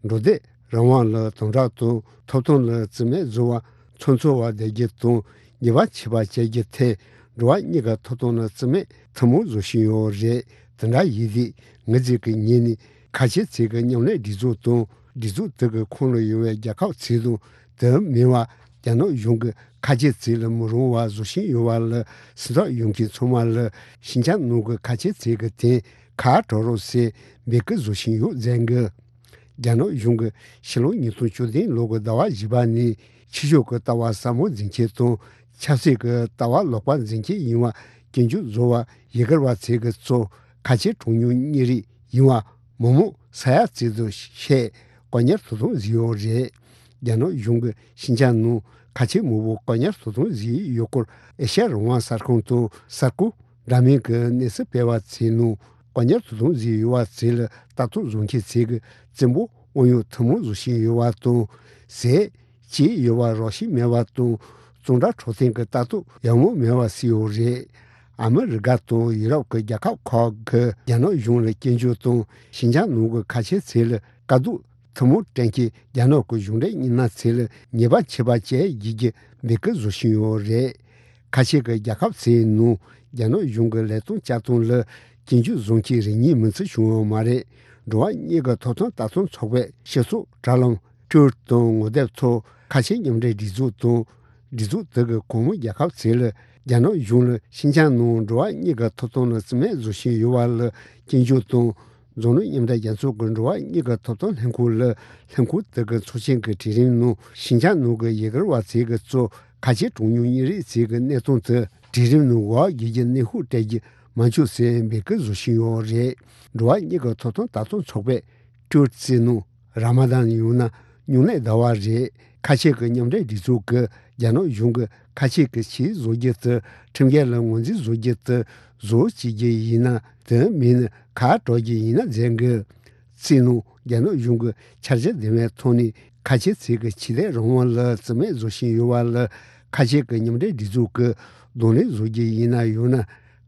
འགྲོ་སྡོད་རང་དབང་ལ་དམ་དྲག་དང་། ཐོབ་ཐང་ལ་བརྩི་མེད་བཟོ་བ་ཚོ་འཚོལ་བ་བསྡད་རྒྱུ་དང་། ཉེས་པ་ཆད་པ་བཅད་རྒྱུ་ཐད་འགྲོ་བ་མིའི་ཐོབ་ཐང་ལ་བརྩི་མེད་ཐུན་མོང་བཟོ་བཞིན་ཡོད་རེད། དེ་འདྲ་ཡིན་དུས་ངེད་ཚོས་ཀྱི་ངོས་ནས་ཁ་ཆེ་ཚོའི་ཉམས་ལེན་སྒྲིག་འཛུགས་དང་། སྒྲིག་འཛུགས་དེ་གི་ཁོངས་ལ་ཡོད་པའི་རྒྱལ་ཁབ་ཚོ་དང་། དེ་མིན་པ་རྒྱ་ནག་གཞུང་གིས་ཁ་ཆེ་ཚོ་ལ་མི་རུང་བ་བཟོ་བཞིན་ཡོད་པ་ལ། སེམས་ཐག་ཡོད་མཁན་ཚང་མ་ལ་ཤིན་ཅང་ནང་གི་ཁ་ཆེ་ཚོ་གི་དོན་ཁ་གྲོགས་རོགས་ཟེར་འབོད་སྐུལ་བཟོ་བཞིན་ཡོད་ཟེར་གི། རྒྱ་ནག་གཞུང་གིས་ཕྱི་ལོ་ཉིས་སྟོང་བཅུ་བདུན་ལོ་གི་ཟླ་བ་བཞི་པ་ནས་ཕྱི་ཕྱོགས་ཀྱི་ལྟ་བ་ཟབ་མོ་འཛིན་མཁན་དང་། ཆབ་སྲིད་ཀྱི་ལྟ་བ་ལོག་པ་འཛིན་མཁན་ཡིན་པ་སྐྱོན་བརྗོད་བཟོ་བར་ཡུ་གུར་བ་ཚོ་གི་གཙོ་ཁ་ཆེ་གྲངས་ཉུང་མི་རིགས་ཡིན་པ་མི་མང་ས་ཡ་གཅིག་ཙམ་ཞིག་བཀག་ཉར་དོ་དམ་བཟོས་ཡོད་རེད། རྒྱ་ནག་གཞུང་གིས་ཤིན་ཅང་ནང་ཁ་ཆེ་མང་པོ་བཀག་ཉར་དོ་དམ་བཟོས་ཡོད་སྐོར་ཨེ་ཤ་ཡ་རང་དབང་གསར་ཁང་དང་གསར་འགོད་འདྲ་མིན་གྱི་གནས་ཚུལ་སྤེལ་བ་ཚོའི་ནང་བཀག་ཉར་དོ་དམ་བཟོས་ཡོད་པ་ཚོ་ལ་ལྟ་རྟོག་བཟོ་མཁན་ཚོས་ཀྱི་བཙན་པོ་ དབང་ཡོད་ཐུན་མོང་བཟོ་བཞིན་ཡོད་པ་དང་། ཟས་བཅད་ཡོད་པ་རག་བཞིན་མེད་པ་དང་། གཙང་སྦྲ་འཕྲོད་བསྟེན་གྱི་ལྟ་རྟོག་ཡང་མོ་མེད་པ་སུ་ཡོད་རེད། ཨ་མི་རི་ཀ་དང་ཡུ་རོབ་ཀྱི་རྒྱལ་ཁབ་ཁག་གིས་རྒྱ་ནག་གཞུང་ལ་སྐྱོན་བརྗོད་དང་། ཞིན་ཅང་ནང་གི་ཁ་ཆེ་ཚོ་ལ་དཀའ་སྡུག་ཐུན་མོང་སྤྲད་མཁན་རྒྱ་ནག་གི་གཞུང་འབྲེལ་མི་སྣ་ཚོ་ལ་ཉེས་པ་ཆད་པ་བཅད་རྒྱུ་གི་འབོད་སྐུལ་བཟོ་བཞིན་ཡོད་རེད། ཁ་ཆེ་གི་རྒྱལ་ཁབ་ཚོའི་ནང་རྒྱ་ནག་གཞུང་གི་ལས་དོན་བྱ་སྟངས་ལ་སྐྱོན་བརྗོད་བཟོ་མཁན་རེ་གཉིས་མིན་ཚུལ་བྱུང་ཡོད་མ་རེད། འགྲོ་བ་མིའི་ཐོབ་ཐང་ལྟ་སྟངས་ཚོགས་པས་སྤྱི་ཚོགས་དྲ་ལམ་Twitter་དང་ངོ་དེབ་ཐོག་ཁ་ཆེ་མཉམ་འབྲེལ་སྒྲིག་འཛུགས་དང་། སྒྲིག་འཛུགས་དེ་གི་གོང་མའི་རྒྱལ་ཁབ་ཚོ་ལ་རྒྱ་ནག་གཞུང་ལ་ཤིན་ཅང་ནང་འགྲོ་བ་མིའི་ཐོབ་ཐང་ལ་རྩིས་མེད་བཟོ་བཞིན་ཡོད་པ་ལ་སྐྱོན་བརྗོད་དང་། འཛམ་གླིང་མཉམ་འབྲེལ་རྒྱལ་ཚོགས་ཀྱི་འགྲོ་བ་མིའི་ཐོབ་ཐང་ལྷན་ཁང་ལ་ལྷན་ཁང་དེ་གི་ཚོགས་ཆེན་གྱི་གྲོས་རིམ་ནང་ཤིན་ཅང་ནང་གི་ཡུ་གུར་བ་ཚོ་གིས་གཙོས་ཁ་ཆེ་གྲངས་ཉུང་མི་རིགས་ཚོ་གི་གནས་སྟངས་དེ་གྲོས་རིམ་ནང་འགོ་འཛུགས་ཀྱི་གནོན་ཤུགས་སྤྲད་རྒྱུ་མ་བྱུང་ཟེར་འབོད་སྐུལ་བཟོ་བཞིན་ཡོད་རེད། འགྲོ་བ་མིའི་ཐོབ་ཐང་ལྟ་སྟངས་ཚོགས་པས་Twitter་ནང་ར་མ་དཱན་ཡང་ན་སྨྱུང་གནས་ཟླ་བ་རེད། ཁ་ཆེ་གི་མཉམ་འབྲེལ་སྒྲིག་འཛུགས་ཀྱིས་རྒྱ་ནག་གཞུང་གིས་ཁ་ཆེ་གི་ཆེད་བཟོ་རྒྱུ་དེ་ཁྲིམས་འགལ་ལ་ངོས་འཛིན་བཟོ་རྒྱུ་དེ་བཟོ་བྱེད་རྒྱུ་ཡིན་ན། དེ་མིན་ན་གར་སྒྲོག་རྒྱུ་ཡིན་ན་མཛད་དགོས། རྩིས་ནང་རྒྱ་ནག་གཞུང་གིས་འཆར་གཞི་ལྡན་པའི་ཐོག་ནས་ཁ་ཆེ་ཚོ་གི་ཆོས་དད་རང་དབང་ལ་རྩིས་མེད་བཟོ་བཞིན་ཡོད་པ་ལ་ཁ་ཆེ་གི་མཉམ་འབྲེལ་སྒྲིག་འཛུགས་ཀྱིས་གདོང་ལེན་བཟོ་རྒྱུ་ཡིན་ན་ཡང་ན་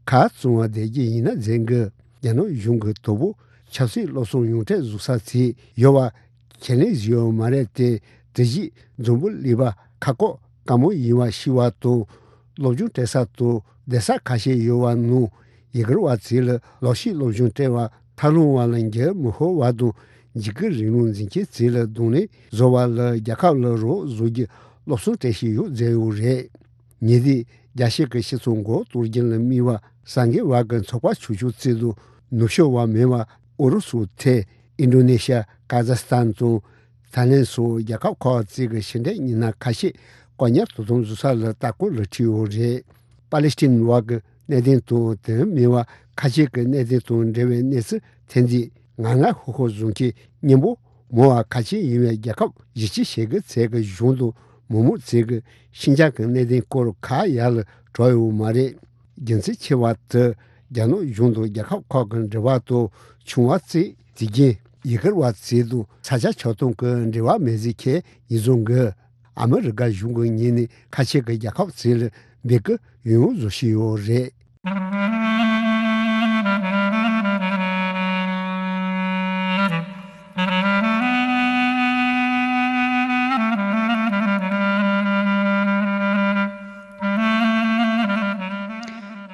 གར་བཙོང་བ་བསྡད་རྒྱུ་ཡིན་ན་མཛད་དགོས། རྒྱ་ནག་གཞུང་གི་དོ་པོ་ཆབ་སྲིད་སློབ་གསོ་ཡོངས་ཁྲལ་བཟོ་ས་ཚོ་ཡོད་པ་ཁས་ལེན་བཟོས་ཡོད་མ་རེད་དེ། དེ་བཞིན་འཛམ་བུ་གླིང་པ་ཁ་ཁོག་དཀའ་མོ་ཡིན་པ་ཤེས་པ་དང་། སློབ་སྦྱོང་སྤྲད་ས་དང་བསྡད་ས་ཁ་ཤས་ཡོད་པ་ནང་ཡུ་གུར་བ་ཚོ་ལ་ལག་ཤེས་སློབ་སྦྱོང་སྤྲད་པ་ཐབས་ལམ་བ་ལ་འགྱུར་མི་ཤོར་བ་དང་། འཇིགས་སྐུལ་རིང་ལུགས་འཛིན་མཁན་ཚོ་ལ་གདོང་ལེན་བཟོ་བ་ལ་རྒྱལ་ཁབ་ལ་རོགས་བཟོ་རྒྱུ་སློབ་གསོ་སྤྲད་བཞིན་ཡོད་མཛད་ཡོད་རེད། ཉེ་དུས་རྒྱལ་སྤྱི་གི་སྤྱི་ཚོགས་མགོ་གཏོར་རྒྱུ་ལ་དམིགས་པ་གསར་འགོད་པ་གི་ཚོགས་པ་ཆུང་ཆུང་བཙུགས་འདུག་ནུབ་ཕྱོགས་པ་མིན་པ་ཨུ་རུ་སུ་ཐེ། ཨིན་ཌོ་ནེ་ཤི་ཡ། ཀ་ཛ་སི་ཐན་དང་ཐའི་ལེན་སོགས་རྒྱལ་ཁབ་ཁག་ཅིག་གི་ཕྱི་འབྲེལ་མི་སྣ་ཁ་ཤས་བཀག་ཉར་དོ་དམ་བཟོ་ས་ལ་ལྟ་སྐོར་ལ་ཁྲིད་ཡོད་རེད། པ་ལི་སི་ཐན་བ་གི་གནད་དོན་དང་དེ་མིན་པ་ཁ་ཤས་ཀྱི་གནད་དོན་དང་འབྲེལ་བའི་གནས་ཚུལ་ཐོན་དུས། ང་ང་ཧོ་ཧོ་བཟོ་མཁན་སྙན་པོ་མང་བ་ཁ་ཆེ་ཡིན་པའི་རྒྱལ་ཁབ་བཞི་བཅུ་ཞེ་དགུ་ཚོ་གི་གཞུང་དང་མི་མང་ཚོ་གིས་ཤིན་ཅང་གི་གནད་དོན་སྐོར་ཁ་ཡར་ལ་གྲགས་ཡོད་མ་རེད། རྒྱུ་མཚན་ཆེ་བ་དེ་རྒྱ་ནག་གཞུང་དང་རྒྱལ་ཁབ་ཁག་གི་འབྲེལ་བ་དང་། ཆུང་བ་ཚོས་དེ་རྐྱེན་ཡུ་གུར་བ་ཚོ་དང་ས་ཆ་ཆགས་སྡང་གི་འབྲེལ་བ་མེད་ཟེར་མཁན་ཡིན་བཟོ་གི། ཨ་མི་རི་ཀ་གཞུང་གི་ངོས་ནས་ཁ་ཆེ་གི་རྒྱལ་ཁབ་ཚོ་ལ་འབོད་སྐུལ་ཡང་ཡང་བཟོ་བཞིན་ཡོད་རེད།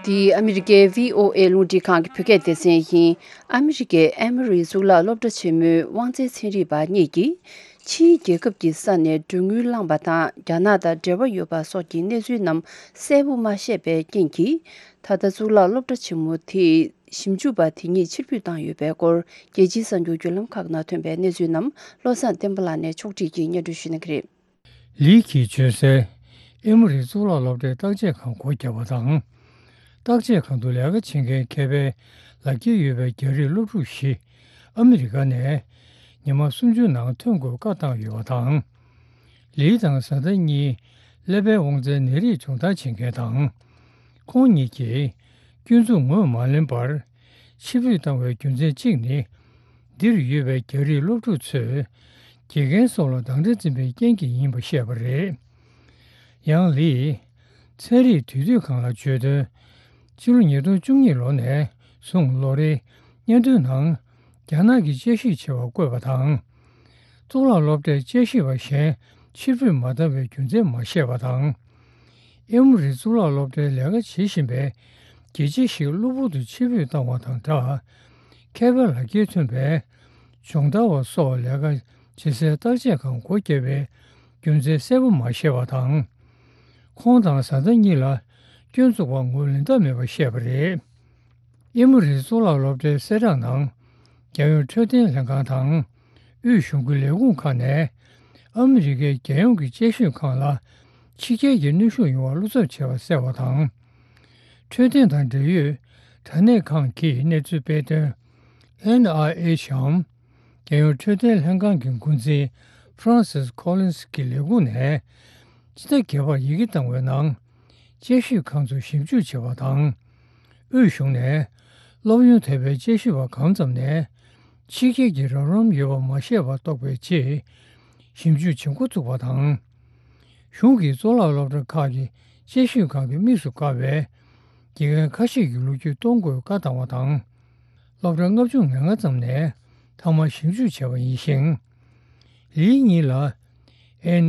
འདི་ཨ་མི་རི་ཀའི་བྷི་ཨོ་ཨེ་རླུང་འཕྲིན་ཁང་གི་བོད་སྐད་སྡེ་ཚན་ཡིན། ཨ་མི་རི་ཀའི་ཨེ་མོ་རི་གཙུག་ལག་སློབ་གྲྭ་ཆེན་མོའི་དབང་རྩའི་ཚན་རིག་པ་གཉིས་ཀྱིས། ཕྱིའི་རྒྱལ་ཁབ་ཀྱི་ས་ནས་མགྲོན་དངུལ་བླངས་པ་དང་། རྒྱ་ནག་དང་འབྲེལ་བ་ཡོད་པ་སོགས་ཀྱི་གནས་ཚུལ་རྣམས་གསལ་པོ་མ་ཤེས་པའི་རྐྱེན་གྱིས། ད་ལྟ་གཙུག་ལག་སློབ་གྲྭ་ཆེན་མོ་དེའི་ཞིབ་འཇུག་པ་དེ་གཉིས་ཕྱིར་འབུད་བཏང་ཡོད་པའི་སྐོར། རྒྱལ་སྤྱིའི་གསར་འགྱུར་བརྒྱུད་ལམ་ཁག་ནང་ཐོན་པའི་གནས་ཚུལ་རྣམས་བློ་བཟང་བསྟན་པ་ལགས་ནས་ཕྱོགས་སྒྲིག་གིས་སྙན་སྒྲོན་ཞུ་གནང་གི་རེད། ལི་ཁི་བྱོན་སའི་ཨེ་མོ་རི་གཙུག་ལག་སློབ་གྲྭའི་བརྟག་དཔྱད་ཁང་སྒོ་བརྒྱབ་པ་དང་། བརྟག་དཔྱད་ཁང་དུ་ལས་ཀ་བྱེད་མཁན་མཁས་པའི་ལག་འཁྱེར་ཡོད་པའི་རྒྱ་རིགས་སློབ་ཕྲུག་བཞི་ཨ་མི་རི་ཀ་ནས་ཉི་མ་སུམ་ཅུ་ནང་ཐོན་དགོས་བཀའ་བཏང་ཡོད་པ་དང་། ལི་དང་བཟའ་ཟླ་གཉིས་ཀླད་པའི་དབང་རྩའི་ནད་རིགས་སྦྱོང་བརྡར་བྱེད་མཁན་དང་། ཁོང་གཉིས་ཀྱིས་སྐྱོན་འཛུགས་ངོས་མ་ལེན་པར་ཕྱིར་འབུད་བཏང་བའི་རྒྱུ་མཚན་གཅིག་ནི། འདིར་ཡོད་པའི་རྒྱ་རིགས་སློབ་ཕྲུག་ཚོས་དགེ་རྒན་སོགས་ལ་དང་འདྲ་འཛིན་པའི་རྐྱེན་གྱིས་ཡིན་པ་བཤད་པ་རེད། ཡང་ལིས་ཚན་རིག་དུས་དུས་གང་ལ་བརྗོད་དོན། ཕྱི་ལོ་ཉིས་སྟོང་བཅུ་གཉིས་ལོ་ནས་བཟུང་ལོ་རེའི་སྙན་ཐོའི་ནང་རྒྱ་ནག་གི་དཔྱད་ཞིབ་བྱ་བ་བཀོད་པ་དང་། གཙུག་ལག་སློབ་གྲྭའི་དཔྱད་ཞིབ་པ་གཞན་ཕྱིར་འབུད་མ་བཏང་བའི་རྒྱུ་མཚན་མ་བཤད་པ་དང་། ཨེ་མོ་རི་གཙུག་ལག་སློབ་གྲྭའི་ལས་ཀ་བྱེད་བཞིན་པའི་དགེ་ཆེ་ཞིག་གློ་བུར་དུ་ཕྱིར་འབུད་བཏང་བ་དང་སྦྲགས། མཁས་པའི་ལག་འཁྱེར་ཐོན་པའི་སྦྱོང་བརྡར་བ་སོགས་ལས་ཀ་བྱེད་སའི་བརྟག་དཔྱད་ཁང་སྒོ་བརྒྱབ་པའི་རྒྱུ་མཚན་གསལ་པོ་མ་བཤད་པ་དང་། ཁོང་དང་བཟའ་ཟླ་གཉིས་ལ་སྐྱོན་འཛུགས་པ་ངོས་ལེན་ཐབས་མེད་པ་བཤད་པ་རེད། ཨེ་མོ་རི་གཙུག་ལག་སློབ་གྲྭའི་གསལ་བསྒྲགས་ནང་། རྒྱལ་ཡོངས་འཕྲོད་བསྟེན་ལྷན་ཁང་དང་། དབུས་གཞུང་གི་ལས་ཁུངས་ཁག་ནས། ཨ་མི་རི་ཀའི་རྒྱལ་ཡོངས་ཀྱི་དཔྱད་ཞིབ་ཁང་ལ། ཕྱི་རྒྱལ་གྱི་གནོན་ཤུགས་ཡོང་བར་བློ་འཚབ་བྱས་པ་གསལ་བ་དང་། འཕྲོད་བསྟེན་དང་འབྲེལ་ཡོད་དྲ་གནས་ཁང་གིས་གནས་ཚུལ་སྤེལ་དོན། ཨེན་ཨའི་ཨེཆ་འམ། རྒྱལ་ཡོངས་འཕྲོད་བསྟེན་ལྷན་ཁང་གི་འགོ་འཛིན་Francis Collins་གྱི་ལས་ཁུངས་ནས། སྤྱི་ཟླ་བརྒྱད་པར་ཡི་གེ་བཏང་བའི་ནང་། དཔྱད་ཞིབ་ཁང་ཚོ་ཞིབ་འཇུག་བྱས་པ་དང་། དབུས་གཞུང་ནས་སློབ་ཡོན་ཐོབ་པའི་དཔྱད་ཞིབ་པ་གང་ཙམ་ནས། ཕྱི་རྒྱལ་གྱི་རོགས་རམ་ཡོད་པ་མ་ཤེས་པ་རྟོགས་པའི་ཆེད་ཞིབ་འཇུག་བྱེད་འགོ་བཙུགས་པ་དང་། གཞུང་གིས་གཙུག་ལག་སློབ་གྲྭ་ཁག་གི་དཔྱད་ཞིབ་ཁང་གི་དམིགས་སུ་བཀར་བའི་དགེ་རྒན་ཁ་ཤས་ཀྱི་ལོ་རྒྱུས་གཏོང་དགོས་བཀའ་བཏང་བ་དང་། སློབ་གྲྭ་ལྔ་བཅུ་ང་ལྔ་ཙམ་ནས་ཐོག་མར་ཞིབ་འཇུག་བྱས་པ་ཡིན་ཞིང་། ལིའི་གཉིས་ལ་ཨེན་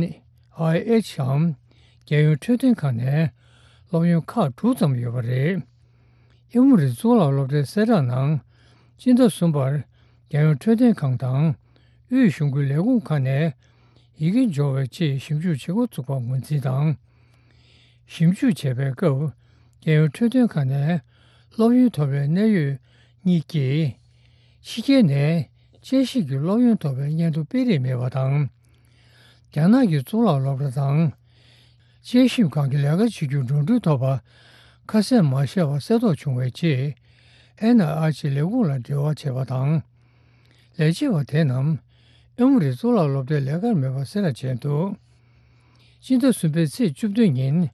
ཨའི་ཨེཆ་འམ་རྒྱལ་ཡོངས་འཕྲོད་བསྟེན་ཁང་ནས་སློབ་ཡོན་ཁག་དྲུག་ཙམ་ཡོད་པ་རེད། ཨེ་མོ་རི་གཙུག་ལག་སློབ་གྲྭའི་གསལ་བསྒྲགས་ནང་། སྤྱི་ཟླ་གསུམ་པར་རྒྱལ་ཡོངས་འཕྲོད་བསྟེན་ཁང་དང་། དབུས་གཞུང་གི་ལས་ཁུངས་ཁག་ནས་ཡི་གེ་འབྱོར་བའི་ཆེད་ཞིབ་འཇུག་བྱེད་འགོ་བཙུགས་པ་ངོས་འཛིན་དང་། ཞིབ་འཇུག་བྱས་པའི་སྐབས། རྒྱལ་ཡོངས་འཕྲོད་བསྟེན་ཁང་ནས་སློབ་ཡོན་ཐོབ་པའི་གནད་ཡོད་གཉིས་ཀྱིས། ཕྱི་རྒྱལ་ནས་དཔྱད་ཞིབ་ཀྱི་སློབ་ཡོན་ཐོབ་པའི་སྙན་ཐོ་སྤེལ་རེས་མེད་པ་དང་། རྒྱ་ནག་གི་གཙུག་ལག་སློབ་གྲྭ་དང་། དཔྱད་ཞིབ་ཁང་གི་ལས་ཀ་བྱེད་རྒྱུར་འགྲོ་གྲོན་ཐོབ་པ་ཁ་གསལ་མ་ཤེས་པ་གསལ་རྟོགས་བྱུང་བའི་རྗེས། ཨེན་ཨའི་ཨེཆ་ལས་ཁུངས་ལ་འབྲེལ་བ་བྱས་པ་དང་། ལས་བྱེད་པ་དེ་རྣམས་ཨེ་མོ་རི་གཙུག་ལག་སློབ་གྲྭའི་ལས་ཀར་མེད་པ་གསལ་བསྒྲགས་བྱས་འདུག་སྤྱི་ཟླ་གསུམ་པའི་ཚེས་བཅུ་བདུན་ཉིན།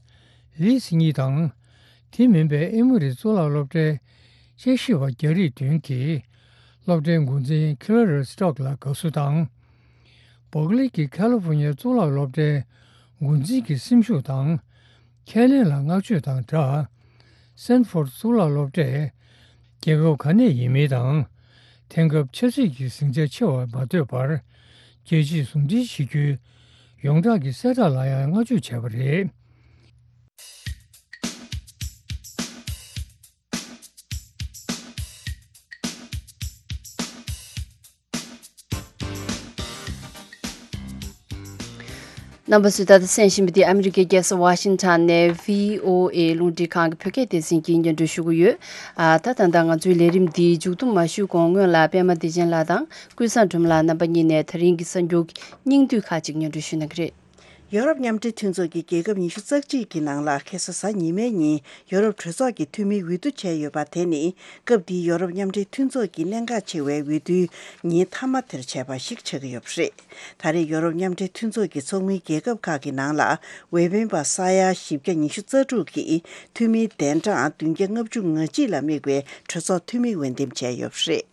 ལིས་གཉིས་དང་། དེ་མིན་པའི་ཨེ་མོ་རི་གཙུག་ལག་སློབ་གྲྭའི་དཔྱད་ཞིབ་པ་རྒྱ་རིགས་བདུན་གྱིས་སློབ་གྲྭའི་འགོ་འཛིན་ཁི་ལ་རི་སི་ཊོག་ལ་དགའ་བསུ་དང་། བོག་ལི་གི་ཁ་ལི་ཧྥོ་ནི་ཡའི་གཙུག་ལག་སློབ་གྲྭའི་འགོ་འཛིན་གྱི་སེམས་ཤུགས་དང་། ཁས་ལེན་ལ་བསྔགས་བརྗོད་དང་སྦྲགས། སེན་ཧྥོར་གཙུག་ལག་སློབ་གྲྭས་རྒྱལ་ཁབ་ག་ནས་ཡིན་མིན་དང་། དེང་སྐབས་ཆབ་སྲིད་ཀྱི་ཟིང་ཆ་ཆེ་བར་མ་ལྟོས་པར། རྒྱལ་སྤྱིས་ཟུང་འབྲེལ་བྱེད་རྒྱུའི་ཡོངས་གྲགས་ཀྱི་གསལ་བསྒྲགས་ལ་ཡང་བསྔགས་བརྗོད་བྱས་པ་རེད། རྣམ་པ་ཚོས་ད་ལྟ་གསན་བཞིན་པ་འདི་ཨ་མི་རི་ཀའི་རྒྱལ་ས་ཝ་ཤིང་ཊོན་ནས་བྷི་ཨོ་ཨེ་རླུང་འཕྲིན་ཁང་གི་བོད་སྐད་སྡེ་ཚན་གྱིས་སྙན་སྒྲོན་ཞུ་གི་ཡོད། ཨ། ད་ད་ལྟ་ང་ཚོའི་ལས་རིམ་འདི་མཇུག་བསྡོམས་མ་ཞུས་གོང་སྔོན་ལ་པད་མ་བདེ་ཆེན་ལགས་དང་ཀུན་བཟང་སྒྲོལ་མ་ལགས་རྣམ་པ་གཉིས་ནས་ད་རིང་གི་གསར་འགྱུར་གྱི་སྙིང་བསྡུས་ཁག་ཅིག་སྙན་སྒྲོན་ཞུ་གནང་གི་རེད། ཡོ་རོབ་མཉམ་འབྲེལ་མཐུན་ཚོགས་ཀྱི་རྒྱལ་ཁབ་ཉི་ཤུ་རྩ་གཅིག་གི་ནང་ལ་ཁ་སང་གཟའ་ཉི་མའི་ཉིན་ཡོ་རོབ་གྲོས་ཚོགས་ཀྱི་འཐུས་མིའི་འོས་བསྡུ་བྱས་ཡོད་པ་དེ་ནི་སྐབས་འདིའི་ཡོ་རོབ་མཉམ་འབྲེལ་མཐུན་ཚོགས་ཀྱི་གནད་འགག་ཆེ་བའི་འོས་བསྡུའི་ཉིན་མཐའ་མ་དེར་བྱས་པ་ཞིག་ཆགས་ཀྱི་ཡོད་པ་རེད། ད་རེས་ཡོ་རོབ་མཉམ་འབྲེལ་མཐུན་ཚོགས་ཀྱི་ཚོགས་མིའི་རྒྱལ་ཁབ་ཁག་གི་ནང་ལ་འོས་འཕེན་པ་ས་ཡ་བཞི་བརྒྱ་ཉི་ཤུ་རྩ་དྲུག་གིས་འཐུས་མིའི་གདན་གྲངས་བདུན་བརྒྱ་ལྔ་བཅུ་ང་གཅིག་ལ་དམིགས་པའི་གྲོས་ཚོགས་འཐུས་མི་འོས་འདེམས་བྱས་ཡོད་པ་རེད།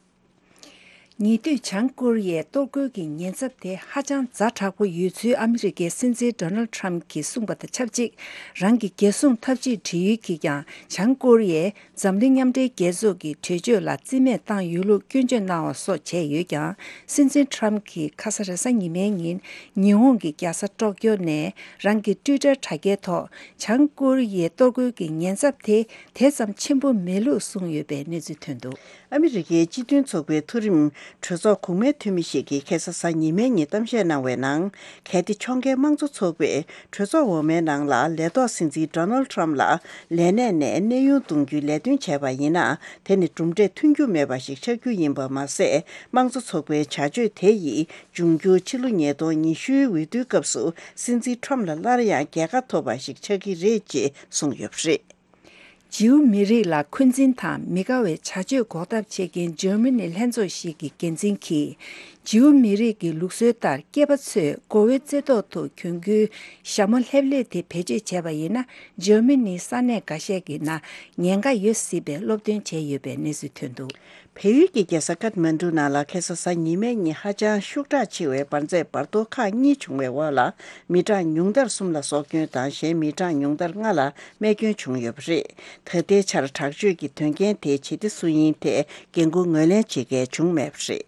ཉེ་དུས་བྱང་ཀོ་རི་ཡའི་གཏོར་རྒོལ་གྱི་ཉེན་ཚབས་དེ་ཧ་ཅང་ཛ་དྲག་པོ་ཡོད་ཚུལ་ཨ་མི་རི་ཀའི་སྲིད་འཛིན་ཌོ་ནལ་ཌི་ཊརམ་གྱིས་གསུངས་པ་དང་ཆབས་ཅིག་རང་གི་རྒྱལ་སྲུང་འཐབ་ཇུས་འབྲི་ཡུལ་གྱིས་ཀྱང་བྱང་ཀོ་རི་ཡས་འཛམ་གླིང་མཉམ་འབྲེལ་རྒྱལ་ཚོགས་ཀྱི་གྲོས་ཆོད་ལ་རྩིས་མེད་བཏང་ཡོད་ལུགས་སྐྱོན་བརྗོད་གནང་བ་སོགས་བྱས་ཡོད་ཀྱང་། སྲིད་འཛིན་ཊརམ་གྱིས་ཁ་ས་རེས་གཟའ་ཉི་མའི་ཉིན་ཉི་ཧོང་གི་རྒྱལ་ས་ཀྲོག་ཀྱོ་ནས་རང་གི་ཊུའི་ཊར་དྲ་རྒྱའི་ཐོག་བྱང་ཀོ་རི་ཡའི་གཏོར་རྒོལ་གྱི་ཉེན་ཚབས་དེ་དེ་ཙམ་ཆེན་པོ་མེད་ལུགས་གསུངས་ཡོད་པའི་གནས་ཚུལ་ཐོན་འདུག་ཨ་མི་རི་ཀའི་སྤྱི་མཐུན་ཚོགས་པའི་མཐོ་རིམ་གྲོས་ཚོགས་གོང་མའི་འཐུས་མི་ཞིག་གིས་ཁ་སང་གཟའ་ཉི་མའི་ཉིན་གཏམ་བཤད་གནང་བའི་ནང་། གལ་ཏེ་ཕྱོགས་འགལ་དམངས་གཙོ་ཚོགས་པས་གྲོས་ཚོགས་འོག་མའི་ནང་ལ་ལས་ཐོག་སྲིད་འཛིན་ཌོ་ནལ་ཌི་ཊརམ་ལ་ལས་གནས་ནས་གནས་དབྱུང་གཏོང་རྒྱུའི་ལས་དོན་བྱས་པ་ཡིན་ན། དེ་ནི་གྲུབ་འབྲས་ཐོན་རྒྱུ་མེད་པ་ཞིག་ཆགས་རྒྱུ་ཡིན་པ་མ་ཟད། དམངས་གཙོ་ཚོགས་པའི་བྱ་སྤྱོད་དེ་ཡིས་འབྱུང་འགྱུར་ཕྱི་ལོ་ཉིས་སྟོང་ཉི་ཤུའི་འོས་བསྡུའི་སྐབས་སུ་སྲིད་འཛིན་ཊརམ་ལ་སླར་ཡང་རྒྱལ་ཁ་ཐོབ་པ་ཞིག་ཆགས་ཀྱི་རེད་ཅེས་གསུངས་ཡོད་པ་རེད། ཇིའུ་མི་རིགས་ལ་འཁོན་འཛིན་དང་མི་དགའ་བའི་བྱ་སྤྱོད་འགོག་ཐབས་བྱེད་མཁན་འཇར་མ་ནི་ལྷན་ཚོགས་ཤིག་གི་འགན་འཛིན་གྱིས། ཇིའུ་མི་རིགས་ཀྱི་ལུགས་སྲོལ་ལྟར་སྐྱེས་པ་ཚོས་མགོ་བོའི་རྩེ་ཐོག་ཏུ་གྱོན་རྒྱུའི་ཞྭ་མོ་ལྷེབ་ལྷེབ་དེ་བེད་སྤྱོད་བྱས་པ་ཡིན་ན། འཇར་མ་ནིའི་ས་གནས་འགའ་ཤས་ཀྱི་ནང་ཉེན་ཁ་ཡོད་སྲིད་པའི་སློབ་སྟོན་བྱས་ཡོད་པའི་གནས་ཚུལ་ཐོན་འདུག་བལ་ཡུལ་གྱི་རྒྱལ་ས་ཀཏ་མན་གྲུ་ནང་ལ་ཁ་སང་གཟའ་ཉི་མའི་ཉིན་ཧ་ཅང་ཤུགས་དྲག་ཆེ་བའི་འབར་རྫས་འབར་གཏོར་ཁག་གཉིས་བྱུང་བའི་འོག་ལ། མི་གྲངས་ཉུང་མཐར་གསུམ་ལ་སྲོག་སྐྱོན་དང་། གཞན་མི་གྲངས་ཉུང་མཐར་ལྔ་ལ་རྨས་སྐྱོན་བྱུང་ཡོད་པ་རེད། ད་ལྟའི་ཆར་དྲག་སྤྱོད་ཀྱི་དོན་རྐྱེན་དེ་ཇི་སྟེ་སུ་ཡིན་ཐད་འགན་འཁུར་ངོས་ལེན་བྱེད་མཁན་བྱུང་མེད་པ་རེད།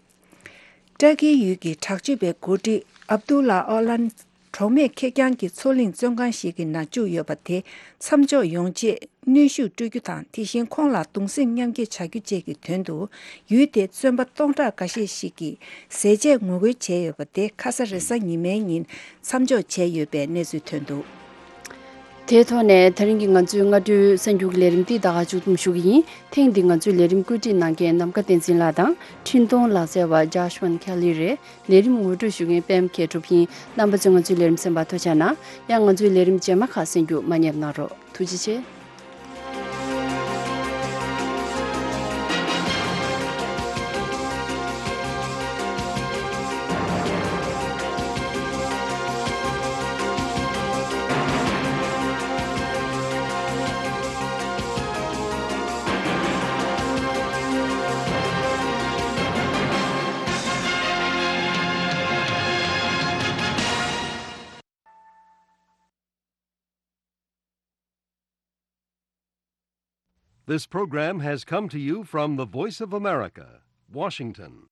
ཏྲ་ཀིའི་ཡུལ་གྱི་དྲག་སྤྱོད་པའི་འགོ་ཁྲིད་ཨབ་དུ་ལ་ཨོ་ལན། གྲོགས་མེད་ཁེར་རྐྱང་གི་མཚོ་གླིང་བཙོན་ཁང་ཞིག་གི་ནང་བཅུག་ཡོད་པ་དེ་མཚམས་འཇོག་ཡོང་ཆེད་གནོན་ཤུགས་སྤྲོད་རྒྱུ་དང་། དེ་བཞིན་ཁོང་ལ་གདུང་སེམས་མཉམ་སྐྱེད་བྱ་རྒྱུ་བཅས་ཀྱི་དོན་དུ། ཡུལ་དེའི་བཙོན་པ་སྟོང་ཕྲག་འགའ་ཤས་ཤིག་གིས་ཟས་བཅད་ངོ་རྒོལ་བྱས་ཡོད་པ་དེ་ཁ་ས་རེས་གཟའ་ཉི་མའི་ཉིན་མཚམས་འཇོག་བྱས་ཡོད་པའི་གནས་ཚུལ་ཐོན་འདུག་དེའི་ཐོག་ནས་ད་རིང་གི་ང་ཚོའི་སྔ་དྲོའི་གསར་འགྱུར་གྱི་ལས་རིམ་འདི་ད་ག་མཇུག་བསྡོམས་ཞུ་གི་ཡིན། ཐེངས་འདི་ང་ཚོའི་ལས་རིམ་བཀོད་སྒྲིག་གནང་མཁན་ནམ་མཁའ་བསྟན་འཛིན་ལགས་དང་། འཕྲིན་གཏོང་ལག་རྩལ་བ་ཇཱཤ་ཝན་ཁེ་ལི་རེད། ལས་རིམ་ངོ་སྤྲོད་ཞུ་མཁན་པད་མ་མཁས་གྲུབ་ཡིན། རྣམ་པ་ཚོས་ང་ཚོའི་ལས་རིམ་གསན་པར་ཐུགས་རྗེ་གནང་། ཡང་ང་ཚོའི་ལས་རིམ་རྗེས་མ་ཁག་གསན་རྒྱུ་མ་བསྙེལ་གནང་རོགས། ཐུགས་རྗེ་ཆེ། This program has come to you from the Voice of America, Washington.